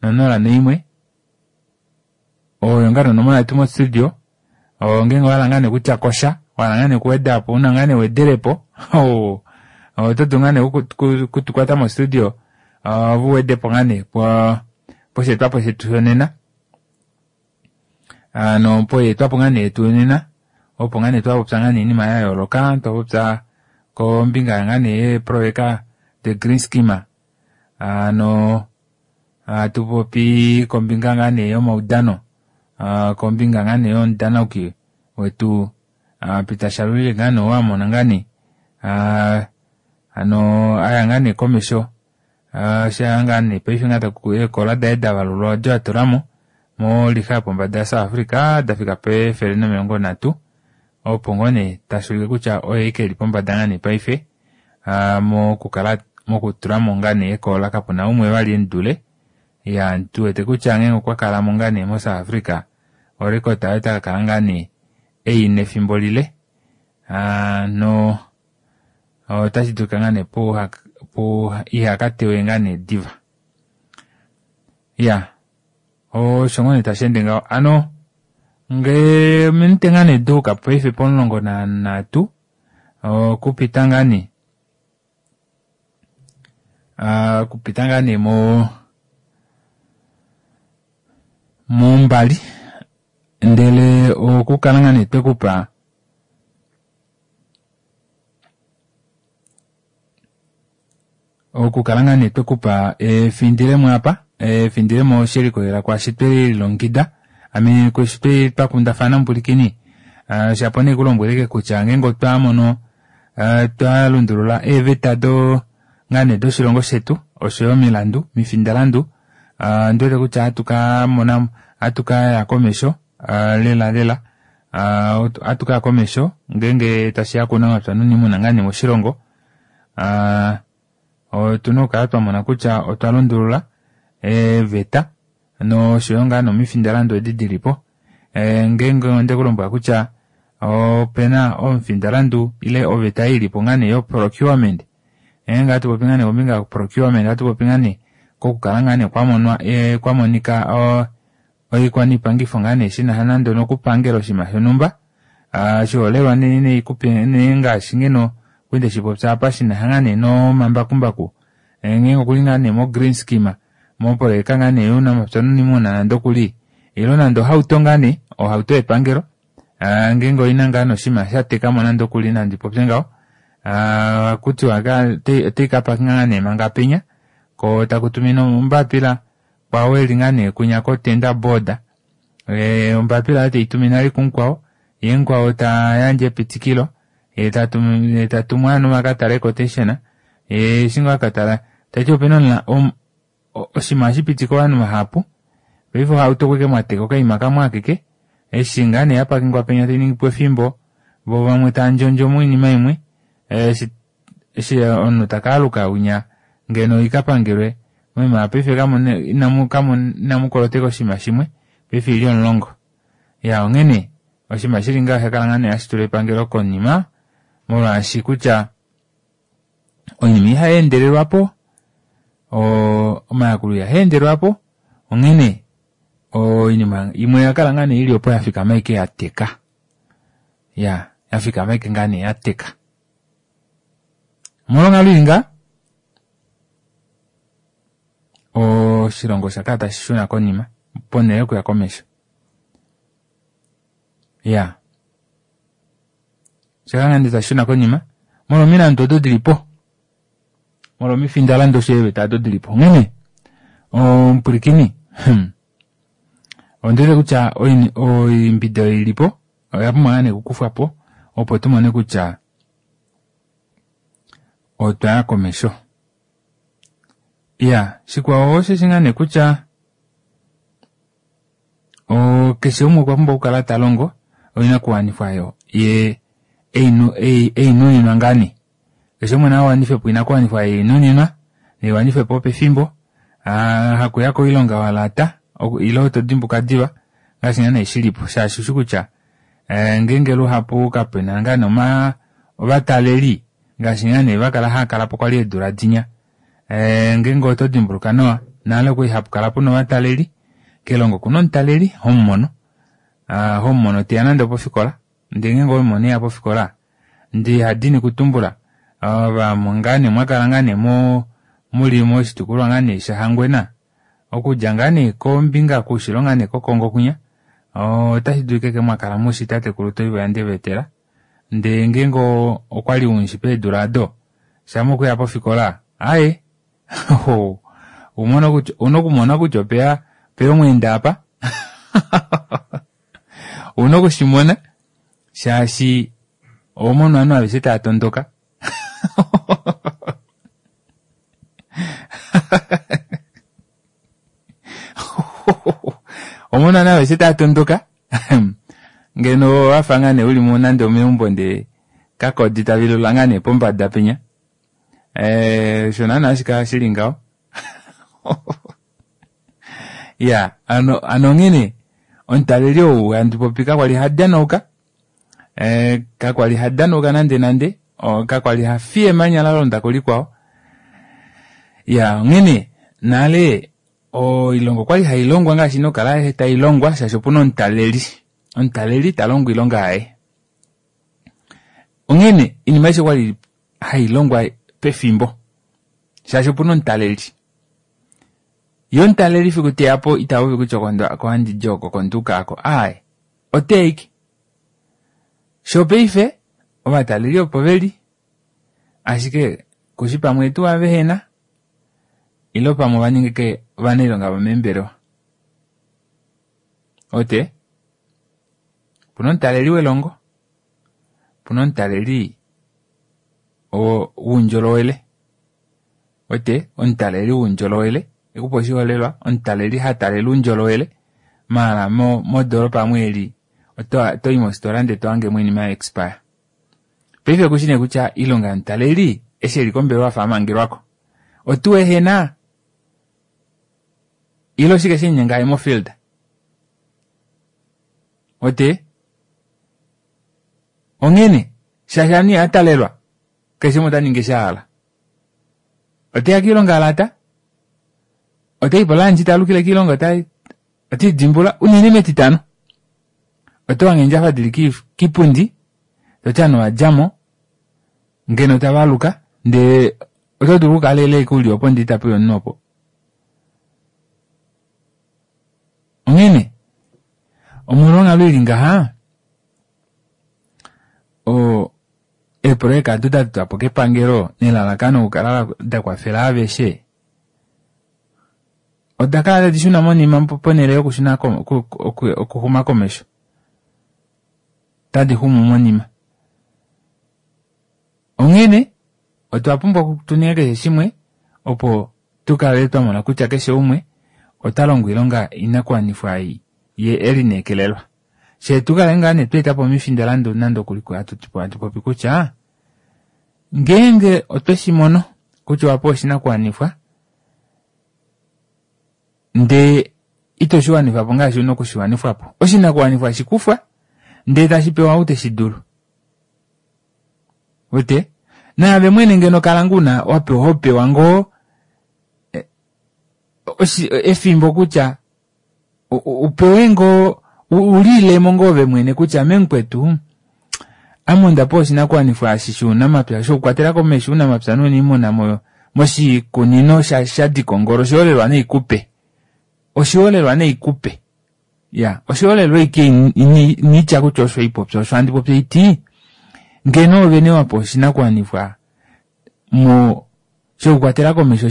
nonola noimwe oyo ngaa nonomola yetu mo studio ngeenge owahala ngaa nee kutya kosha wahala ngaa nee okuwedapo una ngaa nee wedelepo oto dulu ngaa nee okutukwata mo studio vuwedepo ngaa nee posheetwapo shetu shonena ano poyeetwapo ngaa nee yetu yonena Opo ngaa nee twapopya ngaa nee iinima ya yooloka, twapopya kombinga ngaa nee yeeprojeka the green scheme. Ano hatu popi kombinga ngaa nee yomaudano, kombinga ngaa nee yomudanauki wetu Peter Shalulile ngaa nee wamona ngaa nee ano aya ngaa nee komesho sha ngaa nee paife ngaa eekola daye davalulwa odi atulamo molixa yopombada ya South Africa dafika pefele nomilongo nhatu, opo ngoo nee tashulike kutya oye ashike eli pombada ngaa nee paife mokukala mokutulamo ngaa nee eekoola kapuna umwe vali emudule. Ya tuwete kutya ngeenge okwa kalamo ngaa nee mo South Africa orecord oyo takakala ngaa nee eina efimbo lile, no otashi dulika ngaa nee pu ihakatewe ngaa nee diva. Ya osho ngoo nee tasheende ngaho. Ano ngee minute ngaa nee duuka paife pomulongo nanhatu okupita ngaa nee okupita ngaa nee mo mombali, ndele okukala ngaa nee twekupa okukala ngaa nee twekupa efindilemo apa, efindilemo shelikolela kwaashi twelilongekida ame kwaashi twakundafana mupulikini. Shapo nee kulombweleke kutya ngeenge otwa mono twa lundulula eeveta do ngaa nee doshilongo shetu oshoyo omilandu mifindalandu, ondiwete kutya ohatu kamona ohatu kaya komesho lela lela, ohatu kaya komesho ngeenge tashiya kuunamapya nuuniimuna ngaa nee moshilongo. Otuna okukala twamona kutya otwa lundulula eeveta noshoyo ngaa nomifindalandu edi dilipo. Ngeenge ondekulombwela kutya opena omufindalandu ile oveta ilipo ngaa nee yo procurement, ngeenge ohatu popi ngaa nee kombinga yo procurement ohatu popi ngaa nee kokukala ngaa nee kwamonwa kwamonika oikwaniipangifo ngaa nee shinasha nande nokupangela oshinima shonhumba. Oshiholelwa nee ngaashi ngeno kwali ndeshipopya apa shinasha ngaa nee nomambakumbaku, ngeenge okuli ngaa nee mo green scheme moprojeka ngaa nee younamapya nuuniimuna nande okuli, ilo nande ohauto ngaa nee ohauto yepangelo ngeenge oina ngaa nee oshinima shatekamo nande okuli nandi popye ngaho, ohakutiwa otai kapakinga ngaa nee manga penya ko takutuminwa ombapila kwao eli ngaa nee kunya ko tender board, ombapila oyo teitumine vali kumukwao, yee mukwao tayandje epitikilo, yee tatumwa ovanhu vakatale quotation, yee eshi ngoo akatala tati opena oshinima ohashi ovanhu vahapu. Paife ohauto okwali mwateka okaima kamwe akeke, eshi ngaa nee yapakingwa penya tainingipo efimbo, voo vamwe tandjondjo moinima imwe, eshi omunhu takaaluka winya ngeno ikapangelwe moima paife inamukoloteka oshinima shimwe, paife oili omulongo. Ya onghene oshinima shili ngaho oshakala ngaa nee hashi tula epangelo konima, molwaashi kutya oinima ihayendelelwapo, omayakulo ihaendelelwapo, onghene oinima imwe oyakala ngaa nee ili opo yafikama ashike yateka. Ya yafikama ashike ngaa nee yateka. Omolwonghalo ili ngaa oshilongo oshakala tashi shuna konima ponhele yokuya komesho. Ya oshakala ngaa nee tashi shuna konima molwa omilandu odo dilipo, molwa omifindalandu osho eeveta odo dilipo. Onghene omupulikini ondiwete kutya oimbida oyo ilipo oya pumbwa ngaa nee okukufwapo opo tumone kutya otwaya komesho. Ya shikwao osheshi ngaa nee kutya keshe umwe okwa pumbwa okukala talongo oinakuwanifwa yo ye einuninwa ngaa nee, keshe umwe nawanife po oinakuwanifwa einuninwa neiwanifwepo pefimbo, hakuya koilonga walata ilo todimbuka diva ngaashi ngaa nee shilipo, shaashi ushi kutya ngeenge luhapu kapena ngaa nee ovataleli ngaashi ngaa nee vakala haakalapo kwali eedula dinya, ngeenge oto dimbuluka nawa nale okwali hapukala puna ovataleli, kelongo okuna omutaleli homumono, homumono teya nande opofikola, ndee ngeenge owemumono eya pofikola ndee hadini kutumbula vamwe ngaa nee mwakala ngaa nee muli moshitukulwa ngaa nee shaHangwena, okudja ngaa nee kombinga koushilo ngaa nee kOkongo kwinya, Otashi dulika ke mwakala mushi tatekulu Toivo yaNdevetela ndee ngeenge okwali umushi peedula ado shama okuya pofikola aaye ouna okumona kutya opeya omweenda apa ouna okushimona shaashi ohomono ovanhu aveshe tava tondoka ohomono ovanhu aveshe tava tondoka ngeno wafa ngaa nee uli nande omeumbo ndee kakodi tavilula ngaa nee pombada penya osho naana hashi kala shili ngaho iya hano onghene omutaleli ou handi popi kakwali hadanauka kakwali hadanauka nande nande kakwali hafiye emanya lalonda kulikwao iya onghene nale oilonga okwali hailongwa ngaashi ina okukala tailongwa shaashi opuna omutaleli omutaleli talongo oilonga yaye onghene oinima aishe okwali hailongwa pefimbo shaashi opuna omutaleli ye omutaleli fiku teyapo itapopi kutya oko handidi oko oko nduuka aako aaye oteya ashike shopaife ovataleli opo veli ashike kushi pamwe tuu vehena ile pamwe ovaninga ashike ovanailonga vomeembelewa ote opuna omutaleli welongo opuna omutaleli woundjolowele ote omutaleli woundjolowele ekupa oshiholelwa omutaleli hatalele oundjolowele maala modoropa amu eli otoyi mofitola ndee tohangemo oinima ya expire paife kushi nee kutya oilonga yomutaleli eshi eli kombelewa afa amangelwako otuu ehena ile oshike shemunyenga aye mofield ote onghene shaashi ovanhu ihatalelwa keshe umwe otaningi eshi ahala oteya koilonga alata otayi polunch taalukile koilonga otiidimbula unene metitano otohange eendjafa dili kipundi toti ovanhu ovadjamo ngeno tavaluka ndee oto dulu okukala ashike uli opo ndee itapuya omunhu opo onghene omolwa onghalo ili ngaha oo eeprojeka ado datotwapo kepangelo nelalakano okukala dakwafela aveshe oda kala tadi shuna monima ponele yokushuna okuxuma komesho tadi xumu monima onghene otwa pumbwa tuninge keshe shimwe opo tukale twamona kutya keshe umwe ota longo oilonga oinakuwanifwa ei ye elineekelelwa shee tukale ngaa nee tweetapo omifindalandu nande okuli hatu popi kutya ngeenge otweshimono kutya owapewa oshinakuwanifwa ndee ito shiwanifapo ngaashi una okushiwanifwapo oshinakuwanifwa shikufwa ndee tashipewa ou teshidulu wete naave mwene ngeno kala ngoo una wapewa hopewa ngoo efimbo kutya upewe ngoo uliilemo ngoo ove mwene kutya ame mukwetu ame ondapewa oshinakuwanifwa eshi shounamapya shokukwatela komesho ounamapya nouniimuna moshikunino shadikongolo oshiholelwa naikupe oshiholelwa naikupe iya oshiholelwa ashike initya kutya osho haipopya osho handi popi haiti ngeno ove nee wapewa oshinakuwanifwa mo shokukwatela komesho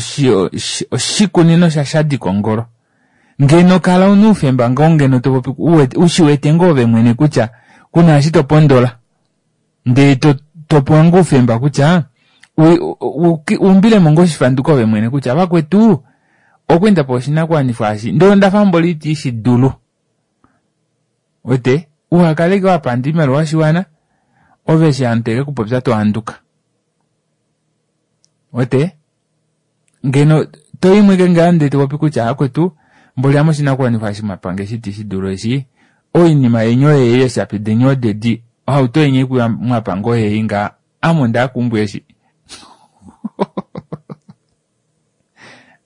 oshikunino shashadikongolo ngeno kala una oufemba ngoo ngeno topopi ushiwete ngoo ove mwene kutya kuna eshi topondola ndee topewa ngoo oufemba kutya uumbilemo ngoo oshifanduko ove mwene kutya vakwetu okwali ndapewa oshinakuwanifwa eshi ndee ondafa mboli iti shidulu wete uhakale ashike wapanda oimaliwa yoshiwana ove eshi ovanhu tavekupopya tohanduka wete ngeno toimwe ashike ngaho ndee topopi kutya vakwetu mboli ame oshinakuwanifwa eshi mwapange eshi iti shidulu eshi oinima yeni oyeyi eeshapi deni odedi ohauto yeni ei mwapange oyeyi ngaha ame ondaya keumbo eshi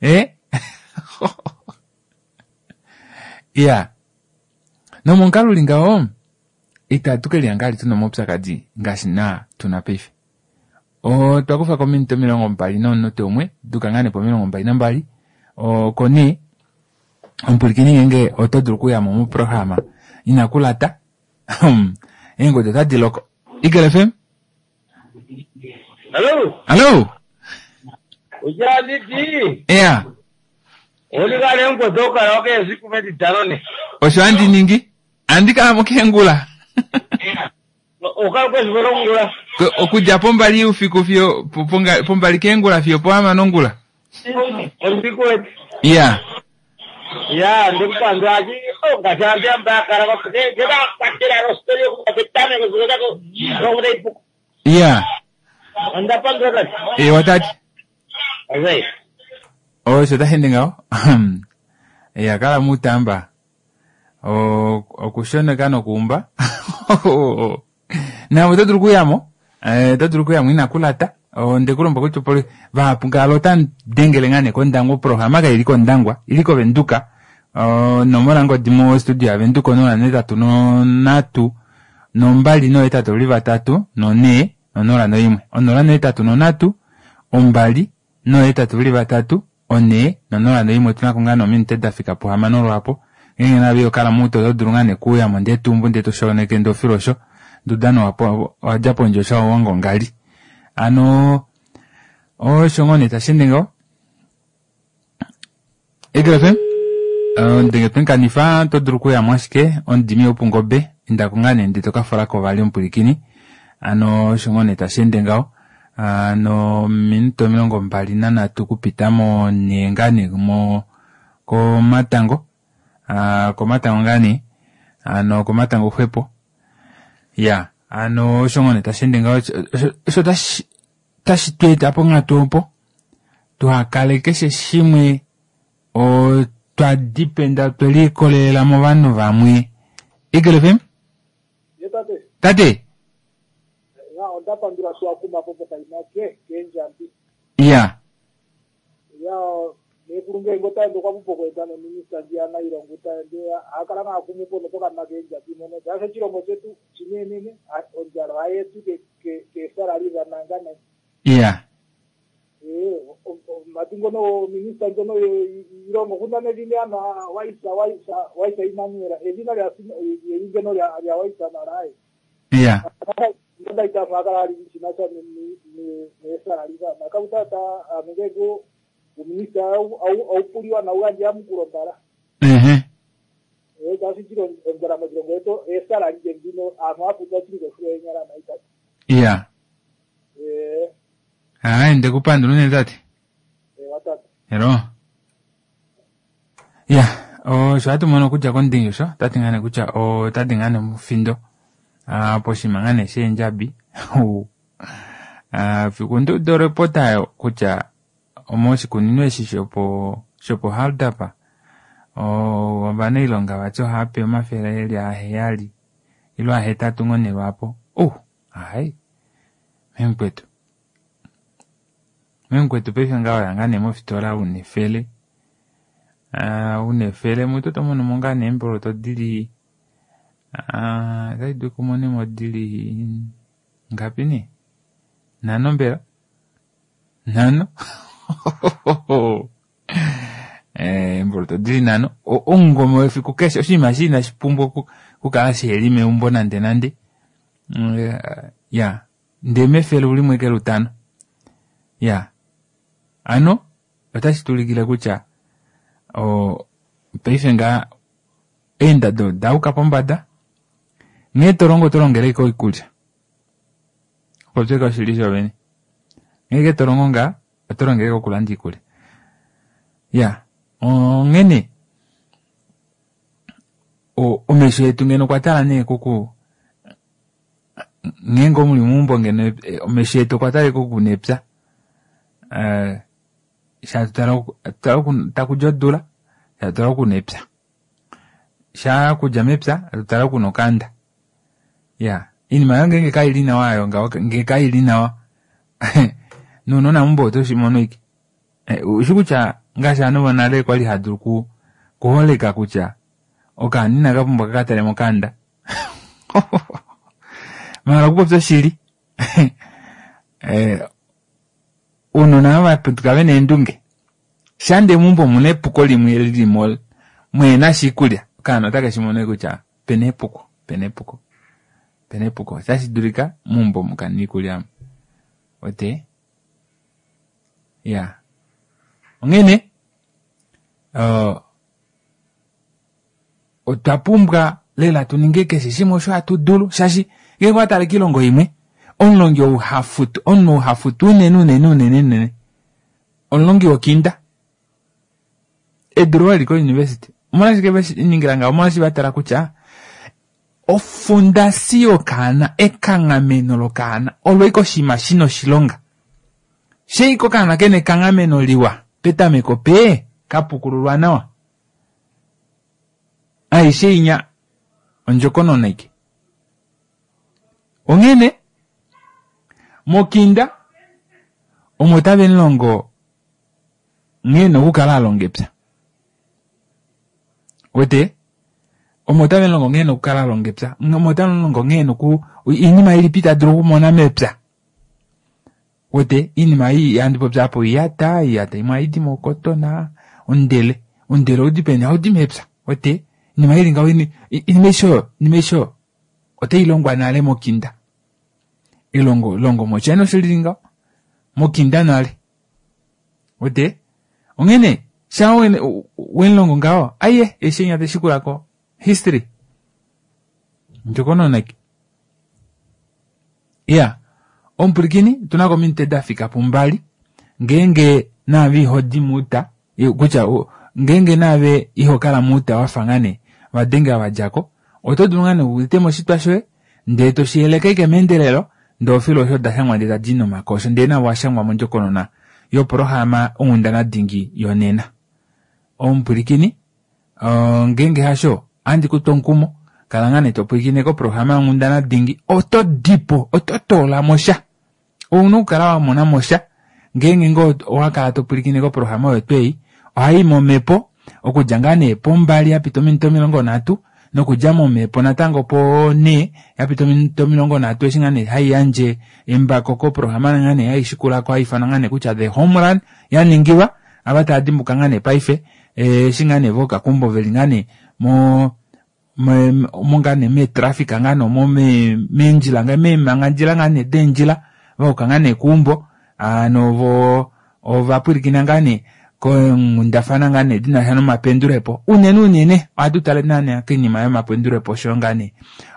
ee iya nomomukalo uli ngaho itatu kelihanga vali tuna omaupyakadi ngaashi naa tuna paife otwa kufako ominute omilongo mbali nomunute umwe duka ngaa nee pomilongo mbali nambali oko nee omupwilikini ngeenge oto dulu okuyamo moprograma Inakulata. Eengodi otadi loko. Eagle F M? Hello. Hello. Ujanditi. Yeah. Olikale nkotoka oke esiku metitano ne. Osho andi ningi? Andi kala mokengula. Okala kwesiku longula. Okudja pombali ufiku fiyo pombali kengula fiyo poama nongula. Usiku wetu. Yeah. Ya, ndikupandwa achi ongachambia mbakara kwa kwatira rostori kupetane kuzokako rokuda ipuku. Yeah. Andapandwa kati. Eh watati. Azai. Osho tahende ngaho. Ya kala mutamba. O okushoneka nokuumba. Na oto dulu kuyamo. Eh oto dulu kuyamo inakulata. Ondekulomba kutya poli vahapu ngalo otandengele ngaa nee kOndangwa oprograma kaili kOndangwa ili koVenduka. Onomola ngodi mo studio yaVenduka onola netatu nonhatu nombali nohetatu li vatatu nonhee nonola noimwe onola nohetatu nonhatu ombali nohetatu li vatatu onhee nonola noimwe. Otuna ko ngaa nee ominute dafika puhamano lwaapo. Ngeenge nave okala muto oto dulu ngaa nee kuuyamo ndee tumbu ndee toshoneke ndee ofilo osho ndudano wadja pondje osho wangongali. Ano osho ngoo nee tashende ngaho. Eagle F M ndenge twenkanifa oto dulu okuyamo ashike omudimi wopungobe indako ngaa nee ndee tokafolako vali omupwilikini. Ano osho ngoo nee tashende ngaho. Ano minute omilongo mbali nanhatu kupita mo nee ngaa nee mo komatango. Komatango ngaa nee ano komatango xwepo. Ya ano osho ngoo nee tashende ngaho osho tashi tweeta ponghatu opo tuhakale keshe shimwe otwa dipenda twelikolelela movanhu vamwe. Eagle F M? Ye tate. Tate. Ya ondapandula sho akuma popo kainake kenjambi. Ya. Ya nekulunge ngota ndo kwa pupo kwenda no minister ndiana ilongo ta nde akala na akumupo no poka na kenjambi mono. Jasho chilongo chetu chinenene onjalo ayetu ke ke ke salary za nangana. Ya. Eh matingo no minister ngono ilongo kuna nevine ana waisa waisa waisa Emmanuel evina lya yingeno lya lya waisa narai. Ya. Nda ita makala ali chinacha ni ni ni salary za nakauta amengego uminista au au au puliwa na uganja mukulombala. Mhm. Eh kasi chiro ngara majirongo eto esala njengino amapu tachiro fuenyara maita. Ya. Eh. Ah ndekupandula une tate. Eh watatu. Hello. Ya, o sho hatu mono kutya kondingisho tati ngane kutya o tati ngane mufindo. Ah poshima ngane shenjabi. Ah fikundu do repota kutya omoshikunino eshi shopo shopo haldapa o ovanailonga vati ohaape omafele eli aheyali ilo ahetatu ngoo nee lwaapo. Oh, ai memukwetu memukwetu paife ngaho yanga nee mofitola una efele. Ah una efele mutu otomono mo ngaa nee eemboloto dili ah otadi dulu kumonemo dili ngapi nee? Nhano mbela? Nhano? Eh emboloto dili nhano. Omungome wefiku keshe oshinima eshi inashi pumbwa okukala shiheli meumbo nande nande. Ya ndee mefele ulimwe ke lutano. Ya ano otashi tulikile kutya o paife ngaa eendado dauka pombada nghee tolongo tolongele koikulya. Popyeka oshili shovene. Nghee tolongo ngaa otolongele kokulanda iikulya. Ya onghene omesho etu ngeno okwa tala nee kuku ngeenge omuli meumbo ngeno omesho etu okwa tala kuku nepya. Eh shatutala takudja odula shatutala oku nepya. Sha kudja mepya atutala oku nokanda. Ya iinima yo ngeenge kaili nawa ayo ngaho ngee kaili nawa nounona meumbo otoshimono ike. Ushi kutya ngaashi ovanhu vonale kwali hadulu kuholeka kutya okaana inakapumbwa kakatale mokanda. Mahala okupopya oshili. Eh ounona vaputuka vena eendunge. Shande meumbo omuna epuko limwe lilimo mwehena sha iikulya okaana otake shimono kutya Pena epuko, pena epuko. Pena epuko. Otashi dulika meumbo mukana iikulya. Ote? Ya. Onghene uh, otwa pumbwa lela tuninge keshe shimwe osho hatu dulu shaashi ngenge owa tale kiilongo imwe omulongi ou hafutu omunhu ou hafutu unene unene unene unene omulongi wokinda edulu oli ko-university omolwashike veshiningila ngaho omolwashi vatala kutya ofundasi yokaana ekanghameno lokaana olo ike oshinima shina oshilonga sheike okaana kena ekanghameno liwa petameko pe kapukululwa nawa aishe inya ondjokonona ike onghene mokinda omo tave mulongo nghee ena okukala alonga epya wete omo tave mulongo nghee ena okukala alonga epya omo tave mulongo nghee ena oku iinima ilipi tadulu okumona mepya wete iinima ei handi popi apa oiyata oiyata imwe ohaidi mokotona ondele ondele ohaudi peni ohaudi mepya wete iinima ili ngaho iinima aishe oyo iinima aishe oyo otailongwa nale mokinda elongo longo moChina osho lili ngaho mokinda nale wete onghene sha wemulongo ngaho aiye eshi enya teshikulako history ndjokonona ike iya omupulikini otunako ominute dafika pumbali ngeenge naave ihodi muuta kutya ngeenge naave ihokala muuta wafa ngaa nee vadenge vadjako oto dulu ngaa nee uteme oshitwa shoye ndee toshiyeleke ike meendelelo ndee ofilo osho dashangwa ndee tadi nomakosho ndee navo washangwa mondjokonona yoprograma onghundana dingi yonena omupwilikini uh, ngeenge hasho ohandi kutu omukumo kala ngaa nee topwilikine koprograma yonghundana dingi oto dipo oto toolamo sha ouna okukala wamona mosha ngeenge ngoo owakala topwilikine koprograma oyo twei ohayi momhepo okudja ngaa nee pombali yapita ominute omilongo nhatu nokudja momhepo natango po nhee yapita ominute omilongo nhatu eshi ngaa nee haiyandje embako koprograma ngaa nee haishikulako haifanwa ngaa nee kutya the home run yaningilwa ava tava dimbuka ngaa nee paife eshi ngaa nee vookakumbo veli ngaa nee mo mo ngaa nee meetraffic ngaa nee omo meendjila meemangandjila ngaa nee deendjila vayuka ngaa nee keumbo ano vo ovapwilikina ngaa nee konghundafana ngaa nee dinasha nomapendulepo unene unene ohatu tale naana koinima yomapendulepo oshoyo ngaa nee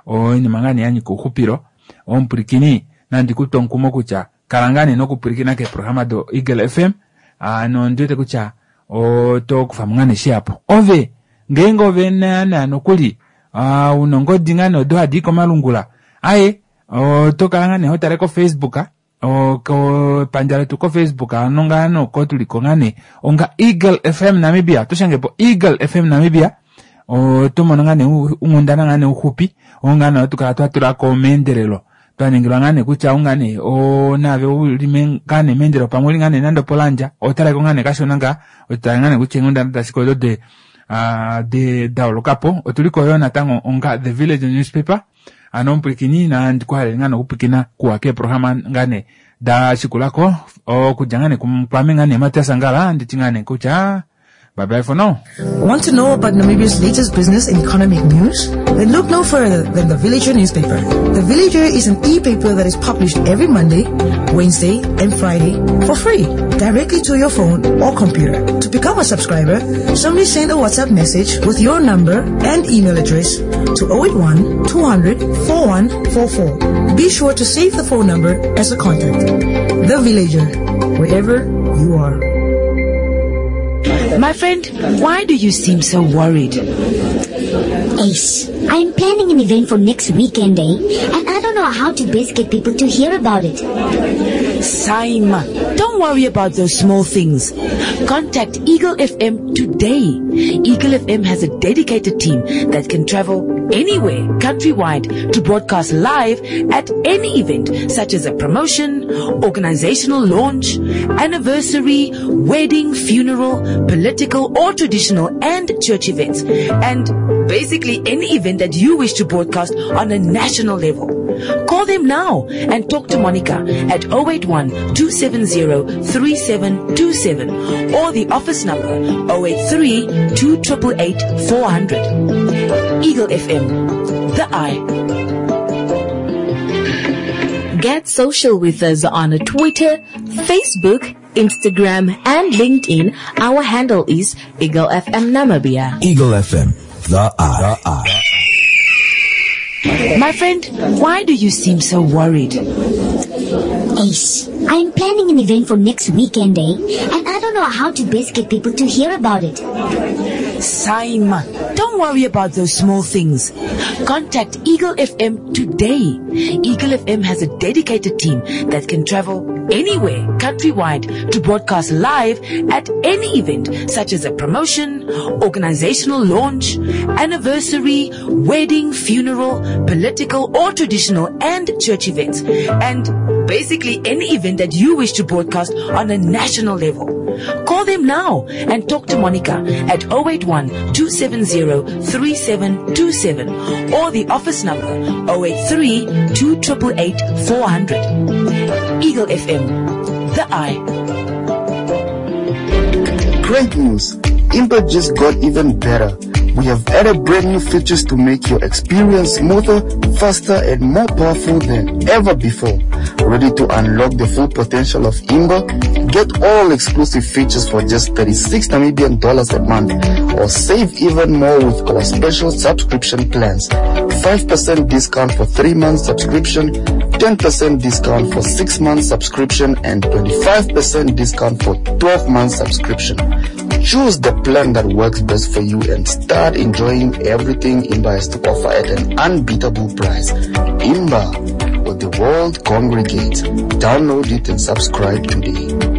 oinima ngaa nee yanyika ouxupilo omupwilikini nandi kutwe omukumo kutya kala ngaa nee nokupwilikina keeprograma do Eagle F M ano ondiwete kutya oto kufamo ngaa nee shihapu ove ngeenge ove naana nokuli uh, una ongodi ngaa nee odo hadi i komalungula aye oto kala ngaa nee hotale ko Facebook kepandja letu ko Facebook ano ngaa noko tuliko ngaa nee onga Eagle F M Namibia toshangepo Eagle F M Namibia oto mono ngaa nee unghundana ngaa nee uxupi oo ngaa nee otukala twatulako meendelelo twaningilwa ngaa nee kutya unga nee naave uli ngaa nee meendelelo pamwe uli ngaa nee nande opolandja otaleko ngaa nee kashona ngaa ototale ngaa nee kutya eenghundana dashike odo de de daolokapo otuliko yo natango onga The Village Newspaper ano omupwilikini nandi kuhalele ngaa nokupwilikina kuwa keeprograma ngaa nee dashikulako okudja ngaa nee kwame ngaa nee Matias Angala nditi ngaa nee kutya bye bye for now. Want to know about Namibia's latest business and economic news? Then look no further than The Villager newspaper. The Villager is an e-paper that is published every Monday, Wednesday, and Friday for free, directly to your phone or computer. To become a subscriber, simply send a WhatsApp message with your number and email address to oh eight one, two hundred, four one four four. Be sure to save the phone number as a contact. The Villager, wherever you are. My friend, why do you seem so worried? Ace, I'm planning an event for next weekend, eh? And I don't know how to best get people to hear about it. Saima, don't worry about those small things. Contact Eagle F M today. Eagle F M has a dedicated team that can travel anywhere, countrywide, to broadcast live at any event, such as a promotion, organizational launch, anniversary, wedding, funeral, political or traditional and church events. And basically any event that you wish to broadcast on a national level. Call them now and talk to Monica at oh eight one, two seven zero, three seven two seven or the office number oh eight three, two triple eight, four hundred. Eagle F M, the eye. Get social with us on Twitter, Facebook, Instagram, and LinkedIn. Our handle is Eagle F M Namibia. Eagle F M, the eye. The eye. My friend, why do you seem so worried? Ace, I'm planning an event for next weekend, eh? And I don't know how to best get people to hear about it. Saima, don't worry about those small things. Contact Eagle F M today. Eagle F M has a dedicated team that can travel anywhere countrywide to broadcast live at any event such as a promotion, organizational launch, anniversary, wedding, funeral, political or traditional and church events, and basically any event that you wish to broadcast on a national level. Call them now and talk to Monica at oh eight one, two seven zero, three seven two seven or the office number oh eight three, two triple eight, four hundred. Eagle F M, the eye. Great news! Imba just got even better. We have added brand new features to make your experience smoother, faster, and more powerful than ever before. Ready to unlock the full potential of Imba? Get all exclusive features for just thirty-six Namibian dollars a month, or save even more with our special subscription plans. five percent discount for three months subscription, ten percent discount for six months subscription, and twenty-five percent discount for twelve months subscription. Choose the plan that works best for you and start enjoying everything Imba has to offer at an unbeatable price. Imba, where the world congregates. Download it and subscribe today.